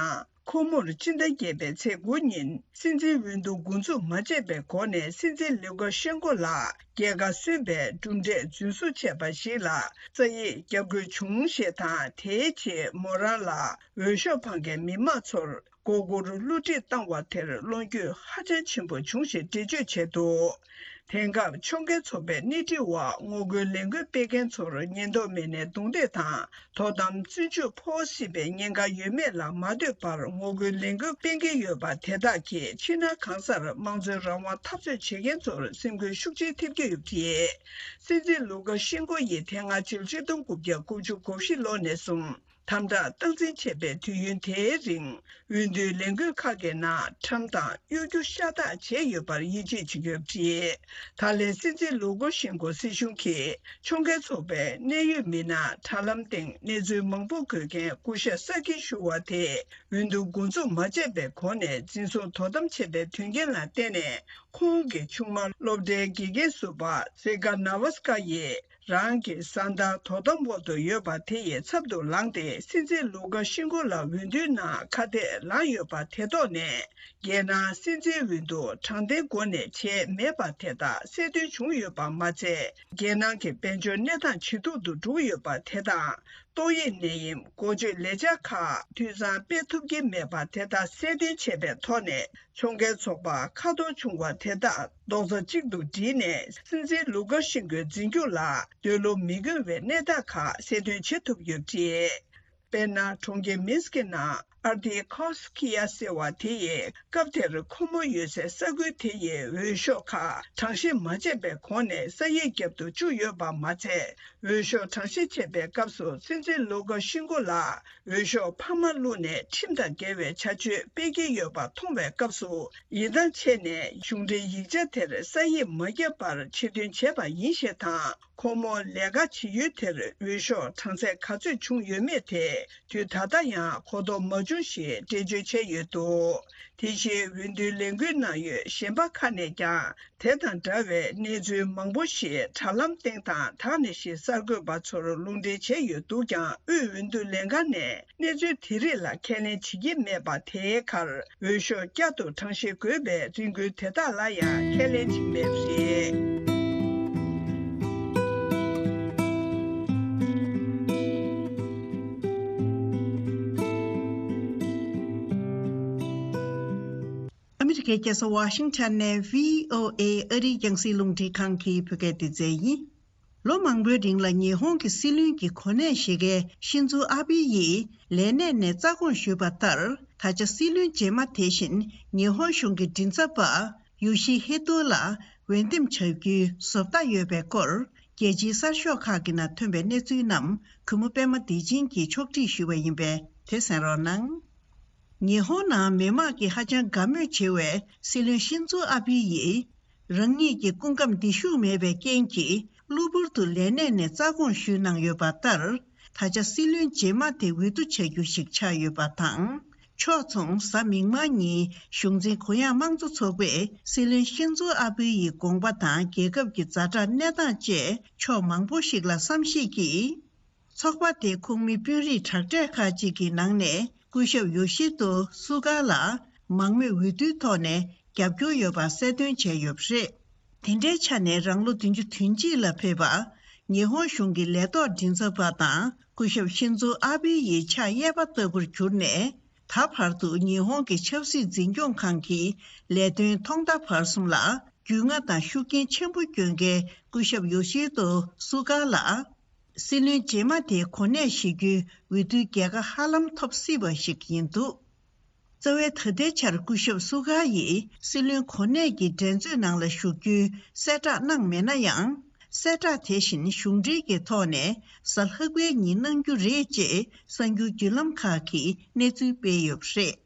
ཁོ་མོར་སྤྱི་ཟླ་བརྒྱད་པའི་ཚེས་དགུ་ཉིན་སྲིད་འཛིན་འོས་བསྡུ་འགོ་འཛུགས་མ་བྱས་པའི་སྒོ་ནས་སྲིད་འཛིན་ལུ་ཀ་ཤེན་ཀོ་ལ་རྒྱལ་ཁ་སོན་པའི་གྲུབ་འབྲས་རྫུན་བཟོ་བྱས་པ་ཞིག་ལ་རྩ་ཡིག་བརྒྱབ་དགོས་བྱུང་ཞེས་དང་། དེའི་རྗེས་མོ་རང་ལ་འོས་ཤོག་འཕང་མཁན་མི་མང་ཚོར་མགོ་སྐོར་བསླུ་བྲིད་བཏང་བ་དེར་བློ་འགྱོད་ཧ་ཅང་ཆེན་པོ་བྱུང་ཞེས་འགྲེལ་བརྗོད་བྱས་འདུག་དེང་སྐབས་ཕྱོགས་འགལ་ཚོགས་པའི་སྣེ་ཁྲིད་འོག་ངོ་རྒོལ་ལས་འགུལ་སྤེལ་མཁན་ཚོར་ཉེན་རྟོག་མི་སྣས་རྡུང་རྡེག་དང་དོ་དམ་བཙོན་འཇུག་ཕོག་སྲིད་པའི་ཉེན་ཁ་ཡོད་མེད་ལ་མ་ལྟོས་པར་ངོ་རྒོལ་ལས་འགུལ་སྤེལ་གྱི་ཡོད་པ་དེ་དག་གིས་ཕྱི་ནང་གང་སར་དམངས་གཙོའི་རང་དབང་འཐབ་རྩོད་བྱེད་མཁན་ཚོར་སེམས་འགུལ་ཤུགས་ཆེན་ཐེབས་ཀྱི་ཡོད་པ་རེད། སྲིད་འཛིན་ལུ་ཀ་ཤེན་ཀོ་ཡིས་དེ་སྔ་ཕྱི་ལོ་ཆིག་སྟོང་དགུ་བརྒྱ་དགུ་བཅུ་གོ་བཞི་ལོ་ནས་བཟུང་དམ་དྲག་སྟངས་འཛིན་བྱས་པའི་དུས་ཡུན་དེའི་རིང་། འོས་བསྡུའི་ལས་འགུལ་ཁག་གི་ནང་ཁྲམ་དང་གཡོ་སྒྱུ་ཤ་སྟག་བྱས་ཡོད་པར་ཡིད་ཆེས་བྱེད་ཀྱི་ཡོད་པ་རེད། ད་ལན་སྲིད་འཛིན་ལུ་ཀོ་ཤེན་ཀོ་སྲིད་གཞུང་གིས་ཕྱོགས་འགལ་ཚོགས་པའི་གནད་ཡོད་མི་སྣ་དྲ་ལམ་སྟེང་གནས་ཚུལ་མང་པོ་འགོད་མཁན་སྐུ་ཞབས་སཱ་ཀི་ཞུ་བ་དེས་འོས་བསྡུ་འགོ་འཛུགས་མ་བྱས་པའི་གོང་ནས་འཛིན་བཟུང་དོ་དམ་བྱས་པའི་དོན་རྐྱེན་ལ་བརྟེན་ནས། ཁོང་གི་ཆུང་མ་སློབ་གྲྭའི་དགེ་རྒན་ཟུར་པ་ཟི་ཀ་ན་ཝ་སི་ཀ་ཡིས། རང་གི་བཟའ་ཟླ་དོ་དམ་འོག་ཏུ་ཡོད་པ་དེ་ཡི་ཚབ་ཏུ་ལངས་ཏེ་སྲིད་འཛིན་ལུ་ཀ་ཤེན་ཀོ་ལ་འོས་བསྡུའི་ནང་ཁ་གཏད་ལངས་ཡོད་པ་དེ་ཐོག་ནས། རྒྱལ་ནང་སྲིད་འཛིན་འོས་བསྡུ་དྲང་བདེན་སྒོ་ནས་བྱས་མེད་པ་དེ་དག་གསལ་སྟོན་བྱུང་ཡོད་པ་མ་ཚད། རྒྱལ་ནང་གི་དཔལ་འབྱོར་གནས་སྟངས་ཇེ་སྡུག་ཏུ་འགྲོ་གི་ཡོད་པ་དེ་དང་། ཏོག་དབྱིབས་ནད་ཡམས་འགོག་བཅོས་ལས་འཆར་ཁག་འཐུས་ཚང་སྤེལ་ཐུབ་ཀྱི་མེད་པ་དེ་དག་གསལ་སྟོན་བྱས་པའི་ཐོག་ནས། ཕྱོགས་འགལ་ཚོགས་པ་ཁ་འཐོར་བྱུང་བ་དེ་དག་རྡོག་རྩ་གཅིག་ཏུ་བསྒྲིལ་ནས། སྲིད་འཛིན་ལུ་ཀ་ཤེན་ཀོའི་འཛིན་སྐྱོང་ལ་འདོད་བློ་མི་འགྱུར་བའི་གནས་སྟངས་ཁག་གསལ་སྟོན་བྱེད་ཐུབ་ཡོད་པ་རེད། དཔེར་ན། གྲོང་ཁྱེར་མིན་སི་ཀི་ནང་ཨར་ཏི་ཁོ་སི་ཁི་ཡ་ཟེར་བ་དེ་ཡིས་སྐབས་དེར་ཁོ་མོ་ཡོད་སའི་ས་ཁུལ་དེ་ཡི་འོས་ཤོག་ཁག་གྲངས་བཤེར་མ་བྱས་པའི་གོང་ནས་ས་ཡིག་བརྒྱབ་ཏུ་བཅུག་ཡོད་པ་མ་ཚད། འོས་ཤོག་གྲངས་བཤེར་བྱེད་པའི་སྐབས་སུ་སྲིད་འཛིན་ལུ་ཀ་ཤེན་ཀོ་ལ་འོས་ཤོག་འཕར་མ་བླུགས་ནས་ཁྲིམས་དང་འགལ་བའི་བྱ་སྤྱོད་སྤེལ་གྱི་ཡོད་པ་མཐོང་བའི་སྐབས་སུ། ཡིད་ཐང་ཆད་ནས་གཞུང་འབྲེལ་ཡིག་ཆ་དེར་ས་ཡིག་མ་བརྒྱབ་པར་ཕྱིར་འདོན་བྱས་པ་ཡིན་ཞེས་དང་། ཁོང་མོ་ལས་ཀ་བྱེད་ཡུལ་དེར་འོས་ཤོག་གྲངས་ཚད་ག་ཚོད་བྱུང་ཡོད་མེད་དེ་དུས་ད་ལྟ་ཡང་གོ་རྟོགས་མ་བྱུང་ཞེས་འགྲེལ་བརྗོད་བྱས་ཡོད་འདུག་དེ་བཞིན་འོས་བསྡུའི་ལས་འགུལ་ནང་ཡོད་གཞན་པ་ཁག་ནས་ཀྱང་། དེ་དང་འདྲ་བའི་གནས་ཚུལ་མང་པོ་ཞིག་དྲ་ལམ་སྟེང་དང་དག་ནས་ཤིག་གསར་འགོད་པ་ཚོར་ལུང་འདྲེན་བྱས་ཡོད་འདུག་ཀྱང་། དབུས་འོས་བསྡུ་ལས་ཁང་ནས་གནས་ཚུལ་དེ་རིགས་ལ་ཁས་ལེན་བྱེད་ཀྱི་མེད་པ་དེའི་ཁར། འོས་ཤོག་བསྐྱར་དུ་གྲངས་བཤེར་དགོས་པའི་རེ་སྐུལ་དེ་དག་ལ་ཡང་ཁས་ལེན་བྱེད་མེད་པ་རེད། ཨ་མི་རི་ཀའི་རྒྱལ་ས་ཝ་ཤིང་ཊོན་ནས་བྷི་ཨོ་ཨེ་ཨ་རིའི་རྒྱང་སྲིང་རླུང་འཕྲིན་ཁང་གི་བོད་སྐད་སྡེ་ཚན་ཡིན། ལོ་མང་པོའི་རིང་ལ་ཉི་ཧོང་གི་སྲིད་བློན་གྱི་གོ་གནས་བཞེས་མཁན་ཤིན་ཛོ་ཨ་བྷི་ཡིས་ལས་གནས་ནས་རྩ་དགོངས་ཞུས་པ་ལྟར། ད་ཆ་སྲིད་བློན་རྗེས་མ་དེ་བཞིན་ཉི་ཧོང་གཞུང་གི་མགྲིན་ཚབ་པ་ཡོ་ཤི་ཧི་ཏོ་ལ་འོས་འདེམས་བྱ་རྒྱུའི་བཟོ་ལྟ་ཡོད་པའི་སྐོར། རྒྱལ་སྤྱིའི་གསར་ཤོག་ཁག་གི་ནང་ཐོན་པའི་གནས་ཚུལ་རྣམས་གུས་མོ་པད་མ་བདེ་ཆེན་གྱིས་ཕྱོགས་སྒྲིག་ཞུས་པ་ཡིན་པས་དེ་གསན་རོགས་གནང་། ཉི་ཧོང་ནང་མི་མང་གིས་ཧ་ཅང་དགའ་མོས་བྱེད་པའི་སྲིད་བློན་ཤིན་ཛོ་ཨ་བྷི་ཡིས། རང་ཉིད་ཀྱི་སྐུ་ཁམས་བདེ་ཤུགས་མེད་པའི་རྐྱེན་གྱིས་གློ་བུར་དུ་ལས་གནས་ནས་རྩ་དགོངས་ཞུས་གནང་ཡོད་པ་ལྟར། ད་ཆ་སྲིད་བློན་རྗེས་མ་དེ་འོས་བསྡུ་བྱ་རྒྱུ་ཞིག་ཆགས་ཡོད་པ་དང་། ཕྱོགས་མཚུངས་གཟའ་མིག་དམར་ཉིན་གཞུང་འཛིན་གུ་ཡངས་དམངས་གཙོ་ཚོགས་པས་སྲིད་བློན་ཤིན་ཛོ་ཨ་བྷི་ཡི་དགོངས་པ་དང་། རྒྱལ་ཁབ་ཀྱི་ཛ་དྲག་གནས་སྟངས་བཅས་ཕྱོགས་མང་པོ་ཞིག་ལ་བསམ་གཞིག་གིས། ཚོགས་པ་དེའི་ཁོངས་མི་དཔོན་རིགས་དྲག་གྲས་ཁག་ཅིག་གི་ནང་ནས་སྐུ་ཞབས་ཡོ་ཤི་ཏོ་སུ་གྷ་ལ་མང་མོས་འོས་བསྡུའི་ཐོག་ནས་རྒྱབ་སྐྱོར་ཡོད་པ་གསལ་སྟོན་བྱས་ཡོད་པ་རེད། དེ་འདྲའི་ཆ་ནས་རང་ལོ་བདུན་ཅུ་དོན་གཅིག་ལ་ཕེབས་པ། ཉི་ཧོང་གཞུང་གི་ལས་ཐོག་མགྲིན་ཚབ་པ་དང་སྐུ་ཞབས་ཤིན་ཛོ་ཨ་བྷི་ཡི་ཕྱག་གཡས་པ་ལྟ་བུར་གྱུར་ནས། ད་བར་དུ་ཉི་ཧོང་གི་ཆབ་སྲིད་འཛིན་སྐྱོང་ཁང་གི་ལས་དོན་ཐོག་མཐའ་བར་གསུམ་ལ་རྒྱུས་མངའ་དང་ཤུགས་རྐྱེན་ཆེན་པོ་བསྐྱོན་མཁན་སྐུ་ཞབས་ཡོ་ཤི་ཏོ་སུ་གྷ་ལ། སྲིད་བློན་རྗེས་མ་དེའི་གོ་གནས་བཞེས་རྒྱུའི་འོས་བསྡུའི་རྒྱལ་ཁ་ཧ་ལམ་ཐོབ་སྲིད་པ་ཞིག་ཡིན་འདུག། རྩ་བའི་ད་ལྟའི་ཆར་སྐུ་ཞབས་སུ་གྷ་ཡིས་སྲིད་བློན་གོ་གནས་ཀྱི་འགྲན་རྩོད་ནང་ལ་ཞུགས་རྒྱུའི་གསལ་བསྒྲགས་གནང་མེད་ན་ཡང་། གསལ་བསྒྲགས་དེ་བཞིན་གཞུང་འབྲེལ་གྱི་ཐོག་ནས་གཟའ་ལྷག་པའི་ཉིན་གནང་རྒྱུ་རེད་ཅེས་གསར་འགྱུར་བརྒྱུད་ལམ་ཁག་གིས་གནས་ཚུལ་སྤེལ་ཡོད་པ་རེད།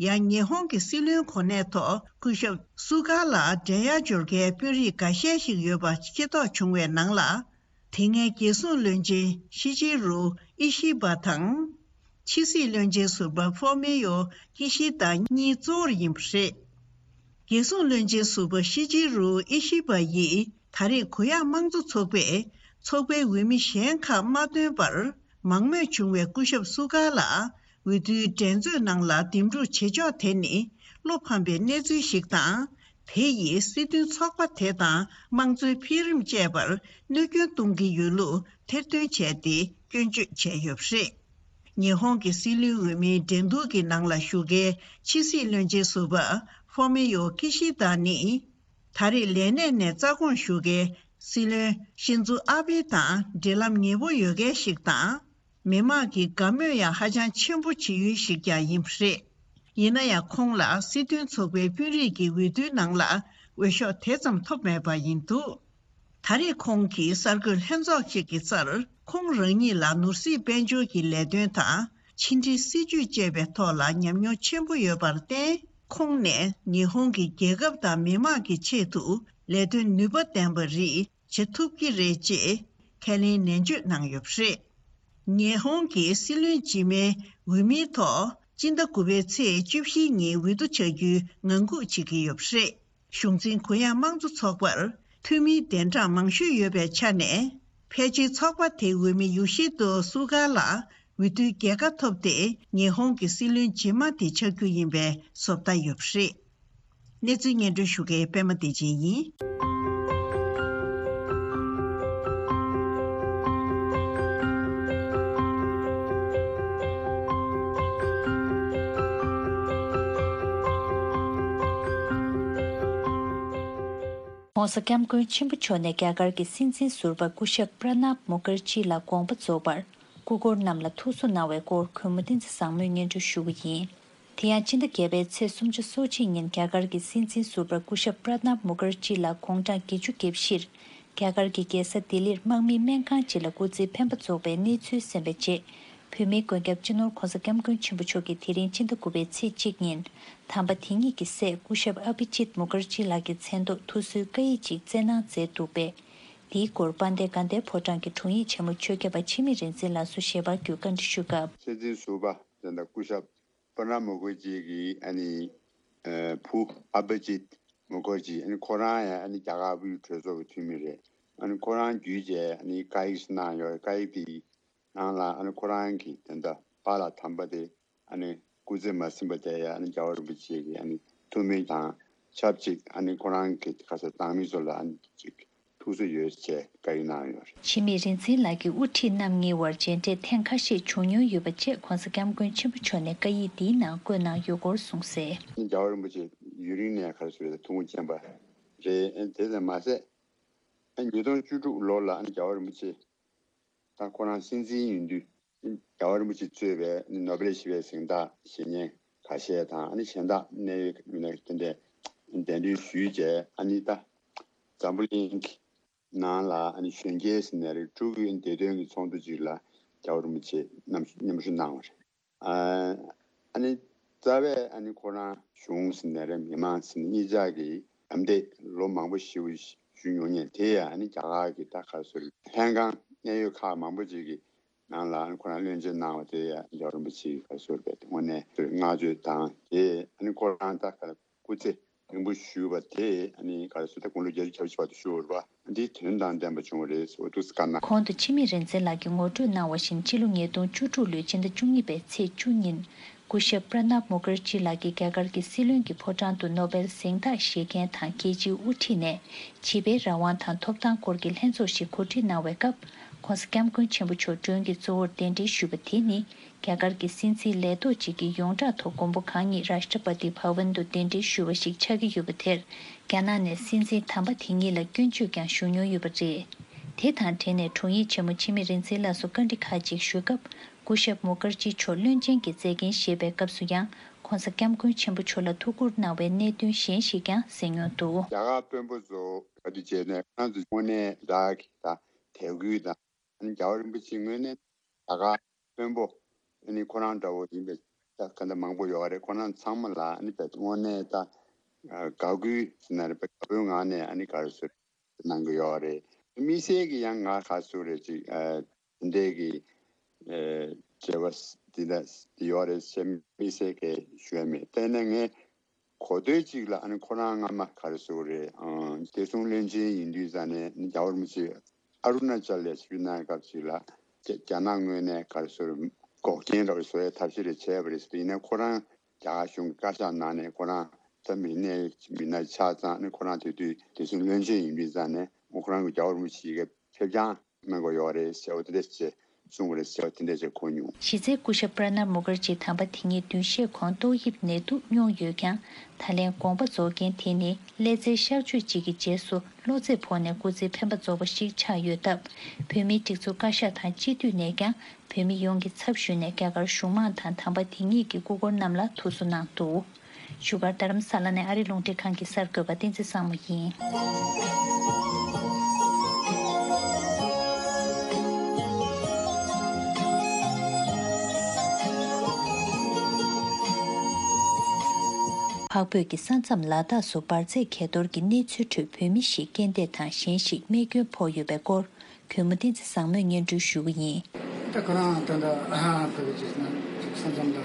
ཡང་ཉི་ཧོང་གི་སྲིད་བློན་གོ་གནས་ཐོག་སྐུ་ཞབས་སུ་གྷ་ལ་འགྲན་ཡ་འབྱོར་མཁན་དཔོན་རིགས་འགའ་ཤས་ཤིག་ཡོད་པ་ཤེས་རྟོགས་བྱུང་བའི་ནང་ལ། དེ་སྔའི་རྒྱལ་སྲུང་བློན་ཆེན་ཤི་ཅི་རུ་ཨི་ཤི་བ་དང་། ཕྱི་སྲིད་བློན་ཆེན་ཟུར་པ་ཧྥོ་མི་ཡོ་ཀི་ཤི་ད་གཉིས་གཙོ་བོར་ཡིན་པ་རེད། རྒྱལ་སྲུང་བློན་ཆེན་ཟུར་པ་ཤི་ཅི་རུ་ཨི་ཤི་བ་ཡིས་ད་རེས་གུ་ཡངས་དམངས་གཙོ་ཚོགས་པས་ཚོགས་པའི་འོས་མི་གཞན་ཁག་མ་བཏོན་པར། མང་མོས་བྱུང་བའི་སྐུ་ཞབས་སུ་གྷ་ལ་འོས་བསྡུའི་འགྲན་རྩོད་ནང་ལ་འདེམས་སྒྲུག་བྱེད་ཕྱོགས་དེ་ནི་བློ་ཕམ་པའི་གནས་ཚུལ་ཞིག་དང་། དེ་ཡིས་སྲིད་དོན་ཚོགས་པ་དེ་དང་དམངས་གཙོའི་འཕེལ་རིམ་བཅས་པར་གནོད་སྐྱོན་གཏོང་གི་ཡོད་ལུགས་ཐེར་འདོན་བྱས་ཏེ་སྐྱོན་བརྗོད་བྱས་ཡོད་པ་རེད། ཉི་ཧོང་གི་སྲིད་བློན་འོས་མིའི་འགྲན་བསྡུར་གྱི་ནང་ལ་ཞུགས་མཁན་ཕྱི་སྲིད་བློན་ཆེན་ཟུར་པ་ཧྥོ་མི་ཡོ་ཀི་ཤི་ད་ནི། ད་རེས་ལས་གནས་ནས་རྩ་དགོངས་ཞུ་མཁན་སྲིད་བློན་ཤིན་ཛོ་ཨ་བྷེ་དང་འབྲེལ་ལམ་ཉེ་པོ་ཡོད་མཁན་ཞིག་དང་། མི་མང་གི་དགའ་མོས་ཡང་ཧ་ཅང་ཆེན་པོ་བྱེད་ཡུལ་ཞིག་ཀྱང་ཡིན་པ་རེད། ཡིན་ན་ཡང་ཁོང་ལ་སྲིད་དོན་ཚོགས་པའི་དཔོན་རིགས་ཀྱི་འོས་བསྡུའི་ནང་ལ་འོས་ཤོག་དེ་ཙམ་ཐོབ་མེད་པ་ཡིན་འདུག། ད་རེས་ཁོང་གིས་གསར་འགོད་ལྷན་ཚོགས་ཤིག་གི་སར་ཁོང་རང་ཉིད་ལ་ནོར་སྲིད་དཔལ་འབྱོར་གྱི་ལས་དོན་དང་ཕྱི་འབྲེལ་སྲིད་ཇུས་བཅས་པའི་ཐོག་ལ་ཉམས་མྱོང་ཆེན་པོ་ཡོད་པར་བརྟེན། ཁོང་ནས་ཉི་ཧོང་གི་རྒྱལ་ཁབ་དང་མི་དམངས་ཀྱི་ཆེད་དུ་ལས་དོན་ནུས་པ་ལྡན་པ་རིགས་བྱེད་ཐུབ་ཀྱི་རེད་ཅེས་ཁས་ལེན་ནན་བརྗོད་གནང་ཡོད་པ་རེད། ཉི་ཧོང་གི་སྲིད་བློན་རྗེས་མའི་འོས་མིའི་ཐོག་སྤྱི་ཟླ་དགུ་པའི་ཚེས་བཅུ་བཞི་ཉིན་འོས་བསྡུ་བྱ་རྒྱུའི་ངང་སྒུག་བྱེད་ཀྱི་ཡོད་པ་རེད། གཞུང་འཛིན་གུ་ཡངས་དམངས་གཙོ་ཚོགས་པར་འཐུས་མིའི་གདན་གྲངས་མང་ཤོས་ཡོད་པའི་ཆ་ནས། ཕལ་ཆེར་ཚོགས་པ་དེའི་འོས་མི་ཡོ་ཤི་ཏོ་སུ་གྷ་ལ་འོས་བསྡུའི་རྒྱལ་ཁ་ཐོབ་སྟེ། ཉི་ཧོང་གི་སྲིད་བློན་རྗེས་མ་དེ་ཆགས་རྒྱུ་ཡིན་པའི་བཟོ་ལྟ་ཡོད་པ་རེད། གནས་ཚུལ་སྙན་སྒྲོན་ཞུ་མཁན་པད་མ་བདེ་ཆེན་ཡིན། ྋགོང་ས་ྋསྐྱབས་མགོན་ཆེན་པོ་མཆོག་ནས་རྒྱ་གར་གྱི་སྲིད་འཛིན་ཟུར་པ་སྐུ་ཞབས་པྲ་ནཱབ་མུ་ཁར་ཇི་ལ་དགོངས་པ་རྫོགས་པར་སྐུ་འཁོར་རྣམས་ལ་ཐུགས་གསོ་གནང་བའི་སྐོར་གུས་མོ་བསྟན་འཛིན་བཟང་མོས་སྙན་སྒྲོན་ཞུ་གི་ཡིན། དེ་ཡང་སྤྱི་ཟླ་བརྒྱད་པའི་ཚེས་སུམ་ཅུ་སོ་གཅིག་ཉིན་རྒྱ་གར་གྱི་སྲིད་འཛིན་ཟུར་པ་སྐུ་ཞབས་པྲ་ནཱབ་མུ་ཁར་ཇི་ལགས་དགུང་གྲངས་བརྒྱད་ཅུ་གྱ་བཞིར་རྒྱ་གར་གྱི་རྒྱལ་ས་ལྡི་ལིར་དམག་མིའི་སྨན་ཁང་ཅིག་ལ་སྐུ་ཚེའི་འཕེན་པ་རྫོགས་པའི་གནས་ཚུལ་གསན་པའི་རྗེས། བོད་མིའི་མགོན་སྐྱབས་སྤྱི་ནོར་ྋགོང་ས་ྋསྐྱབས་མགོན་ཆེན་པོ་མཆོག་གིས་དེ་རིང་སྤྱི་ཟླ་དགུ་པའི་ཚེས་གཅིག་ཉིན་དམ་པ་དེ་ཉིད་ཀྱི་སྲས་སྐུ་ཞབས་ཨ་བྷི་ཇིད་མུ་ཁར་ཇི་ལགས་ཀྱི་མཚན་ཐོག་ཐུགས་གསོའི་བཀའ་ཡིག་ཅིག་བསྩལ་གནང་མཛད་འདུག་པས། དེའི་སྐོར་དཔལ་ལྡན་དགའ་ལྡན་ཕོ་བྲང་གི་དྲུང་ཡིག་ཆེན་མོ་ཆོས་ཁྱབ་པ་འཆི་མེད་རིག་འཛིན་ལགས་སུ་ཞལ་པར་བརྒྱུད་བཀའ་འདྲི་ཞུས་སྐབས། སྲིད་འཛིན་ཟུར་པ་དེ་འདྲ་སྐུ་ཞབས་པྲ་ནཱབ་མུ་ཁར་ཇི་གི་ཨ་ནི་ཨ་བུ་ཨ་བྷི་ཇིད་མུ་ཁར་ཇི། ཨ་ནི་ཁོ་རང་ཡང་ཨ་ནི་རྒྱ་གར་བོད་རིགས་གྲོས་ཚོགས་ཀྱི་འཐུས་མི་རེད། ཨ་ནི་ཁོ་རང་བརྒྱུད་བྱས་ཨ་ནི་བཀའ་ཡིག་གནང་ཡོད། བཀའ་ཡིག་དེ་ནང་ལ་ཨ་ནི་ཁོ་རང་གིས་དེ་འདྲ་པཱ་ལགས་དམ་པ་དེ་ཨ་ནི་སྐུ་ཚེ་མ་ཟིན་པ་དེ་ཡང་ཨ་ནི་རྒྱལ་བ་རིན་པོ་ཆེ་གི་ཨ་ནི་ཐུགས་སྨོན་དང་ཆབས་ཅིག་ཨ་ནི་ཁོ་རང་གི་ཁ་སང་བཏང་མི་ཚོ་ལ་ཨ་ནི་ཅིག་ཐུགས་གསོ་ཡོད་ཅེས་བཀའ་ཡིག་གནང་ཡོད་རེད། འཆི་མེད་རིག་འཛིན་ལགས་ཀྱི་དབུ་ཁྲིད་རྣམ་གཉིས་དབར་མཇལ་འཕྲད་ཐེངས་ཁ་ཤས་བྱུང་མྱོང་ཡོད་པ་བཅས་ྋགོང་ས་ྋསྐྱབས་མགོན་ཆེན་པོ་མཆོག་ནས་བཀའ་ཡིག་འདིའི་ནང་བཀོད་གནང་ཡོད་སྐོར་གསུངས་གསལ། རྒྱལ་བ་རིན་པོ་ཆེ་ཡུན་རིང་ནས་ག་རེ་ཟེར་བའི་ཐུགས་དགོངས་བཞེས་པ་རེད། དེ་ཙམ་མ་ཟད། ཉིས་སྟོང་བཅུ་དྲུག་ལོ་ལ་རྒྱལ་བ་རིན་པོ་ཆེ་ད་ཁོ་རང་སྲིད་འཛིན་ཡིན་དུས། རྒྱལ་བ་རིན་པོ་ཆེ་གཙོས་པའི་ནོ་སྦེལ་ཞི་བའི་གཟེངས་རྟགས་བཞེས་མཁན་ཁ་ཤས་དང་། ཨ་ནི་གཞན་དག་གནད་ཡོད་མི་སྣ་དེ་འདྲས་གདན་འདྲེན་ཞུས་བྱས། ཨ་ནི་ད་འཛམ་བུ་གླིང་གི་ནང་ལ་ཨ་ནི་གཞོན་སྐྱེས་ཟེར་ནའི་རེད། ཕྲུ་གུའི་བདེ་དོན་གྱི་ཚོགས་འདུ་ཅིག་ལ་རྒྱལ་བ་རིན་པོ་ཆེ་མཉམ་མཉམ་ཞུགས་གནང་བ་རེད། ཨ་ཨ་ནི་རྩ་བའི་ཨ་ནི་ཁོ་རང་གཞུང་ཟེར་ནའི་རེད། མི་མང་ཟེར་ནའི་གཉིས་ཆ་གི་ཨམ་བདེ་ལོ་མང་པོ་ཞེ་པོ་ཞུ་མྱོང་མཁན་དེ་ཡང་ཨ་ནི་རྒྱ་གར་གྱི་ད་ག་རེ་ཟེར་ལྷན་ཁང་གནད་ཡོད་ཁག་མང་པོ་ཅིག་གི་ནང་ལ་ཨ་ནི་ཁོ་རང་བློན་ཆེན་གནང་བ་དེ་ཡང་རྒྱལ་བ་རིན་པོ་ཆེའི་ག་རེ་ཟེར་བའི་དངོས་གནས་བསྔགས་བརྗོད་དང་། དེ་ཨ་ནི་ཁོ་རང་ད་ག་རེ་སྐུ་ཚེ་རིང་པོ་བཞུགས་པ་དེ་ཨ་ནི་ག་རེ་ཟེར། ད་དགུང་ལོ་བརྒྱད་ཅུ་གྱ་བཞི་བར་དུ་བཞུགས་པ་འདི་དོན་དང་ལྡན་པ་བྱུང་བ་རེད་ཟེར་བ་འདུག་སེ་བཀའ་གནང་། གོང་དུ་འཆི་མེད་རིག་འཛིན་ལགས་ཀྱིས་ངོ་སྤྲོད་གནང་བ་བཞིན། ཕྱི་ལོ་ཉིས་སྟོང་བཅུ་དྲུག་ལོའི་ཕྱི་ཟླ་བཅུ་གཉིས་པའི་ཚེས་བཅུ་ཉིན། སྐུ་ཞབས་པྲ་ནབ་མུ་ཁར་ཇི་ལགས་ཀྱིས་རྒྱ་གར་གྱི་སྲིད་བློན་གྱི་ཕོ་བྲང་དུ་ནོ་སྦེལ་གཟེངས་རྟགས་བཞེས་མཁན་དང་རྒྱལ་སྤྱིའི་དབུ་ཁྲིད་ནས་བྱིས་པའི་རང་དབང་དང་ཐོབ་ཐང་སྐོར་གྱི་ལྷན་ཚོགས་ཤིག་གོ་སྒྲིག་གནང་བའི་སྐབས། ྋགོང་ས་ྋསྐྱབས་མགོན་ཆེན་པོ་མཆོག་མགྲོན་གྱི་གཙོ་བོར་གདན་འདྲེན་ཞུས་པ་དེ་ནི། རྒྱ་གར་གྱི་སྲིད་འཛིན་ལས་ཐོག་ཅིག་གིས་ཡོངས་གྲགས་ཐོག་མགོན་པོ་གང་ཉིད་རཱ་ཤ་ཊ་པ་ཏི་བྷ་ཝན་དུ་གདན་འདྲེན་ཞུས་པ་ཞིག་ཆགས་ཀྱི་ཡོད་པ་དེར། རྒྱ་ནག་ནས་སྲིད་འཛིན་དམ་པ་དེ་ཉིད་ལ་སྐྱོན་བརྗོད་ཀྱང་ཞུ་མྱོང་ཡོད་པ་རེད། དེ་དང་འབྲེལ་ནས་དྲུང་ཡིག་ཆེན་མོ་འཆི་མེད་རིག་འཛིན་ལགས་སུ་བཀའ་འདྲི་ཁག་ཅིག་ཞུས་སྐབས། སྐུ་ཞབས་མུ་ཁར་ཇི་མཆོག་བློན་ཆེན་གྱི་མཛད་འགན་བཞེས་པའི་སྐབས་སུ་ཡང་ྋགོང་ས་ྋསྐྱབས་མགོན་ཆེན་པོ་མཆོག་ལ་ཐུགས་ཁུར་གནང་བའི་གནད་དོན་གཞན་ཞིག་ཀྱང་གསན་མྱོང་འདུག། རྒྱ་གར་དཔོན་པོ་ཚོ་ག་དུས་བྱས་ནས་ཁོ་རང་ཚོ་དངོས་གནས་རག་གི་ད་དད་གུས་དང་། ཨ་ནི་རྒྱལ་བ་རིན་པོ་ཆེ་དངོས་གནས་རྒྱ་གར་དཔོན་པོ་ཨ་ནི་ཁོ་རང་འདྲ་བོ་ཡིན་པའི་ད་ག་འདྲ་མང་པོ་ཡོད་རེད། ཁོ་རང་ཚང་མ་ལ་ཨ་ནི་དཔེ་དངོས་གནས་ད་དགའ་གུས་ཟེར་ན་རེད། དཔེ་དགའ་པོའི་ངང་ནས་ཨ་ནི་ག་རེ་ཟེར་གནང་གི་ཡོད་རེད། དམིགས་བསལ་གྱི་ཡང་ང་ག་ཟེར་རེད་ཅིག་ཨ་དེ་འདྲས་ཀྱི་ཨ་བྱེད་པ་འདི་འདྲ་འདི་ཡོད་རེད་ཟེར་དམིགས་བསལ་གྱི་ཞུ་ཡ་མེད། དེ་ནས་ངས་གོ་ཐོས་གཅིག་ལ་ཨ་ནི་ཁོ་རང་སྔ་མ་ག་རེ་ཟེར་དགོས་རེད། ཨང་བདེ་སྲུང་བློན་ཆེན་ཡིན་དུས་ཙང་ནས་རྒྱལ་བ་རིན་པོ་ཆེ་ཨ་རུ་ན་ཅལ་ལ་ཆིབས་བསྒྱུར་གནང་སྐབས་ཅིག་ལ་རྒྱ་རྒྱ་ནག་ངོས་ནས་ག་རེ་ཟེར་དགོས། འགོག་རྐྱེན་འདྲ་བོ་བཟོ་ཡའི་ཐབས་ཤེས་རེ་བྱས་པ་རེད་ཟེར། ཡིན་ནའི་ཁོ་རང་རྒྱ་གར་གཞུང་གི་བཀའ་ཤག་ནང་ནས་ཁོ་རང་ད་མི་སྣའི་མི་སྣ་ཆགས་ཙང་ནས། ཁོ་རང་དེ་དུས་བདེ་སྲུང་བློན་ཆེན་ཡིན་དུས་ཙང་ནས་ཁོ་རང་གི་རྒྱལ་བ་རིན་པོ་ཆེ་ཡི་གེ་ཕེབས་རྐྱང་གནང་དགོས་ཡོད་རེད་ཟེར་བ་དེ་འདྲ་བྱས་གསུངས་པ་རེད་ཟེར་བ་དེ་འདྲ་བྱས་གོ་མྱོང་། གཞི་རྩའི་སྐུ་ཞབས་པྲ་ནབ་མུ་ཁར་ཇི་དམ་པ་དེ་ཉིད་བདུན་ཤས་གོང་ཏོག་དབྱིབས་ནད་དུག་མྱོང་ཡོད་ཀྱང་། ད་ལན་དགོངས་པ་རྫོགས་རྐྱེན་དེ་ནི་ཀླད་རྩའི་གཤག་བཅོས་གཅིག་གི་རྗེས་སུ་གློ་ཚད་ཕོག་ནས་སྐུ་ཚེ་འཕེན་པ་རྫོགས་པ་ཞིག་ཆགས་ཡོད་སྟབས། བོད་མིའི་སྒྲིག་འཛུགས་བཀའ་ཤག་དང་སྤྱི་འཐུས་ནས་ཀྱང་བོད་མི་ཡོངས་ཀྱི་ཚབ་ཞུས་ནས་རྒྱ་གར་གཞུང་མང་དང་དམ་པ་དེ་ཉིད་ཀྱི་སྐུ་འཁོར་རྣམས་ལ་ཐུགས་གསོ་གནང་འདུག། བཞུགས་སྒར་རྡ་རམ་ས་ལ་ནས་ཨ་རི་རླུང་འཕྲིན་ཁང་གི་གསར་འགོད་པ་བསྟན་འཛིན་བཟང་མོ་ཡིན། འཕགས་བོད་ཀྱི་ས་མཚམས་ལ་དྭགས་སུ་འབར་རྫས་གས་གཏོར་གྱི་གནས་ཚུལ་ཁྲོད་བོད་མི་ཞིག་རྐྱེན་འདས་དང་གཞན་ཞིག་རྨས་སྐྱོན་ཕོག་ཡོད་པའི་སྐོར། གུས་མོ་བསྟན་འཛིན་བཟང་མོས་སྙན་སྒྲོན་ཞུ་གི་ཡིན། ད་ཁོ་རང་ད་ལྟ་ཨ་ཧ་ཕེབས་ཀྱི་ན་ས་མཚམས་ལ་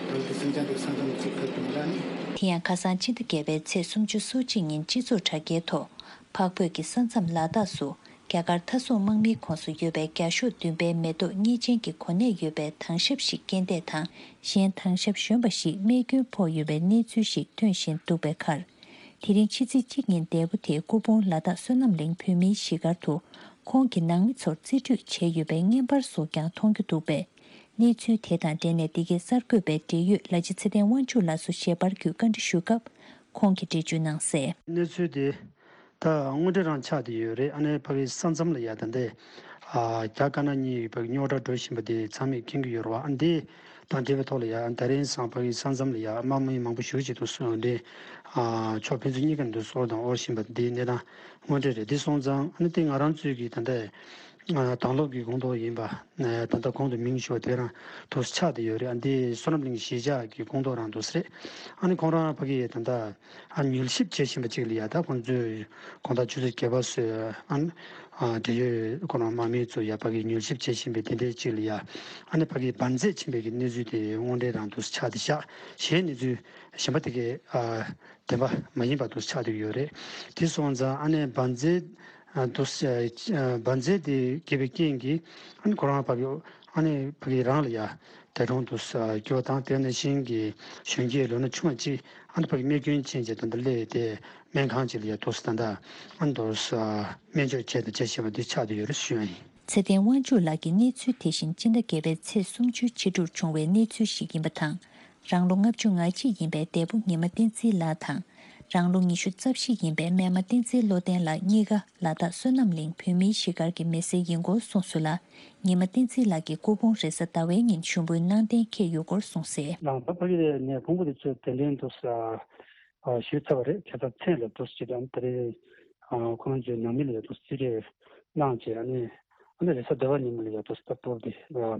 ད་ལྟ་སེམས་ཅན་དེ་ས་མཚམས་གཅིག་ཕེབས་ཀྱི་མི་ལ་ནི། དེ་ཡང་ཁ་སང་ཕྱི་ཟླ་བརྒྱད་པའི་ཚེས་སུམ་ཅུ་སོ་གཅིག་ཉིན་སྤྱི་ཚོགས་དྲ་རྒྱའི་ཐོག་འཕགས་བོད་ཀྱི་ས་མཚམས་ལ་དྭགས་སུ་རྒྱ་གར་མཐའ་སྲུང་དམག་མིའི་ཁོངས་སུ་ཡོད་པའི་བརྒྱ་ཤོག་བདུན་པའི་མེ་ཏོག་གཉེར་ཅན་གྱི་གོ་གནས་ཡོད་པའི་དྭང་ཞབས་ཤིག་རྐྱེན་འདས་དང་གཞན་དྭང་ཞབས་གཞོན་པ་ཞིག་རྨས་སྐྱོན་ཕོག་ཡོད་པའི་གནས་ཚུལ་ཞིག་ཐོན་བཞིན་འདུག་པའི་ཁར། དེ་རིང་ཕྱི་ཚེས་གཅིག་ཉིན་འདས་པོ་དེ་སྐུ་ཕུང་ལ་དྭགས་བསོད་ནམས་གླིང་བོད་མིའི་གཞིས་སྒར་དུ་ཁོང་གི་ནང་མི་ཚོར་རྩིས་སྤྲོད་བྱས་ཡོད་པའི་བརྙན་པར་སོགས་ཀྱང་མཐོང་རྒྱུ་འདུག་པས། གནས་ཚུལ་དེ་དང་འབྲེལ་ནས་འདི་གའི་གསར་འགོད་པས་འབྲེལ་ཡོད་ལ་ཕྱི་ཚེ་བརྟན་དབང་ཕྱུག་ལགས་སུ་ཞལ་པར་བརྒྱུད་བཀའ་འདྲི་ཞུས་སྐབས་ཁོང་གིས་འགྲེལ་བརྗོད་གནང་གསལ། གནས་ཚུལ་དེ་ད་དངོས་འབྲེལ་རང་ཆགས་བསྡད་ཡོད་རེད། ཨ་ནི་ཕ་གི་ས་མཚམས་ལ་ཡ་ད་ལྟའི་ཨ་རྒྱ་དཀར་ནག་གཉིས་ཕ་གི་རྙོག་དྲ་འགྲོ་བཞིན་པ་དེ་ཚང་མས་མཁྱེན་གྱི་ཡོད་རེད་བ། ཨ་འདི་དང་འབྲེལ་བའི་ཐོག་ལ་ཡ་ད་རིང་སང་ཕ་གི་ས་མཚམས་ལ་ཡ་དམག་མི་མང་པོ་ཞེ་པོ་ཅིག་འདུག་སེ་འདི་ཨ་ཕྱོགས་ཕན་ཚུན་གཉིས་ཀ་འདུག་སེ་འོར་དང་འོར་བཞིན་པ་འདི་གནས་སྟངས་དངོས་འབྲེལ་རེད། འདི་སོང་ཙང་ཨ་ནི་དེ་ང་རང་ཚོའི་གི་ད་ལྟའི་ཨ་དྭང་སློབ་ཀྱི་ཁོངས་གཏོགས་ཡིན་པ། ཨ་ད་ལྟ་གོང་དུ་མིང་ཞུས་པ་དེ་རང་འདུག་སེ་ཆགས་བསྡད་ཡོད་རེད། ཨ་འདི་བསོད་ནམས་གླིང་གཞིས་ཆགས་ཀྱི་ཁོངས་གཏོགས་རང་འདུག་སེ་རེད། ཨ་ནི་ཁོང་རང་ཕ་གི་ད་ལྟ་ཨ་མྱུལ་ཞིབ་བྱེད་བཞིན་པ་ཅིག་ལ་ཡ། ད་ཁོང་ཚོས་དགོང་དག་ཆུ་ཚོད་བརྒྱད་པ་ཙམ་ཨ་ནི་ཨ་འབྲེལ་ཡོད་ཁོ་རང་དམག་མི་ཚོ་ཡ་ཕ་གི་མྱུལ་ཞིབ་བྱེད་བཞིན་པའི་དེ་འདྲའི་ཅིག་ལ་ཡ། ཨ་ནི་ཕ་གི་འབར་རྫས་ཕྱིན་པའི་གི་གནས་ཚུལ་དེ་དངོས་འབྲེལ་རང་འདུག་སེ་ཆགས་བསྡད་ཤག་གཞན་གནས་ཚུལ་གཞན་པ་དེ་གའི་ཨ་བདེན་པ་མ་ཡིན་པ་འདུག་སེ་ཆགས་བསྡད་ཡོད་རེད། དེ་སོང་ཙང་ཨ་ནི་འབར་རྫས་ཨ་འདུག་སེ་ཨ་འབར་རྫས་དེ་གས་པའི་རྐྱེན་གྱིས་ཨ་ནི་ཁོ་རང་ཕ་གི་ཨ་ནི་ཕ་གི་རང་ལ་ཡ་འདས་གྲོངས་འདུག་སེ་གྱུར་བ་དང་། དེ་ནང་བཞིན་གྱི་གཞོན་སྐྱེས་ལོ་ན་ཆུང་བ་གཅིག་ཨ་ནི་ཕ་གི་རྨས་སྐྱོན་ཕྱིན་བྱས་ད་ལྟ་སླེབས་ཏེ་སྨན་ཁང་ཅིག་ལ་ཡ་འདུག་སེ་ད་ལྟ་ཨ་ནི་འདུག་སེ་སྨན་བཅོས་བྱས་དང་བྱེད་བཞིན་པ་འདི་ཆགས་བསྡད་ཡོད་རེད་ཞུ་ཡ་ཡིན། ཚེ་བརྟན་དབང་ཕྱུག་ལགས་ཀྱིས་གནས་ཚུལ་དེ་བཞིན་སྤྱི་ཟླ་བརྒྱད་པའི་ཚེས་སུམ་ཅུའི་ཕྱི་དྲོར་བྱུང་བའི་གནས་ཚུལ་ཞིག་ཡིན་པ་དང་། རང་ལོ་ལྔ་བཅུ་ང་གཅིག་ཡིན་པའི་འདས་པོ་ཉི་མ་བསྟན་འཛིན་ལགས་དང་། རང་ལོ་ཉི་ཤུ་རྩ་བཞི་ཡིན་པའི་སྨན་མ་བསྟན་འཛིན་བློ་ལྡན་ལགས་གཉིས་ཀ་ལ་དྭགས་བསོད་ནམས་གླིང་བོད་མིའི་གཞིས་སྒར་གྱི་མི་སེར་ཡིན་སྐོར་གསུངས་སོང་ལ། ཉི་མ་བསྟན་འཛིན་ལགས་ཀྱི་སྐུ་ཕུང་རེས་གཟའ་ཟླ་བའི་ཉིན་ཞུགས་འབུལ་གནང་གཏན་འཁེལ་ཡོད་སྐོར་གསུངས་གསལ། རང་ད་ཕ་གི་ནས་ཕུང་པོ་དེ་ཚོས་གདན་འདྲེན་དུ་ཞུས་ཚར་བ་རེད། ཁ་སང་མཚན་ལ་དུ་ཅི་དང་ད་རེས་ཁོང་ཚོའི་ནང་མི་ལ་དུ་རྩིས་སྤྲོད་གནང་བྱས། ཨ་ནི་ཨ་ནི་རེས་གཟའ་ཟླ་བ་ཉིན་མོ་ལ་ཡ་དུ་ལྟ་སྤོར་དེ་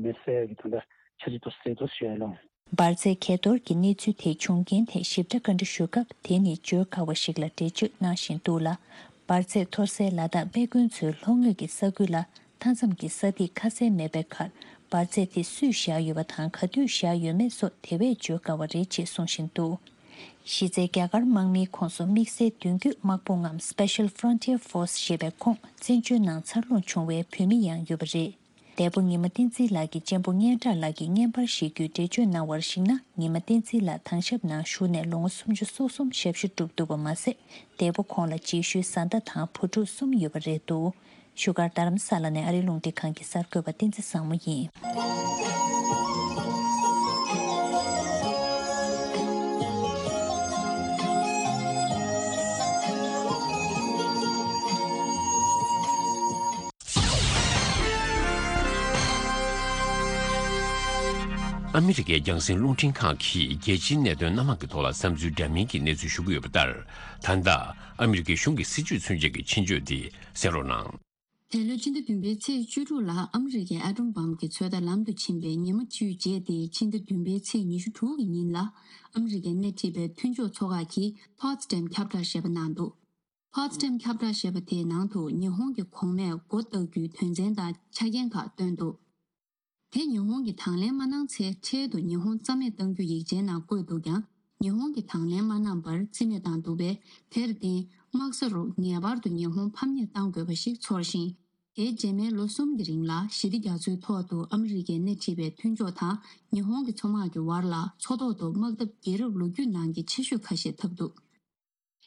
མེ་སེ་གི་ད་ལྟ་ཆ་རྒྱུས་དུ་སེ་དུ་ཞུ་ཡ་ལོང་། འབར་རྫས་གས་གཏོར་གྱི་གནས་ཚུལ་དེ་བྱུང་རྐྱེན་ཐད་ཞིབ་ཕྲ་བཀའ་འདྲི་ཞུ་སྐབས། དེ་ནི་བརྗོད་དཀའ་བ་ཞིག་ལ་འགྲེལ་བརྗོད་གནང་བཞིན་འདུག་ལ། འབར་རྫས་གཏོར་སའི་ལ་དྭགས་སྨན་དགོན་ཚོའི་ལྷོ་ངོས་ཀྱི་ས་ཁུལ་ལ་མཐའ་མཚམས་ཀྱི་ས་ཐིག་ཁ་གསལ་མེད་པའི་ཁར། འབར་རྫས་དེ་སུས་བཞག་ཡོད་པ་དང་། ག་དུས་བཞག་ཡོད་མེད་སོགས་དེ་བས་བརྗོད་དཀའ་བ་རེད་ཅེས་གསུང་བཞིན་འདུག། གཞི་རྩའི་རྒྱ་གར་དམག་མིའི་ཁོངས་སུ་དམིགས་བསལ་མདུན་སྐྱོད་དམག་དཔུང་ངམ་Special Frontier Force ཞེས་པའི་ཁོངས་བཙན་བྱོལ་ནང་འཚར་ལོངས་བྱུང་བའི་བོད་མི་ཡང་ཡོད་པ་རེད། འདས་པོ་ཉི་མ་བསྟན་འཛིན་ལགས་ཀྱི་གཅེན་པོ་སྙན་གྲགས་ལགས་ཀྱིས་བརྙན་པར་བཞེས་རྒྱུའི་འགྲེལ་བརྗོད་གནང་བར་གཞིགས་ན། ཉི་མ་བསྟན་འཛིན་ལགས་དྭང་ཞབས་ནང་བཞུགས་ནས་ལོ་ངོ་སུམ་ཅུ་སོ་གསུམ་ཞབས་ཞུ་བསྒྲུབས་འདུག་པ་མ་ཟད། འདས་པོ་ཁོང་ལ་རྗེས་ཤུལ་བཟའ་ཟླ་དང་བུ་ཕྲུག་གསུམ་ཡོད་པ་རེད་འདུག། བཞུགས་སྒར་རྡ་རམ་ས་ལ་ནས་ཨ་རིའི་རླུང་འཕྲིན་ཁང་གི་གསར་འགོད་པ་བསྟན་འཛིན་བཟང་མོ་ཡིན། ཨ་མི་རི་ཀའི་རྒྱང་སྲིང་རླུང་འཕྲིན་ཁང་གིས་རྒྱལ་སྤྱིའི་གནད་དོན་སྣ་མང་གི་ཐོག་ལ་བསམ་ཚུལ་འདྲ་མིན་གྱི་གནས་ཚུལ་ཞུ་གི་ཡོད་པ་ལྟར། ད་ལྟ་ཨ་མི་རི་ཀའི་གཞུང་གི་སྲིད་ཇུས་ཚུན་ཆད་ཀྱི་ཕྱིན་བཅོས་འདི་གསན་རོགས་གནང་། འདས་ལོའི་ཕྱི་ཟླ་བདུན་པའི་ཚེས་བཅུ་དྲུག་ལ་ཨ་མི་རི་ཀའི་ཨ་ཊོམ་བམ་གྱི་ཚོད་ལྟ་ལམ་དུ་ཕྱིན་པའི་ཉི་མ་བཅུའི་རྗེས་ཏེ། ཕྱི་ཟླ་བདུན་པའི་ཚེས་ཉི་ཤུ་དྲུག་གི་ཉིན་ལ། ཨ་མི་རི་ཀའི་སྣེ་ཁྲིད་པའི་མཐུན་ཕྱོགས་ཚོགས་ཁག་གིས་ཕོ་ཚི་ཌེམ་ཁྱབ་བསྒྲགས་ཞེས་པ་གནང་འདུག། ཕོ་ཚི་ཌེམ་ཁྱབ་བསྒྲགས་ཞེས་པ་དེའི་ནང་དུ་ཉི་ཧོང་གི་གོང་མས་མགོ་བཏགས་རྒྱུའི་དོན་ཚན་དང་ཆ་རྐྱེན་ཁག་བཏོན་འདུག། དེ་ཉི་ཧོང་གིས་དང་ལེན་མ་གནང་ཚེ། འཕྲལ་དུ་ཉི་ཧོང་རྩ་མེད་གཏང་རྒྱུ་ཡིག་ཆའི་ནང་བཀོད་འདུག་ཀྱང་། ཉི་ཧོང་གིས་དང་ལེན་མ་གནང་བར་རྩིས་མེད་བཏང་འདུག་པས། དེར་བརྟེན། དམག་ས་རུ་ངེས་པར་དུ་ཉི་ཧོང་ཕམ་ཉེས་གཏང་དགོས་པ་ཞིག་ཚོར་ཞིང་། དེའི་རྗེས་མའི་ལོ་གསུམ་གྱི་རིང་ལ་ཞི་བདེ་རྒྱ་མཚོའི་ཐོག་ཏུ་ཨ་མི་རི་ཀས་སྣེ་ཁྲིད་པའི་མཐུན་ཕྱོགས་དང་ཉི་ཧོང་གི་མཚོ་དམག་གི་བར་ལ་མཚོ་ཐོག་ཏུ་དམག་འཐབ་རྒྱལ་རབས་ལོ་རྒྱུས་ནང་གི་ཆེ་ཤོས་ཁ་ཤས་ཐེབས་འདུག།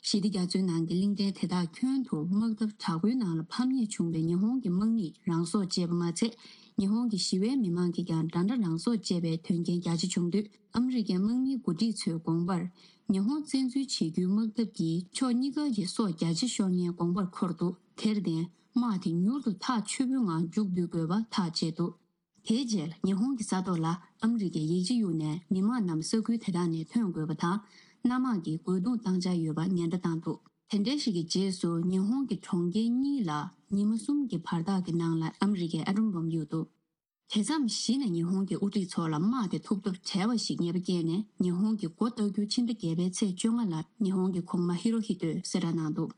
ཞི་བདེ་རྒྱ་མཚོའི་ནང་གི་གླིང་ཕྲན་དེ་དག་ཁྱོན་དུ་དམག་འཐབ་དྲག་པོའི་ནང་ལ་ཕམ་ཉེས་བྱུང་བའི་ཉི་ཧོང་གི་དམག་མིས་རང་སྲོག་བཅད་པ་མ་ཚད། ཉི་ཧོང་གི་ཞི་བའི་མི་མང་གིས་ཀྱང་འདྲ་འདྲ་རང་སྲོག་བཅད་པའི་དོན་རྐྱེན་རྒྱ་ཆེ་བྱུང་དུས། ཨ་མི་རི་ཀའི་དམག་མིའི་འགོ་ཁྲིད་ཚོའི་དགོངས་པར། ཉི་ཧོང་བཙན་འཛུལ་བྱེད་རྒྱུའི་དམག་འཐབ་ཀྱིས་ཕྱོགས་གཉིས་ཀ་གི་སྲོག་རྒྱ་ཆེ་ཤོར་མཁན་དགོངས་པར་འཁོར་འདུག། དེར་བརྟེན། དམག་དེ་མྱུར་དུ་ཐག་ཆོད་པོའི་ངང་མཇུག་བསྡུ་དགོས་པ་ཐག་བཅད་འདུག། དེའི་རྗེས་ལ་ཉི་ཧོང་གི་ས་ཐོག་ལ་ཨ་མི་རི་ཀའི་ཡིག་ཆ་གཡུགས་ནས་མི་མང་རྣམས་ས་ཁུལ་དེ་དག་ནས་ཐོན་དགོས་པ་དང་། གནམ་དམག་གིས་རྒོལ་རྡུང་བཏང་འཆར་ཡོད་པ་ཉེན་བརྡ་བཏང་འདུག། དེ་འདྲའི་ཞིག་གི་རྗེས་སུ། ཉི་ཧོང་གི་གྲོང་ཁྱེར་གཉིས་ལ་ཉི་མ་གསུམ་གྱི་བར་ཐག་གི་ནང་ལ་ཨ་མི་རི་ཀས་ཨ་ཊོམ་བོམ་གཡུགས་འདུག། དེ་མཚམས་གཞི་ནས་ཉི་ཧོང་གི་དབུ་ཁྲིད་ཚོ་ལ་དམག་དེ་ཐུག་ཐབས་བྲལ་བ་ཞིག་ངེས་པ་སྐྱེས་ནས། ཉི་ཧོང་གིས་མགོ་བཏགས་རྒྱུ་ཕྱི་ཟླ་བརྒྱད་པའི་ཚེས་བཅོ་ལྔ་ལ་ཉི་ཧོང་གི་གོང་མ་ཧི་རོ་ཧི་ཏོས་གསལ་བསྒྲགས་གནང་འདུག།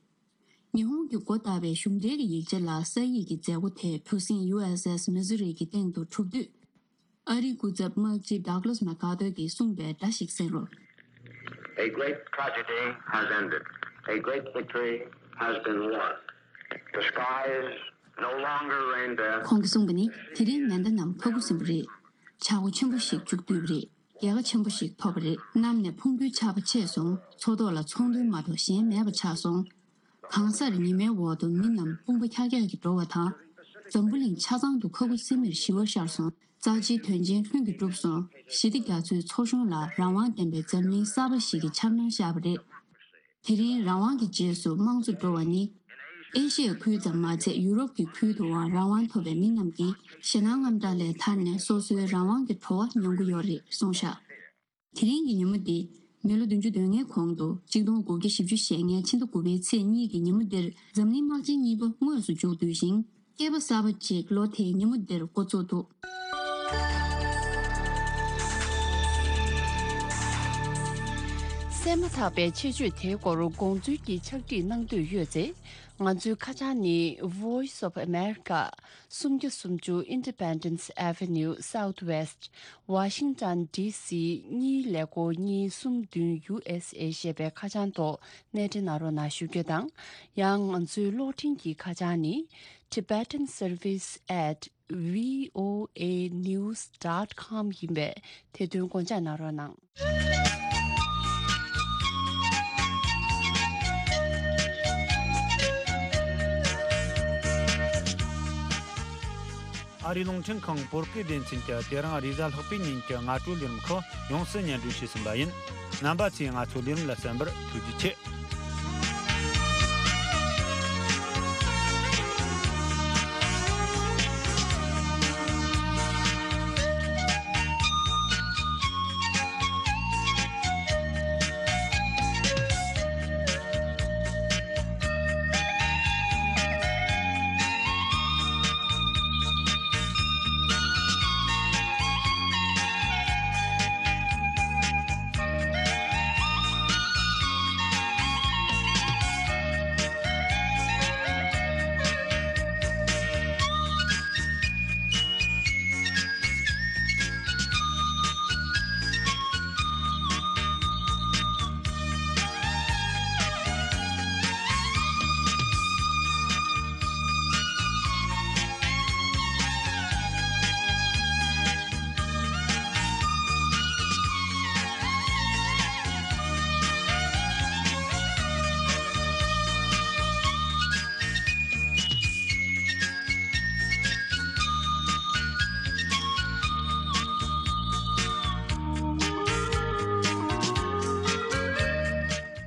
ཉི་ཧོང་གིས་མགོ་བཏགས་པའི་གཞུང་འབྲེལ་གྱི་ཡིག་ཆ་ལ་ས་ཡིག་གི་མཛད་སྒོ་དེ་གྲུ་གཟིངས་ཡུ་ཨེས་ཨེས་མི་ཟུ་རི་གི་སྟེང་དུ་གྲུབ་དུས། ཨ་རིའི་སྐུ་ཚབ་དམག་སྤྱི་ཌག་ལཱས་མེག་ཨར་ཐུར་གྱིས་གསུངས་པའི་སྒྲ་ཞིག་གསན་རོགས། A great tragedy has ended. A great victory has been won. The sky is no longer reindeer. ཁོང་གིས་གསུངས་པ་ནི། དེ་རིང་ཉི་ཟླ་རྣམས་ཁ་ཁུ་སིམ་པོ་རེད། བྱ་སྒོ་ཆེན་པོ་ཞིག་མཇུག་བསྡུས་པ་རེད། རྒྱལ་ཁ་ཆེན་པོ་ཞིག་ཐོབ་པ་རེད། གནམ་ནས་ཕུང་པོའི་ཆར་པ་མཆེད་སོང་། མཚོ་ཐོག་ལ་ཚོང་དོན་མ་གཏོགས་གཞན་མེད་པ་ཆགས་སོང་། གང་སར་ཉི་མའི་འོག་ཏུ་མི་རྣམས་དཔུང་པ་འཁྱག་འཁྱག་གིས་འགྲོ་བ་དང་། འཛམ་བུ་གླིང་ཆ་ཚང་དུ་ཁ་ཁུ་སིམ་མེར་ཞི་བ་ཤར་སོང་། རྩ་ཆེའི་དོན་ཆེན་ལྷུན་གྱིས་གྲུབ་སོང་། ཞི་བདེ་རྒྱ་མཚོའི་མཚོ་གཞུང་ལ་རང་དབང་ལྡན་པའི་འཛམ་གླིང་གསར་པ་ཞིག་གི་འཆར་སྣང་ཤར་བ་རེད། དེ་རིང་རང་དབང་གི་རྗེས་སུ་དམངས་གཙོ་འགྲོ་བ་ནི། ཨེ་ཤི་ཡའི་ཁུལ་ཙམ་མ་ཚད། ཡུ་རོབ་ཀྱི་ཁུལ་དུའང་རང་དབང་ཐོབ་པའི་མི་རྣམས་ཀྱིས་ཞེད་སྣང་དངངས་སྐྲག་ལས་ཐར་ནས། སོ་སོའི་རང་དབང་གི་གྲོགས་པོ་མྱོང་གི་ཡོད་རེད་གསུངས་བཞག། དེ་རིང་གི་ཉིན་མོ་འདི། མི་ལོ་བདུན་ཅུ་དོན་ལྔའི་གོང་དུ་གཅིག་སྟོང་དགུ་བརྒྱ་བཞི་བཅུ་ཞེ་ལྔའི་ཕྱི་ཟླ་དགུ་པའི་ཚེས་གཉིས་ཀྱི་ཉིན་མོ་འདིར། འཛམ་གླིང་དམག་ཆེན་གཉིས་པ་དངོས་སུ་མཇུག་བསྡུས་ཤིང་། བསྐལ་པ་གསར་པ་གཅིག་ལོ་དེའི་ཉིན་མོ་འདིར་འགོ་བཙུགས་འདུག། གསན་མ་ཐག་པའི་ཆེད་བརྗོད་དེའི་སྐོར་དགོངས་ཚུལ་གྱི་ཕྱག་བྲིས་གནང་འདོད་ཡོད་ཚེ། ང་ཚོའི་ཁ་བྱང་ནི། Voice of America། སུམ་བརྒྱ་སུམ་ཅུ་Independence Avenue Southwest། Washington D C གཉིས་ཀླད་ཀོར་གཉིས་གསུམ་བདུན། U S A ཞེས་པའི་ཁ་བྱང་ཐོག་གནས་འབྲེལ་གནང་རོགས་གནང་ཞུ་རྒྱུ་དང་། ཡང་ང་ཚོའི་གློག་འཕྲིན་གྱི་ཁ་བྱང་ནི། Tibetan Service at V O A news dot com ཡིན་པས། དེ་དོན་དགོངས་འཇགས་གནང་རོགས་གནང་། ཨ་རིའི་རླུང་འཕྲིན་ཁང་བོད་སྐད་སྡེ་ཚན་གྱིས་དེ་རིང་རེས་གཟའ་ལྷག་པའི་ཉིན་གྱི་སྔ་དྲོའི་ལས་རིམ་ཁག་ཡོངས་སུ་སྙན་སྒྲོན་བྱས་ཟིན་པ་ཡིན། རྣམ་པ་ཚོས་ང་ཚོའི་ལས་རིམ་ལ་གསན་པར་ཐུགས་རྗེ་ཆེ།